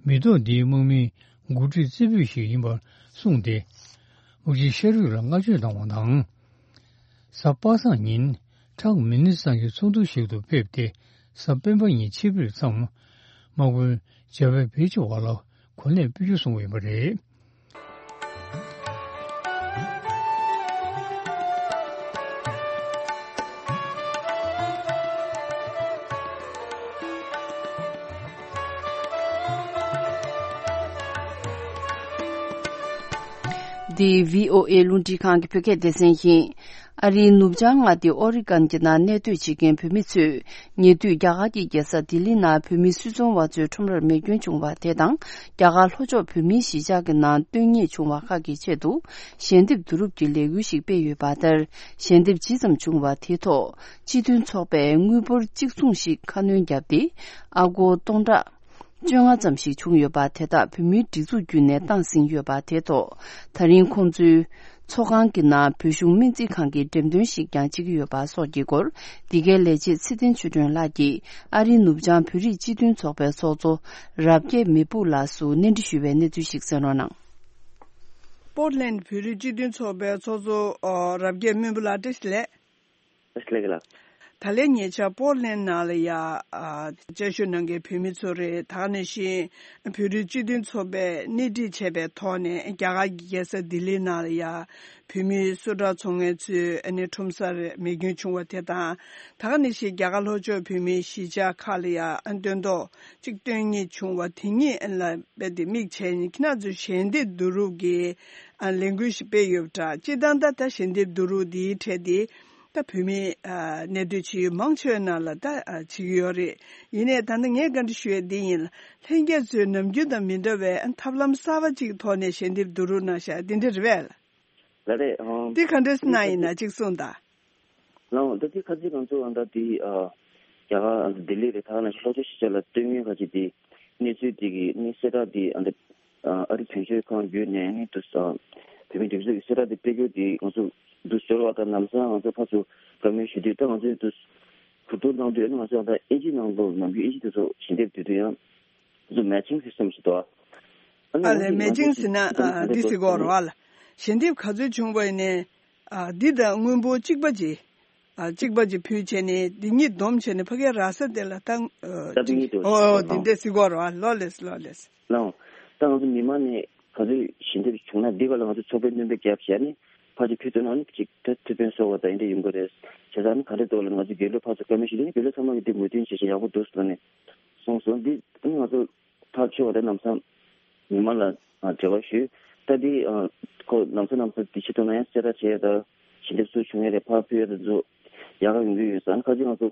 མི་ཐོག་འདིའི་དམག་མིའི་འགོ་ཁྲིད་རྩེ་ཕུད་ཞིག་ཡིན་པར་གསུངས་ཏེ། དམག་སྤྱི་ཤ་རུས་ལ་བསྔགས་བརྗོད་གནང་བ་དང་། གཟའ་པ་སངས་ཉིན་ཁྲག་མི་ནི་སང་གི་ཚོགས་འདུ་ཞིག་ཏུ་ཕེབས་ཏེ། གཟའ་སྤེན་པ་ཉིན་ཆིབས་བསྒྱུར་མཚམས། དམག་དཔོན་ཇ་བེད་བེ་ཅི་ཝ་ལ་གོ་གནས་སྤོས་རྒྱུ་གསུངས་ཡོད་པ་རེད། འདི་བྷི་ཨོ་ཨེ་རླུང་འཕྲིན་ཁང་གི་བོད་སྐད་སྡེ་ཚན་ཡིན། ཨ་རིའི་ནུབ་བྱང་མངའ་སྡེ་ཨོ་རི་གན་གྱི་ནང་གནས་སྡོད་བྱེད་མཁན་བོད་མི་ཚོས། ཉེ་དུས་རྒྱ་གར་གྱི་རྒྱལ་ས་ལྡི་ལི་ནང་བོད་མི་སུད་ཚོང་བ་ཚོའི་ཁྲོམ་རར་མེ་སྐྱོན་བྱུང་བ་དེ་དང་། རྒྱ་གར་ལྷོ་ཕྱོགས་བོད་མིའི་གཞིས་ཆགས་ཀྱི་ནང་སྟོན་ཉེས་བྱུང་བ་ཁག་གི་ཆེད་དུ། ཞལ་འདེབས་བསྡུ་རུབ་ཀྱི་ལས་འགུལ་ཞིག་སྤེལ་ཡོད་པ་ལྟར། ཞལ་འདེབས་ཇི་ཙམ་བྱུང་བ་དེ་ཐོག་སྤྱི་མཐུན་ཚོགས་པས་དངུལ་འབོར་གཅིག་མཚུངས་ཤིག་ཁ་སྣོན་བརྒྱབ་སྟེ། ཨ་སྒོར་སྟོང་ཕྲག་བཅོ་ལྔ་ཙམ་ཞིག་བྱུང་ཡོད་པ་དེ་དག་བོད་མིའི་སྒྲིག་འཛུགས་བརྒྱུད་ནས་བཏང་ཟིན་ཡོད་པ་དེ་ཐོག་ད་རིང་ཁོང་ཚོའི་ཚོགས་ཁང་གི་ནང་བོད་གཞུང་སྨན་རྩིས་ཁང་གི་འགྲེམས་སྟོན་ཞིག་ཀྱང་བྱེད་ཀྱི་ཡོད་པ་སོགས་ཀྱི་སྐོར། འདི་གའི་ལས་བྱེད་ཚེ་བརྟན་ཆོས་སྒྲོན་ལགས་ཀྱིས་ཨ་རིའི་ནུབ་བྱང་བོད་རིགས་སྤྱི་མཐུན་ཚོགས་པའི་ཚོགས་གཙོ་རབ་རྒྱས་མེ་སྤུག་ལགས་སུ་གནས་འདྲི་ཞུས་པའི་གནས་ཚུལ་ཞིག་གསན་རོགས་གནང་། པོར་ལེན་བོད་རིགས་སྤྱི་མཐུན་ཚོགས་པའི་ཚོགས་གཙོ་རབ་རྒྱས་མེ་སྤུག་ལགས་བཀྲ་ཤིས་བདེ་ལེགས། ལགས་ལགས། ད་ལན་ཉེ་ཆར་པོར་ལེན་ནང་ལ་ཡ། ཨ། བཅའ་བཞུགས་གནང་མཁན་བོད་མི་ཚོ་རེད། ད་ག་ནང་བཞིན་བོད་རིགས་སྤྱི་མཐུན་ཚོགས་པས་སྣེ་ཁྲིད་བྱས་པའི་ཐོག་ནས་རྒྱ་གར་གྱི་རྒྱལ་ས་ལྡི་ལི་ནང་ལ་ཡ། བོད་མི་སུ་ཌག་ཚོང་མཁན་ཚོའི་ཨ་ནི་ཁྲོམ་སར་མེ་སྐྱོན་བྱུང་བ་དེ་དང་། ད་ག་ནང་བཞིན་རྒྱ་གར་ལྷོ་ཕྱོགས་བོད་མིའི་གཞིས་ཆགས་ཁག་ལ་ཡ་ཨ་སྟོན་ཐོག་གཅིག་སྟོན་ཉེས་བྱུང་བ་དེ་གཉིས་ལ་རྦད་དེ་དམིགས་བྱས་ནས་ཁྱེད་རང་ཚོས་ཞལ་འདེབས་བསྡུ་རུབ་ཀྱི་ཨ་ལས་འགུལ་ཞིག་སྤེལ་ཡོད་པ་འདྲ། སྤྱིར་བཏང་ད་ལྟ་ཞལ་འདེབས་བསྡུ་རུབ་འདིའི་གྲས་དེ། ད་བོད་མི་ཨ་གནས་སྡོད་བྱེད་ཡུལ་མང་ཆེ་བའི་ནང་ལ་ད་ཨ་བྱེད་ཀྱི་ཡོད་རེད། ཡིན་ནའི་ད་ལྟ་ངས་བཀའ་འདྲི་ཞུ་ཡས་འདི་ཡིན་ལ། ལྷན་རྒྱས་ཚོས་ནམ་རྒྱུན་དང་མི་འདྲ་བའི་ཨ་ཐབས་ལམ་གསར་པ་ཅིག་ཐོག་ནས་ཞལ་འདེབས་བསྡུ་རུབ་གནང་ཤག་འདི་འདྲ་རེད་པས། ལགས་རེད། ཨང་། འདི་ག་འདྲས་གནང་ཡིན་ན་གཅིག་གསུངས་དང་། ལགས་འོང་། ད་འདི་ཁ་ཚིག་ང་ཚོ་ཨ་ད་འདི་ཨ་རྒྱ་གར་ཨ་ལྡི་ལི་རེད། ད་ག་ནང་བཞིན་ལྷོ་ཕྱོགས་གཞིས་ཆགས་ལ་སྟོན་ཡོད་ཁ་ཅིག་འདི་གནས་ཚུལ་འདི་གི་ནི་གསལ་བསྒྲགས་འདི་ཨ་ད། ཨ་རི་དོན་གཅོད་ཁང་བརྒྱུད་ནས་ནི་དུ་བོད་མིའི་སྒྲིག་འཛུགས་ཀྱི་གསལ་བསྒྲགས་དེ་སྤེལ་རྒྱུ་དེ་ང་ཚོ་འདུ་འབྱོར་བ་དང་ལམ་སང་ང་ཚོ་ཕར་ཚུར་བཀའ་མོལ་ཞུ་དུས། ད་ང་ཚོས་འདུ་གོ་བསྡུར་གནང་དུས་ནི་ང་ཚོ་ད་ཨིན་ཇི་ནང་ལོགས་ནམ་རྒྱུན་ཨིན་ཇི་དེ་ཚོ་ཞལ་འདེབས་བསྡུ་དུས་ཡང་ང་ཚོ་matching system་ཞིག་འདུག་ཨ་ནི་ཨ་ལས་matching་ཟེར་ན་ཨ་འདི་ཟེར་གོ་རེད་བ་ལ། ཞལ་འདེབས་ག་ཚོད་བྱུང་བ་ཡིན་ནའི་ཨ་འདི་དང་དངུལ་འབོར་གཅིག་པ་ཅིག་ཨ་གཅིག་པ་ཅིག་ཕུལ་བྱས་ནས་འདི་གཉིས་བསྡོམས་བྱས་ནས་ཕ་གིའི་ར་ས་དེ་ལ་ད་ཨ་ད་འདི་གཅིག་གཉིས་འདུག་ཨོ་ཨོ་འདི་འདྲས་ཟེར་གོ་རེད་བ། ལགས་ལེས་ལགས་ལེས། ལགས་འོང་། ད་ང་ཚོ་མི་མང་ནས་ག་ཚོད་ཞལ་འདེབས་བྱུང་ན་འདི་ག་ལ་ང་ཚོ་ཚོགས་པའི་སྣོན་པ་བརྒྱབ་བྱས་ནས་ཕར་ཅིག་ཕུལ་ཐུབ་ན་ནི་ཅིག་ད་ཐུགས་ཕན་གསོས་པ་དང་འདི་འདྲ་ཡོང་གི་རེད། བྱས་ཙང་ནི་ག་འདྲ་འདུག་ལ་ང་ཚོ་རྒྱུན་ལས་ཕར་ཚུར་བཀའ་མོལ་ཞུས་དུས་ནི་རྒྱུན་ལས་ཚང་མ་གིས་འདི་མོས་མཐུན་བྱས་བྱས་ཡག་པོ་འདུག་ཟེར་ནས་གསུངས་སོང་། འདི་ནི་ང་ཚོ་ཐག་ཆོད་པ་དང་ལམ་སང་མི་མང་ལ་འབྲེལ་བ་ཞུས། ད་འདི་ཁོ་ལམ་སང་ལམ་སང་འདི་ཆེད་དུ་ན་ཡང་གསལ་བསྒྲགས་བྱས་ཡ་ད་ཞལ་འདེབས་སུ་བྱུང་ཡ་རེད། ཕར་ཕུལ་ཡ་དེ་ཚོ་ཡག་ག་ཡོང་གི་ཡོད་ས། ཁ་ཅིག་ང་ཚོ་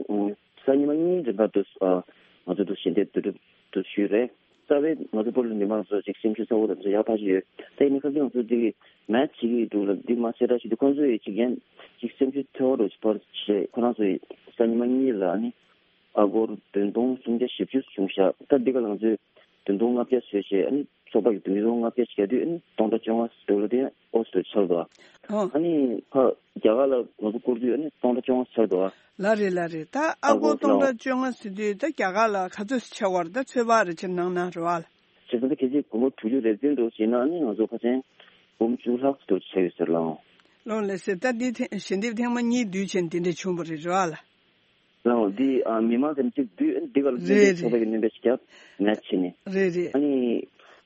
གཟའ་ཉི་མ་གཉིས་རིང་ག་དུ་ང་ཚོ་དུ་ཞལ་འདེབས་བསྡུ་རུབ་དུ་ཞུས་རེད། རྩ་བའི་ང་ཚོ་བོད་ལ་མི་མང་ཚོ་ཅིག་སེམས་ཤུགས་ཚ་བོ་དང་ཚོ་ཡག་ཕར་ཞིག་ཡོད། ད་ཡིན་ནའི་ཁ་ཅིག་ང་ཚོ་འདི་གི་མེད་བྱེད་ཀྱི་འདུག་ལ། འདི་མ་གསལ་བསྒྲགས་བྱེད་དུས་ཁོང་ཚོ་ཡི་ཅིག་ཡན་ཅིག་སེམས་ཤུགས་ཚ་བོ་རུ་ཅིག་ཕར་བྱས། ཁོ་རང་ཚོ་ཡི་གཟའ་ཉི་མ་གཉིས་ལ་ནི་ཨ་སྒོར་བདུན་སྟོང་སུམ་བརྒྱ་བཞི་བཅུ་བྱུང་ཤག་ད་འདི་ག་ལ་ང་ཚོས་བདུན་སྟོང་ལྔ་བརྒྱ་བཟོས་བྱས། ཨ་ནི་ཚོགས་པ་གི་བདུན་སྟོང་ལྔ་བརྒྱ་ཞིག་རྒྱག་དུས་ཨ་ནི་སྟོང་ཕྲག་བཅོ་ལྔ་ཟེར་འདུག་ལ། དེ་ཨོ་ཙི་ཆགས་འདུག་ཨ་ནི་ཕ་རྒྱ་གར་ལ་ང་ཚོ་བསྐུར་དུས་ཨ་ནི་སྟོང་ཕྲག་བཅོ་ལྔ་ཆགས་འདུག་ཨ། ལགས་རེད་ལགས་རེད། ད་ཨ་སྒོར་སྟོང་ཕྲག་བཅོ་ལྔ་ཟེར་དུས་ད་རྒྱ་གར་ལ་ག་ཚོད་ཆགས་པ་རེད། ད་ཚོད་དཔག་རེ་བྱས་གནང་ན་རེད་བ་ལ། བྱས་ཙང་ད་གལ་སྲིད་སྒོར་མོ་དྲུག་ཅུ་རེ་བདུན་འགྲོ་བྱས་ན་ཨ་ནི་ང་ཚོ་ཕལ་ཆེར་སྒོར་མོ་བཅུ་ལྷག་ཙམ་ཆགས་ཡོད་ཟེར་ལགས། ལགས་ལགས་སེ། ད་འདི་ཐེངས་ཞལ་འདེབས་ཐེངས་མ་གཉིས་བསྡུས་བྱས་འདི་འདྲ་བྱུང་བ་རེད་རེད་བ་ལ། ལགས་འོང་། འདི་ཨ་མི་མང་ཙམ་གཅིག་བསྡུས་འདི་ག་ལ་རེད་རེད། ཚོགས་པ་གི་སྣོན་པ་ཞིག་བརྒྱབ་མེད་བྱས་ནས། རེད་རེད། ཨ་ནི།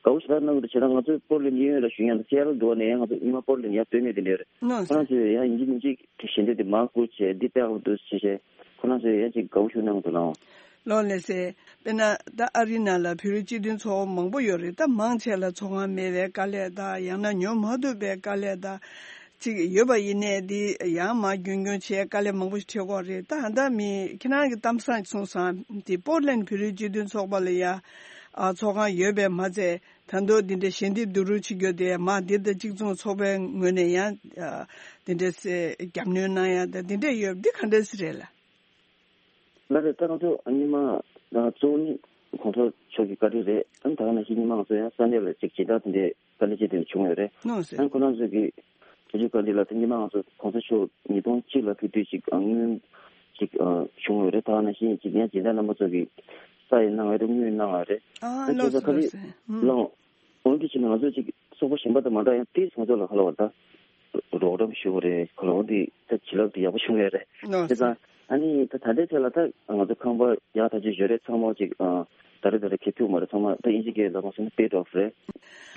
དགའ་བོ་ཞེ་དྲག་གནང་གི་འདུག་བྱས་ཙང་ང་ཚོ་པོར་ལེན་གཡས་གཡོན་ལ་བཞུགས་མཁན་དང་སི་ཨེ་ཊལ་འདྲ་བོ་ནས་ཡང་ང་ཚོ་ཉི་མ་པོར་ལེན་ཡར་སྤོས་མེད་དེ་འདྲ་རེད། ནོ་ཁོ་རང་ཚོས་ཡང་ཡིན་གཅིག་མིན་གཅིག་ཞལ་འདེབས་དེ་མར་བསྐུར་བྱས་འདི་སྤེལ་དགོས་འདུག་ཞེས་བྱས་ཁོ་རང་ཚོས་ཡང་ཅིག་དགའ་བོ་ཞེ་པོ་གནང་གི་འདུག་ལགས། ལགས་ལགས་སེ། དཔེར་ན་ད་ཨ་རི་ནང་ལ་བོད་རིགས་སྤྱི་མཐུན་ཚོགས་པ་མང་པོ་ཡོད་རེད། ད་མང་ཆེ་ལ་ཚོགས་ཁང་མེད་པའི་དཀའ་ལས་དང་ཡང་ན་ཉོ་མ་ཐུབ་པའི་དཀའ་ལས་དང་ཅིག་ཡོད་པ་ཡིན་ནའི་འདི་ཡང་མར་རྒྱུན་སྐྱོང་བྱས་དཀའ་ལས་མང་པོ་ཞིག་འཕྲད་ཀྱི་ཡོད་རེད། ད་ཧ་ད་མི་ཁྱེད་རང་གི་གཏམ་བཟང་གསུངས་སོང་། འདི་པོར་ལེན་བོད་རིགས་སྤྱི་མཐུན་ཚོགས་པ་ལ་ཡ་ཨ་ཚོགས་ཁང་ཡོད་པས་མ་ཚད་ད་དུང་འདི་འདྲའི་ཞལ་འདེབས་བསྡུ་རུབ་བྱེད་རྒྱུ་དེ་མ་འདི་དང་གཅིག་མཚུངས་ཚོགས་པའི་ངོས་ནས་ཡང་ཨ་འདི་འདྲའི་རྒྱབ་གནོན་གནང་ཡ་ད་འདི་འདྲ་ཡོད་འདི་ག་འདྲ་ཞིག་རེད་ལགས། ལགས་རེད། ད་ང་ཚོ་སྔོན་མ་ད་གཙོ་བོ་ནི་གོང་ས་མཆོག་གི་བཀའ་དྲིན་རེད། ཨ་ནི་ད་ག་ནང་བཞིན་སྔོན་མ་ང་ཚོ་ཡང་ས་གནས་ལ་ཅིག་སྦྱིན་བདག་དེ་འདྲའི་དཀའ་ལས་ཅིག་དེ་འདྲ་བྱུང་ཡོད་རེད། ནོ་ཟེར། ཨ་ནི་ཁོ་རང་ཚོ་གི་ཐུགས་རྗེ་བཀའ་དྲིན་ལ་ད་སྔོན་མ་ང་ཚོ་གོང་ས་མཆོག་ཉིས་སྟོང་གཅིག་ལ་ཕེབས་དུས་ཅིག་ཨ་སྔོན་ཅིག་ཨ་བྱུང་ཡོད་རེད། ད་ག་ནང་བཞིན་ཅིག་ཡང་སྦྱིན་བདག་རྣམ་པ་ཚོ་གི་ས་ཡི་གནང་བ་རེད། དངུལ་གནང་བ་རེད། ཨ་ཨ་ལགས་སོ་ཁ་ལགས་ལགས་སོ། ཨུམ། ལགས། འོན་ཏེ་ཕྱིན་ན་ང་ཚོ་ཅིག་ཚོགས་པ་གཞན་པ་དང་མ་འདྲ་ཡང་ཏིས་ང་ཚོ་ལ་ཁ་ལོ་བ་ད་རོགས་རམ་ཞུ་བ་རེད། ཁ་ལོ་འོན་ཏེ་ད་བྱིན་རླབས་དེ་ཡག་པོ་བྱུང་ཡོད་རེད། ནོ་དེ་ཙང་ཨ་ནི་ད་ད་ལྟའི་ཆ་ལ་ད་ང་ཚོ་ཁང་པ་ཡག་ཐག་ཆོད་ཡོད་རེད། ཚང་མ་ཅིག་ཨ་ད་རེ་ད་རེ་ཁེ་ཐུག་མ་རེད། ཚང་མ་ད་ཨིན་ཇི་སྐད་ལ་མ་སོང་ན་པེ་ཌི་ཨོཕ་རེད།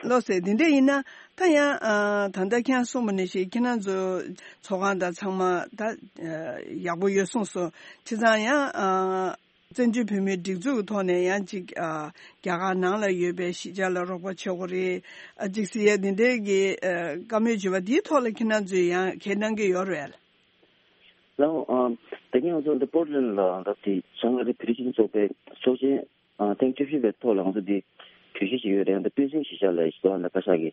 ལོ་ཟེར་དེ་འདྲ་ཡིན་ན་ད་ཡང་ཨ་ད་ལྟ་ཁྱེད་རང་གསུངས་པ་ནང་བཞིན་ཁྱེད་རང་ཚོ་ཚོགས་ཁང་དང་ཚང་མ་ད་ཨ་ཡག་པོ་ཡོད་གསུངས་སོང་། བྱས་ཙང་ཡང་ཨ། བཙན་བྱོལ་བོད་མིའི་སྒྲིག་འཛུགས་ཀྱི་ཐོག་ནས་ཡང་ཅིག་ཨ་རྒྱ་གར་ནང་ལ་ཡོད་པའི་གཞིས་ཆགས་ལ་རོགས་པ་བྱེད་དགོས་རེད། ཨ་ཅིག་ཟེར་ཡ་འདི་འདྲའི་གི་ཨ་བཀའ་མོལ་བྱས་པ་འདིའི་ཐོག་ལ་ཁྱེད་རང་ཚོས་ཡང་ཁས་གནང་གི་ཡོད་རེད། ལགས། ཨ་ད་གིན་ང་ཚོ་འདི་པོར་ལེན་ལ་ད་དེ་བྱང་ཨ་རི་བོད་རིགས་སྤྱི་མཐུན་ཚོགས་པའི་ཚོགས་ཆེན་ཨ་ཐེངས་བཅུ་བཞི་པའི་ཐོག་ལ་ང་ཚོ་འདི་གྲོས་གཞི་ཞིག་ཡོད་རེད། འདི་སྤུན་སྲིང་གཞིས་ཆགས་ལ་ཞིག་འདུག་ཨ་ད་བཀའ་ཤག་གི་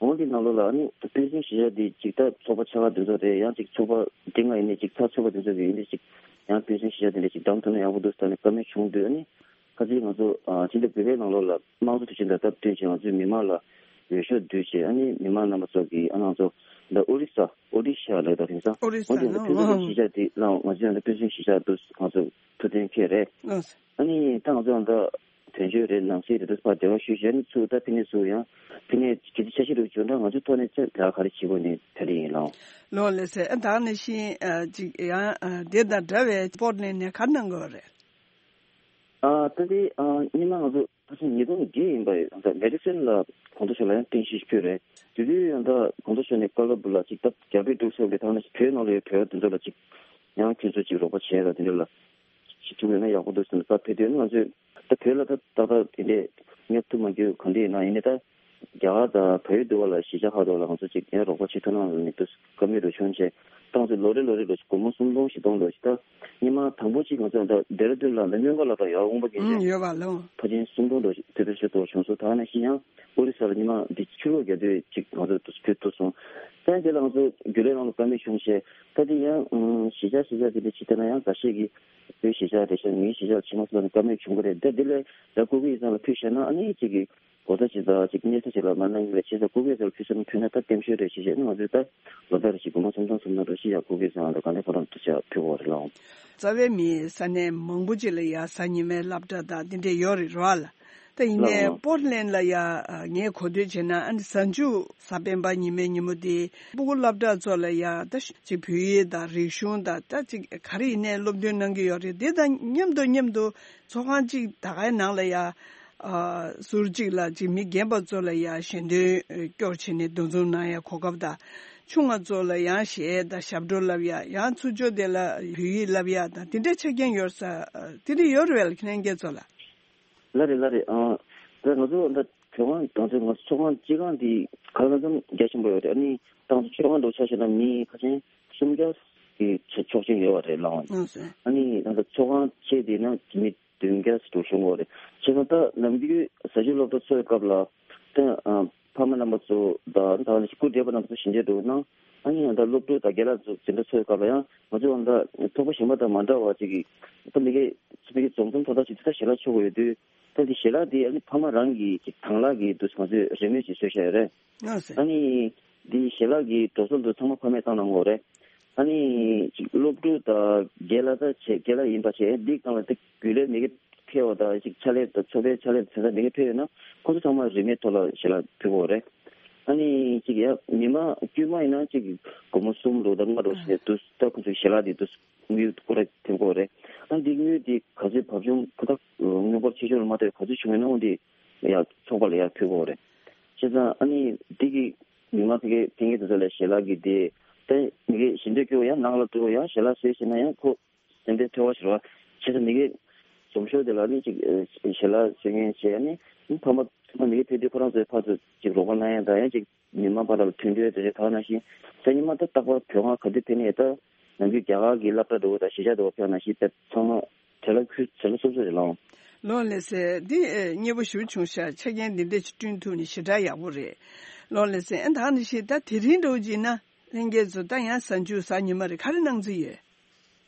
འོང་འདི་ནང་ལོགས་ལ་ཨ་ནི་སྤུན་སྲིང་གཞིས་ཆགས་འདི་ཅིག་ད་ཚོགས་པ་ཆ་ག་འདི་ཚོ་རེད། ཡང་ཅིག་ཚོགས་པ་འདི་ང་ཡིན་ནའི་ཅིག་ཚ་ཚོད་པ་འདི་ཚོ་གི་ཡིན་ནའི་ཅིག་ཡང་སྤུན་སྲིང་གཞིས་ཆགས་འདི་འདྲ་ཅིག་བདམས་ཐུབ་ན་ཡག་པོ་འདུག་ཟེར་ནས་བཀའ་མོལ་བྱུང་དུས་ཨ་ནི་ཁ་ཅིག་ང་ཚོ་ཨ་ཕྱི་ཟླ་དགུ་པའི་ནང་ལོགས་ལ་དམངས་གཙོ་དུས་ཆེན་དང་སྟབས་བསྟུན་བྱས་ང་ཚོས་མི་མང་ལ་འོས་ཤོག་བསྡུས་བྱས་ཨ་ནི་མི་མང་རྣམ་པ་ཚོ་གིས་ཨ་ང་ཚོ་འདི་ཨོ་རི་ས་ཨོ་ཌི་ཤ་ལབ་ད་དེང་སང་ཨོ་རི་ས་འོ་འདི་ནོ་སྤུན་སྲིང་གཞིས་ཆགས་འདི་ལ་ང་ཚོས་ཨ་ནི་སྤུན་སྲིང་གཞིས་ཆགས་འདུག་ང་ཚོ་ཐུགས་གཏན་འཁེལ་རེད། ཨ་ནི་ད་ང་ཚོ་ཨ་ད་དོན་གཅོད་རེད། ནང་སྲིད་རེད། དུས་ཕར་འབྲེལ་བ་ཞུས་བྱས་ནས་ཚུར་ད་ཕི་ནས་ཚུར་ཡང་ཕི་ནས་གལ་ཆེ་ཆ་ཤས་རུ་བྱུང་ན་ང་ཚོའི་ཐོག་ནས་ཚད་ལ་ག་རེ་བྱེད་དགོས་ནས་ད་རེས་ཡིན་ལགས། ལོ་ལེ་སེ་ཨ་ད་ནས་ཤིང་ཨ་ཅིག་ཡང་ཨ་དེ་དང་འདྲ་བའི་པོར་ལེན་ནས་ག་གནང་དགོས་རེད། ཨ་ད་དེ་ཨ་སྔོན་མ་ང་ཚོ་ད་ཆ་ཉིས་སྟོང་བརྒྱད་ཡིན་པ་ཡོད། ད་མེ་ཌི་སོན་ལ་གོང་ས་མཆོག་ལ་ཡང་རྟེན་གཞི་ཞིག་ཕུལ་རེད། དེ་དུས་ཡང་ད་གོང་ས་མཆོག་ནས་བཀའ་སློབ་ལ་ཅིག་ད་རྒྱ་བོད་འབྲུག་སོགས་ཀྱི་ཐོག་ནས་བོད་ནང་ལ་ཡོད་བོད་པ་དེ་ཚོ་ལ་ཅིག་ཡང་ཁྱོད་ཚོ་ཅིག་རོགས་པ་བྱས་ལ་དེ་འདྲ་ལ་ཞིག་ཐུག་ཡོད་ན་ཡག་པོ་འདུག་ཟེར་ནས་ད་ཕེབས་དུས་ང་ཚོས་ད་བོད་ལ་ད་ཏག་ཏག་དེ་འདྲས་ཉོབ་ཐུབ་མ་རྒྱུ་ག་འདྲས་ཡིན་ན་ཡིན་ནའི་ད་རྒྱ་གར་དང་བལ་ཡུལ་དུ་བ་ལ་གཞིས་ཆགས་ཁག་ཏུ་ལ་ང་ཚོ་ཅིག་ཡང་རོགས་པ་བྱེད་ཐུབ་ན་ལ་ནི་དུ་བཀའ་མོལ་རུ་བྱུང་བྱས་ཏང་ཚོ་ལོ་རེ་ལོ་རེ་ལོ་ཞིག་སྒོར་མོ་སུམ་སྟོང་བཞི་སྟོང་ལོ་ཞིག་ད་སྔོན་མ་དང་པོ་ཅིག་ང་ཚོ་ད་ལྡེ་ར་ལྡུན་ལ་ད་སྨྱོན་ཁ་ལ་ད་ཡར་འོང་པ་ཀྱིན་ཨུམ་ཅེ་ཡོད་པ་ལོ། ཕ་ཆེན་སུམ་སྟོང་ལོ་ཞིག་དེ་ཚོ་ཞིག་ཏོ་བྱུང་སོང་། ད་ནང་བཞིན་ཡང་ཨོ་རི་ས་ལ་སྔོན་མ་འདི་ཕྱི་ལོགས་རྒྱ་སྡོད་ཅིག་ང་ཚོ་དུ་ཕུལ་ཐུབ་སོང་། ད་དེ་ལ་ང་ཚོ་རྒྱུན་ལས་ནང་ལ་བཀའ་མོལ་བྱུང་བྱས་ད་དེ་ཡང་གཞིས་ཆགས་གཞིས་ཆགས་དེ་འདྲ་ཅིག་ད་ན་ཡང་འགའ་ཤས་ཀྱིས་བོད་གཞིས་ཆགས་རེད་ཤག་ངའི་གཞིས་ཆགས་ལ་ཕྱིན་མ་སོང་ལ་བཀའ་མོལ་བྱུང་གི་རེད། ད་དེ་ལས་ད་སྐུ་སྒེར་ཡིག་ཚང་ལ་ཕུལ་བཞག་ན་ཨ་ནི་གཅིག་གིས་གོ་ས་ཅིག་དང་གཅིག་གནས་ས་ཅིག་ལ་མ་གནང་གི་རེད། བྱས་ཙང་སྐུ་སྒེར་ཡིག་ཚང་ལ་ཕུལ་ས་ན་ཕུལ་ན་ད་བརྟན་ཤོས་རེད་ཞེས་བཤད་ན་ང་ཚོས་ད་ལོ་ལྟར་ཞིག་སྒོར་མོ་སུམ་སྟོང་སུམ་སྟོང་འགྲོ་ཞིག་ཡག་སྐུ་སྒེར་ཡིག་ཚང་ལ་ག་འདྲ་ཁོ་རང་དུ་ཆ་ཕུལ་དགོས་རེད་ལགས། རྩ་བའི་མི་ས་གནས་མང་པོ་ཅིག་ལ་ཡ་གཟའ་ཉི་མའི་སློབ་གྲྭ་དང་འདི་འདྲས་ཡོད་རེད་རོ་ལ། ད་ཡིན་ནའི་ལགས་ལགས། པོར་ལེན་ལ་ཡ་ངས་གོ་ཐོས་བྱས་ན་ཨ་ནི་གཟའ་མཇུག་གཟའ་སྤེན་པ་ཉི་མའི་ཉིན་མོ་དེ་སྤུ་གུ་སློབ་གྲྭ་ཚོ་ལ་ཡ་ད་ཅིག་བོད་ཡིག་དང་རིག་གཞུང་དང་ད་ཅིག་ག་རེ་ཡིན་ནའི་སློབ་སྟོན་གནང་གི་ཡོད་རེད། དེ་དང་མཉམ་དུ་མཉམ་དུ་ཚོགས་ཁང་གཅིག་ད་གའི་ནང་ལ་ཡ་ཨ་ཟུར་གཅིག་ལ་ཅིག་མི་རྒན་པ་ཚོ་ལ་ཡ་ཞལ་འདོན་སྐྱོར་བྱས་ནས་འདུ་འཛོམས་གནང་ཡ་གོ་སྐབས་དང་། ཆུང་བ་ཚོ་ལ་ཡང་གཞས་དང་ཞབས་བྲོ་བསླབ་ཡ། ཡང་ཚུར་ཕྱོགས་དེ་ལ་བོད་ཡིག་བསླབ་ཡ་དང་དེ་འདྲའི་ཆ་རྐྱེན་ཡོད་ས་དེ་འདྲ་ཡོད་རེད་བས་ལ་ཁྱེད་རང་སྐྱེ་ཚོ་ལ། ལགས་རེད་ལགས་རེད། ཨང་། ད་ང་ཚོ་ད་ཚོགས་ཁང་ང་ཚོ་ང་ཚོ་ཚོགས་ཁང་སྤྱི་ཁང་འདི་ག་ལ་ཙམ་རྒྱ་ཆེན་པོ་ཡོད་རེད། ཨ་ནི་ཏང་ཚོ་ཚོགས་ཁང་འགྲོ་ཆ་བྱས་ན་མི་ཁ་ཆེན་སུམ་བརྒྱ་གི་ཆ་ཆོག་ཆེན་ཡོད་པ་རེད་ལགས། ཨང་སེ། ཨ་ནི་ང་ཚོ་ཚོགས་ཁང་ཆེ་དེ་ན་མི་བདུན་བརྒྱ་ཙམ་བྱུང་བ་རེད། བྱས་ཙང་ད་ནམ་རྒྱུན་ཟས་བཅད་སློབ་གྲྭ་ཚོགས་པའི་སྐབས་ལ་ད་ཕ་མ་རྣམ་པ་ཚོ་དང་ད་སྐུ་བགྲེས་པ་རྣམ་པ་ཚོ་ཞལ་འདེབས་འགྲོ་ན་ཨ་ནི་ད་སློབ་ཕྲུག་དང་རྒན་ལགས་ཚོ་འཛིན་གྲྭ་ཚོགས་པའི་སྐབས་ལ་ཡང་ང་ཚོ་ད་ཚོགས་པ་གཞན་པ་དང་མ་འདྲ་བ་ཅིག་གི་ད་མི་སྒེར་མི་སྒེར་འཛོམས་འཛོམས་ཐོག་ཐག་ཅིག་ད་ཞལ་ལག་མཆོད་དགོས་ཡོད་དུས། ད་འདི་ཞལ་ལག་འདི་ཨ་ནི་ཕ་མ་རང་གི་ཅིག་དང་བླངས་ཀྱིས་འདུག་ང་ཚོས་རེ་མོས་ཅིག་བཟོས་བཞག་ཡོད་རེད། ཨ་ནི་འདི་ཞལ་ལག་གི་འགྲོ་སོང་འདུག་ཚང་མ་ཕ་མས་བཏང་གནང་དགོས་རེད། ཨ་ནི་ཅིག་སློབ་ཕྲུག་དང་རྒན་ལགས་ད་བྱས་རྒན་ལགས་ཡིན་པ་བྱས་འདི་སྒང་ལ་ད་རྒྱུན་ལས་མི་སྒེར་ཕེབས་པ་དང་ཅིག་ཕྱག་ལས་དང་ཚོགས་པའི་ཕྱག་ལས་དང་མི་སྒེར་ཕེབས་ཡོད་ན་ཁོང་ཚོ་ཚང་མ་རེ་མོས་ཐོག་ལ་ཞལ་ལག་ཕུལ་དགོས་རེད། ཨ་ནི་ཅིག་ཡ་མི་མང་དཀྱུས་མ་ཡིན་ན་ཅིག་སྒོར་མོ་གསུམ་འགྲོ་དང་ལྔ་འགྲོ་བྱས་འདུག་ད་ཁོང་ཚོའི་ཞལ་ལག་འདི་འདུག་དངུལ་སྐོར་ར་ཐེབས་དགོས་རེད། ཨ་འདི་དངུལ་འདི་ག་ཚོད་བབ་ཆུང་ཁ་ཐག་དངུལ་སྐོར་ཆེ་ཆུང་ལ་མ་ལྟོས་ག་ཚོད་བྱུང་ཡོད་ན་འོ་འདི་ ཡར་ཚོགས་པ་ལ་ཡར་ཕུལ་དགོས་རེད། བྱས་ཙང་ཨ་ནི་འདི་གི་མི་མང་ཕ་གི་ཕ་གི་དེ་ཚོ་ལ་ཞལ་ལག་གི་དེ་ད་མི་གི་ཞལ་འདོན་སྐྱོར་ཡང་ནང་ལ་འགྲོ་ཡང་ཞལ་ལག་བཟོས་ཟེར་ན་ཡང་ཁོ་སེམས་ཁྲལ་ཐོལ་བ་ཞིག་རེད་བ། བྱས་ཙང་མི་གི་འཛོམས་ཤོག་དེ་ལ་ནི་ཅིག་ཞལ་ལག་བཟོས་མཁན་བྱས་ནི་ཕ་མ་ཕ་མ་མི་གི་ཕེབས་དུས་ཁོ་རང་ཚོའི་ཕར་ཚུར་ཅིག་རོགས་པ་གནང་ཡ་དང་ཡང་ཅིག་མི་མང་བར་ལ་མཐུན་སྒྲིལ་དེ་འདྲ་གང་ནང་བཞིན་གཟའ་ཉི་མ་ད་རྟག་པར་བོད་ཁང་ག་དུས་ཕེབས་ནས་ད་ནམ་རྒྱུན་རྒྱ་གར་གྱི་སློབ་གྲྭ་འགྲོ་བ་དང་གཞིས་ཆགས་འགྲོ་བ་ཕེབས་ནང་བཞིན་དཔེ་ཚང་མ་བྲེལ་བ་ཁུལ་བྲེལ་བ་སོབ་སོབ་རེད་ལགས། ལོ་ལེ་སེ་འདི་ཨེ་མཉེས་པོ་ཞེ་པོ་བྱུང་ཤག་ཆ་རྐྱེན་འདི་འདྲ་ཞིག་བསྐྲུན་ཐུབ་ནས་ཞེ་དྲག་ཡག་པོ་རེད། ལོ་ལེ་སེ་ཨ་ད་ནི་ཞེ་ད་དེ་རིང་འགྲོ་བྱས་ན་ལྷན་རྒྱས་ཚོ་ད་ཡང་གཟའ་མཇུག་གཟའ་ཉི་མ་རེད། ག་རེ་གནང་རྩིས་ཡོད།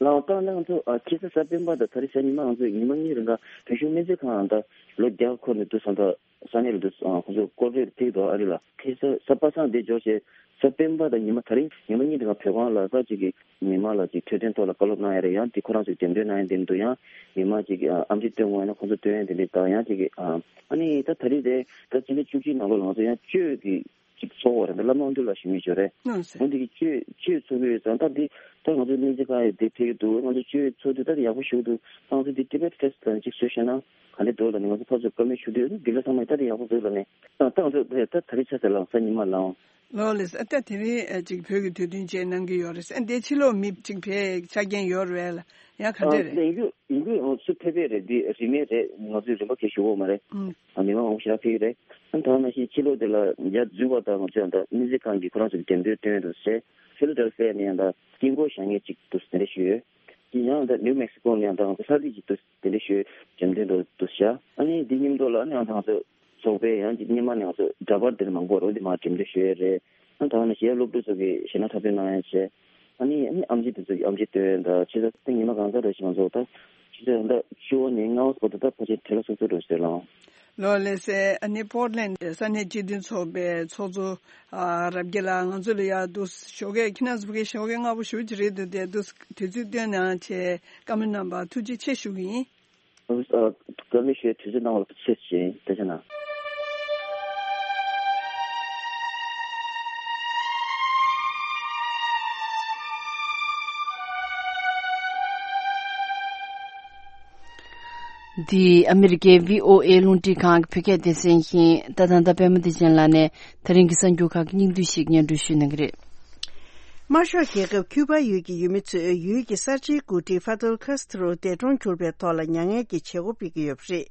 ལགས་ད་ནི་ང་ཚོ་ཨ་ཁ་སང་གཟའ་སྤེན་པ་དང་ད་རེས་གཟའ་ཉི་མ་ང་ཚོ་ཉི་མ་གཉིས་རིང་ག་བོད་གཞུང་སྨན་རྩིས་ཁང་ད་ལོ་བརྒྱ་འཁོར་ནས་འདུག་སོང་ད། ས་གནས་ལ་འདུག་ཨ་ཁོང་ཚོ་སྐོར་རེ་ཕེབས་འདུག་ཨ་རི་ལ། ཁ་སང་གཟའ་པ་སངས་དེ་འབྱོར་བྱས་གཟའ་སྤེན་པ་དང་ཉི་མ་ད་རིང་ཉི་མ་གཉིས་དེ་ག་བོད་ཁང་ལ་ས་གཅིག་གི་མི་མང་ལ་ཅིག་འཕྲོད་བསྟེན་ཐོག་ལ་བཀའ་སློབ་གནང་ཡ་རེད། ཡང་དེ་ཁོ་རང་ཚོས་འགྲེམས་སྟོན་གནང་ཡ་དེ་འདུག་ཡང་མི་མང་ཅིག་གིས་ཨ་ཨམ་ཆི་སྟོན་དགོས་ཡ་ན་ཁོང་ཚོ་སྟོན་ཡ་དེ་འདྲ་དང་ཡང་ཅིག་གིས་ཨ་ཨ་ནི་ད་ད་རིང་དེ་ད་ཕྱི་ཟླ་བཅུ་གཅིག་ནང་ལོགས་ལ་ང་ཚོ་ཡང་གཅོད་ཀྱི་ཅིག་ཚོགས་པ་རེད། ད་བླ་མ་དབང་འདུས་ལགས་ཞུ་མི་ཅོ་རེད། ཨོ་འདི་གི་གཅོད་གཅོད་ཚོགས་ཀྱི་ཡོད་ཙང་ད་འདི་ད་ང་ཚོ་སྨན་རྩིས་ཁང་ཡི་འདི་ཕེབས་ཀྱི་འདུག་ང་ཚོ་གཅོད་ཚོགས་དུས་ད་དེ་ཡག་པོ་ཞུ་འདུག་ད་ང་ཚོ་འདི་ཊི་བེཊ་ཕེ་སི་ཊི་ལ་ཅིག་བཟོས་ཤེ་ན་ག་འདྲ་འདུག་ལ་ནི་ང་ཚོ་ཕར་ཚུར་བཀའ་མོལ་ཞུ་དུས་འདི་ལ་ཚང་མས་ད་དེ་ཡག་པོ་འདུག་ལ་ནི་ད་ད་ང་ཚོ་ད་ད་རེས་ཆ་ཚང་ལ་གཟའ་ཉི་མ་ལའང་། ལོ་ལེ་ས་ད་དེ་རིང་ཅིག་བོད་ཀྱི་དུས་སྟོན་བཅས་གནང་གི་ཡོད་རེད། ཨ་འདི་ཕྱི་ལོགས་མི་ཅིག་ཕེབས་ཆ་རྐྱེན་ཡོད་རེད་ལ་ཡང་ག་འདྲ་རེད། ཡིན་རྒྱུ་ཡིན་རྒྱུ་ང་ཚོ་ཕེབས་པས་རེད། འདི་རིན་མེད་རེད། ང་ཚོས་རིན་པ་གས་ཞུ་གི་ཡོད་མ་རེད། ཨ་མི་མང་མང་པོ་ཞེ་དྲག་ཕེབས་ཀྱི་རེད། ཨ་ད་ནང་བཞིན་ཕྱི་ལོགས་དེ་ལ་ཡར་འཛུལ་བ་དང་ང་ཚོས་ད་སྨན་རྩིས་ཁང་གི་ཁོ་རང་ཚོ་གི་འགྲེམས་སྟོན་སྟོན་དུ་ཟེར། ཕི་ལ་ཌེལ་ཕི་ཡ་ནས་ཡང་ད་དཀྱིལ་འཁོར་བཞེངས་མཁན་ཅིག་འདུག་དེ་འདྲ་ཞུས་ཡོད། དེ་ཡང་ད་ནིའུ་མེག་སི་ཀོ་ནས་ཡང་ད་ང་ཚོ་ལྷ་རིས་ཅིག་འདུག་དེ་འདྲ་ཞུས་འགྲེམས་སྟོན་འདུག་འདུག་ཤག་ཨ་ནི་འདི་མཉམ་དུ་ལ་ཨ་ནི་ཡང་ད་ང་ཚོ་ཚོགས་པའི་ཡང་ཅིག་སྔོན་མ་ནས་ང་ཚོ་འདྲ་པར་དེར་མང་པོ་རོ་འདི་མ་འགྲེམས་སྟོན་ཞུས་ཡོད་རེད། ཨ་ད་ནི་གཞན་སློབ་ཕྲུག་ཚོ་གིས་གཞས་སྣ་འཁྲབ་སྟོན་གནང་ཡ་བྱས། ཨ་ནི་ཨ་ནི་ཨམ་ཆི་དེ་ཚོ་གིས་ཨམ་ཆི་སྟོན་ཡ་ད་ཕྱི་ཟླ་ད་ཉི་མ་གང་ཙམ་རེ་ཞིག་ང་ཚོ་ད་ཕྱི་ཟླ་ད་བཅུ་བ་ནས་ལྔ་བ་བར་དུ་ད་ཕལ་ཆེར་བྲེལ་བ་སོབ་སོབ་རེད་ཟེར་ལ། ལོ་ལེ་སེ་ཨ་ནི་པོར་ཊ་ལེན་ཌི་ས་གནས་སྤྱི་མཐུན་ཚོགས་པའི་ཚོགས་གཙོ་ཨ་རབ་རྒྱས་ལགས་ང་ཚོ་ལ་ཡ་འདུག་ཞོགས་ཀས་ཁྱི་ནག་ཟུག་གི་ཞོགས་ཀས་སྔ་པོ་ཞུ་གི་རེད་འདུག་དེ་འདུག་དུས་ཚོད་བཏོན་གནང་བྱས་བཀའ་མོལ་གནང་བར་ཐུགས་རྗེ་ཆེ་ཞུ་གི་ཡིན། ཨ་བཀའ་མོལ་ཞུ་དུས་ཚོད་གནང་བར་ཐུགས་རྗེ་ཆེ། བཀའ་དྲིན་ཆེ་གནང་། འདི་ཨ་མི་རི་ཀའི་བྷི་ཨོ་ཨེ་རླུང་འཕྲིན་ཁང་གི་བོད་སྐད་སྡེ་ཚན་ཡིན། ད་ད་ལྟ་པད་མ་བདེ་ཆེན་ལགས་ནས་ད་རིང་གི་གསར་འགྱུར་ཁག་གི་སྙིང་བསྡུས་ཤིག་སྙན་སྒྲོན་ཞུ་གནང་གི་རེད། དམར་ཤོག་རྒྱལ་ཁབ་ཁྱུ་པ་ཡུལ་གྱི་ཡུལ་མི་ཚོས་ཡུལ་གྱི་གསར་བརྗེའི་འགོ་ཁྲིད་ཧྥ་དོལ་ཁ་སི་ཏྲོ་འདས་གྲོངས་གྱུར་པའི་ཐོག་ལ་མྱ་ངན་གྱི་བྱེད་སྒོ་སྤེལ་གྱི་ཡོད་པ་རེད།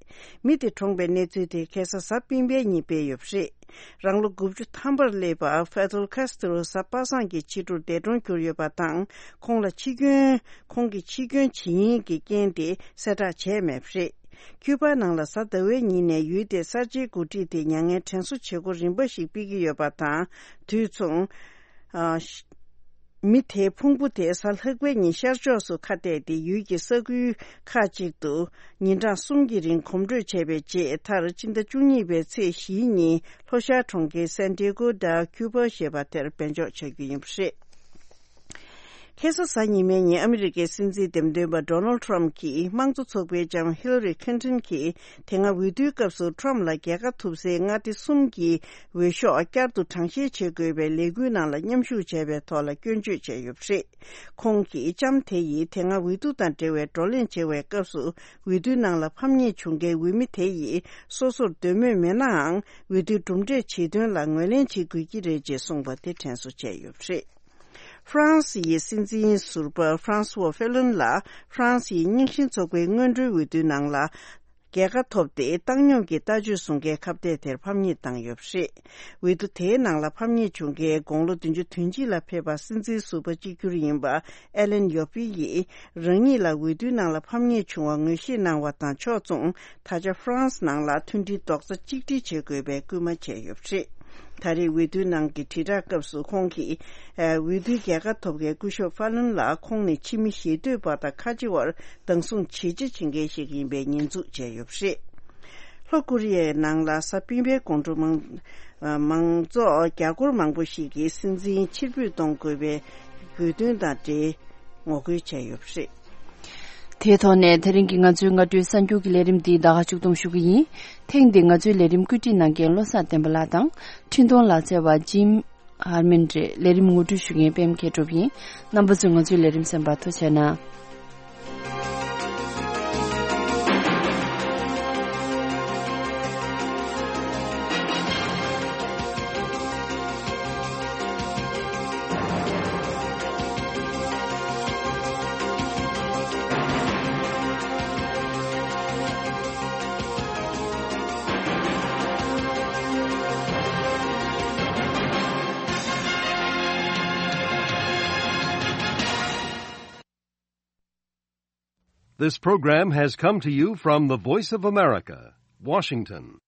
མི་དེ་གྲོངས་པའི་གནས་ཚུལ་དེ་ཁ་སང་གཟའ་སྤེན་པའི་ཉིན་སྤེལ་ཡོད་པ་རེད། རང་ལོ་དགུ་བཅུ་ཐམ་པར་སླེབས་པ་ཧྥ་དོལ་ཁ་སི་ཏྲོ་གཟའ་པ་སངས་ཀྱི་ཕྱི་དྲོར་འདས་གྲོངས་གྱུར་ཡོད་པ་དང་། ཁོང་ལ་འཆི་སྐྱོན། ཁོང་གིས་འཆི་སྐྱོན་བྱེད་ཉེན་གྱི་རྐྱེན་དེ་གསལ་བསྒྲགས་བྱས་མེད་པ་རེད། ཁྱུ་པ་ནང་ལ་གཟའ་ཟླ་བའི་ཉིན་ནས་ཡུལ་དེའི་གསར་བརྗེའི་འགོ་ཁྲིད་དེ་མྱ་ངན་དྲན་གསོ་བྱེད་སྒོ་རིམ་པ་ཞིག་སྤེལ་གྱི་ཡོད་པ་དང་། དུས་མཚུངས། ཨ། མི་དེའི་ཕུང་པོ་དེ་གཟའ་ལྷག་པའི་ཉིན་ཤར་ཕྱོགས་སུ་ཁ་གཏད་དེ་ཡུལ་གྱི་ས་ཁུལ་ཁག་ཅིག་ཏུ་ཉིན་གྲངས་གསུམ་གྱི་རིང་གོམ་བགྲོད་བྱས་པའི་རྗེས། མཐར་ཕྱི་ཟླ་བཅུ་གཉིས་པའི་ཚེས་བཞིའི་ཉིན་ལྷོ་ཤར་གྲོང་ཁྱེར་སན་ཏི་ཡ་གོ་ཌ་ཁྱུ་པ་ཞེས་པ་དེར་སྦས་འཇོག་བྱ་རྒྱུ་ཡིན་པ་རེད། ཁ་སང་གཟའ་ཉི་མའི་ཉིན་ཨ་མི་རི་ཀའི་སྲིད་འཛིན་འདེམས་ཐོན་པ་ཌོ་ནལ་ཊམ་གྱིས་དམངས་གཙོ་ཚོགས་པའི་ལྕམ་ཧི་ལ་རི་ཁིན་ཊོན་གྱིས་དེ་སྔ་འོས་བསྡུའི་སྐབས་སུ་ཊམ་ལ་རྒྱལ་ཁ་ཐོབ་སའི་མངའ་སྡེ་གསུམ་གྱི་འོས་ཤོག་བསྐྱར་དུ་གྲངས་བཤེར་བྱེད་དགོས་པའི་ལས་འགུལ་ནང་ལ་མཉམ་ཞུགས་བྱས་པའི་ཐོག་ལ་སྐྱོན་བརྗོད་བྱས་ཡོད་པ་རེད། ཁོང་གིས་ལྕམ་དེ་ཡིས་དེ་སྔ་འོས་བསྡུ་དང་འབྲེལ་བའི་བགྲོ་གླེང་བྱེད་པའི་སྐབས་སུ་འོས་བསྡུའི་ནང་ལ་ཕམ་ཉེས་བྱུང་མཁན་འོས་མི་དེ་ཡིས་སོ་སོར་འདོད་མོས་མེད་ནའང་འོས་བསྡུའི་གྲུབ་འབྲས་ཇི་ཐོན་ལ་ངོས་ལེན་བྱེད་དགོས་ཀྱི་རེད་ཅེས་གསུངས་པ་དེ་དྲན་གསོ་བྱས་ཡོད་པ་རེད། ཧྥ་རན་སི་ཡི་སྲིད་འཛིན་ཟུར་པ་ཧྥ་རན་སི་ཝ་ཧྥེ་ལོན་ལ་ཧྥ་རན་སི་ཡི་རྙིང་ཞེན་ཚོགས་པའི་སྔོན་འགྲོའི་འོས་བསྡུའི་ནང་ལ་རྒྱལ་ཁ་ཐོབ་སྟེ། བཏང་སྙོམས་ཀྱི་ལྟ་སྤྱོད་བཟུང་མཁན་ཁ་གཏད་དེར་ཕམ་ཉེས་བཏང་ཡོད་པ་རེད། འོས་བསྡུ་དེའི་ནང་ལ་ཕམ་ཉེས་བྱུང་མཁན་དགུང་ལོ་བདུན་ཅུ་དོན་གཅིག་ལ་ཕེབས་པ་སྲིད་འཛིན་ཟུར་པ་གཅིག་གྱུར་ཡིན་པ་ཨེ་ལན་ཡོ་པི་ཡིས། རང་ཉིད་ལ་འོས་བསྡུའི་ནང་ལ་ཕམ་ཉེས་བྱུང་བ་ངོས་བཞེས་གནང་བ་དང་ཕྱོགས་མཚུངས། ད་ཆ་ཧྥ་རན་སི་ནང་ལ་མཐུན་སྒྲིལ་རྡོག་རྩ་གཅིག་སྒྲིལ་བྱེད་དགོས་པའི་སྐུལ་མ་བྱས་ཡོད་པ་རེད། ད་རེས་འོས་བསྡུའི་ནང་གི་དྲིལ་བསྒྲགས་སྐབས་སུ་ཁོང་གིས། ཨ། འོས་བསྡུའི་རྒྱལ་ཁ་ཐོབ་མཁན་སྐུ་ཞབས་ཧྥ་ལུན་ལ་ཁོང་ནི་ཕྱི་མི་ཞེ་འདོད་པ་དང་ཁ་ཆེ་བར་སྡང་ཟུག་ཇེ་ཆེ་བྱེད་མཁན་ཞིག་ཡིན་པའི་ཉེས་འཛུགས་བྱས་ཡོད་པ་རེད། ལྷོ་ཀོ་རི་ཡའི་ནང་ལ་གཟའ་སྤེན་པའི་དགོང་དྲོ་མང་། ཨ། མང་ཚོགས་རྒྱ་སྒོར་མང་པོ་ཞིག་གིས་སྲིད་འཛིན་ཕྱིར་འབུད་གཏོང་དགོས་པའི་དགོས་འདུན་དང་འབྲེལ་ངོ་རྒོལ་བྱས་ཡོད་པ་རེད། དེའི་ཐོག་ནས་དེ་རིང་གི་ང་ཚོའི་སྔ་དྲོའི་གསར་འགྱུར་གྱི་ལས་རིམ་འདི་ད་ག་མཇུག་བསྡོམས་ཞུ་གི་ཡིན། ཐེངས་འདིའི་ང་ཚོའི་ལས་རིམ་བཀོད་སྒྲིག་གནང་མཁན་བློ་བཟང་བསྟན་པ་ལགས་དང་། འཕྲིན་གཏོང་ལག་རྩལ་བ་ཇིམ་ཧར་མན་རེད། ལས་རིམ་ངོ་སྤྲོད་ཞུ་མཁན་པད་མ་མཁས་གྲུབ་ཡིན། རྣམ་པ་ཚོས་ང་ཚོའི་ལས་རིམ་གསན་པར་ཐུགས་རྗེ་གནང་། This program has come to you from the Voice of America, Washington.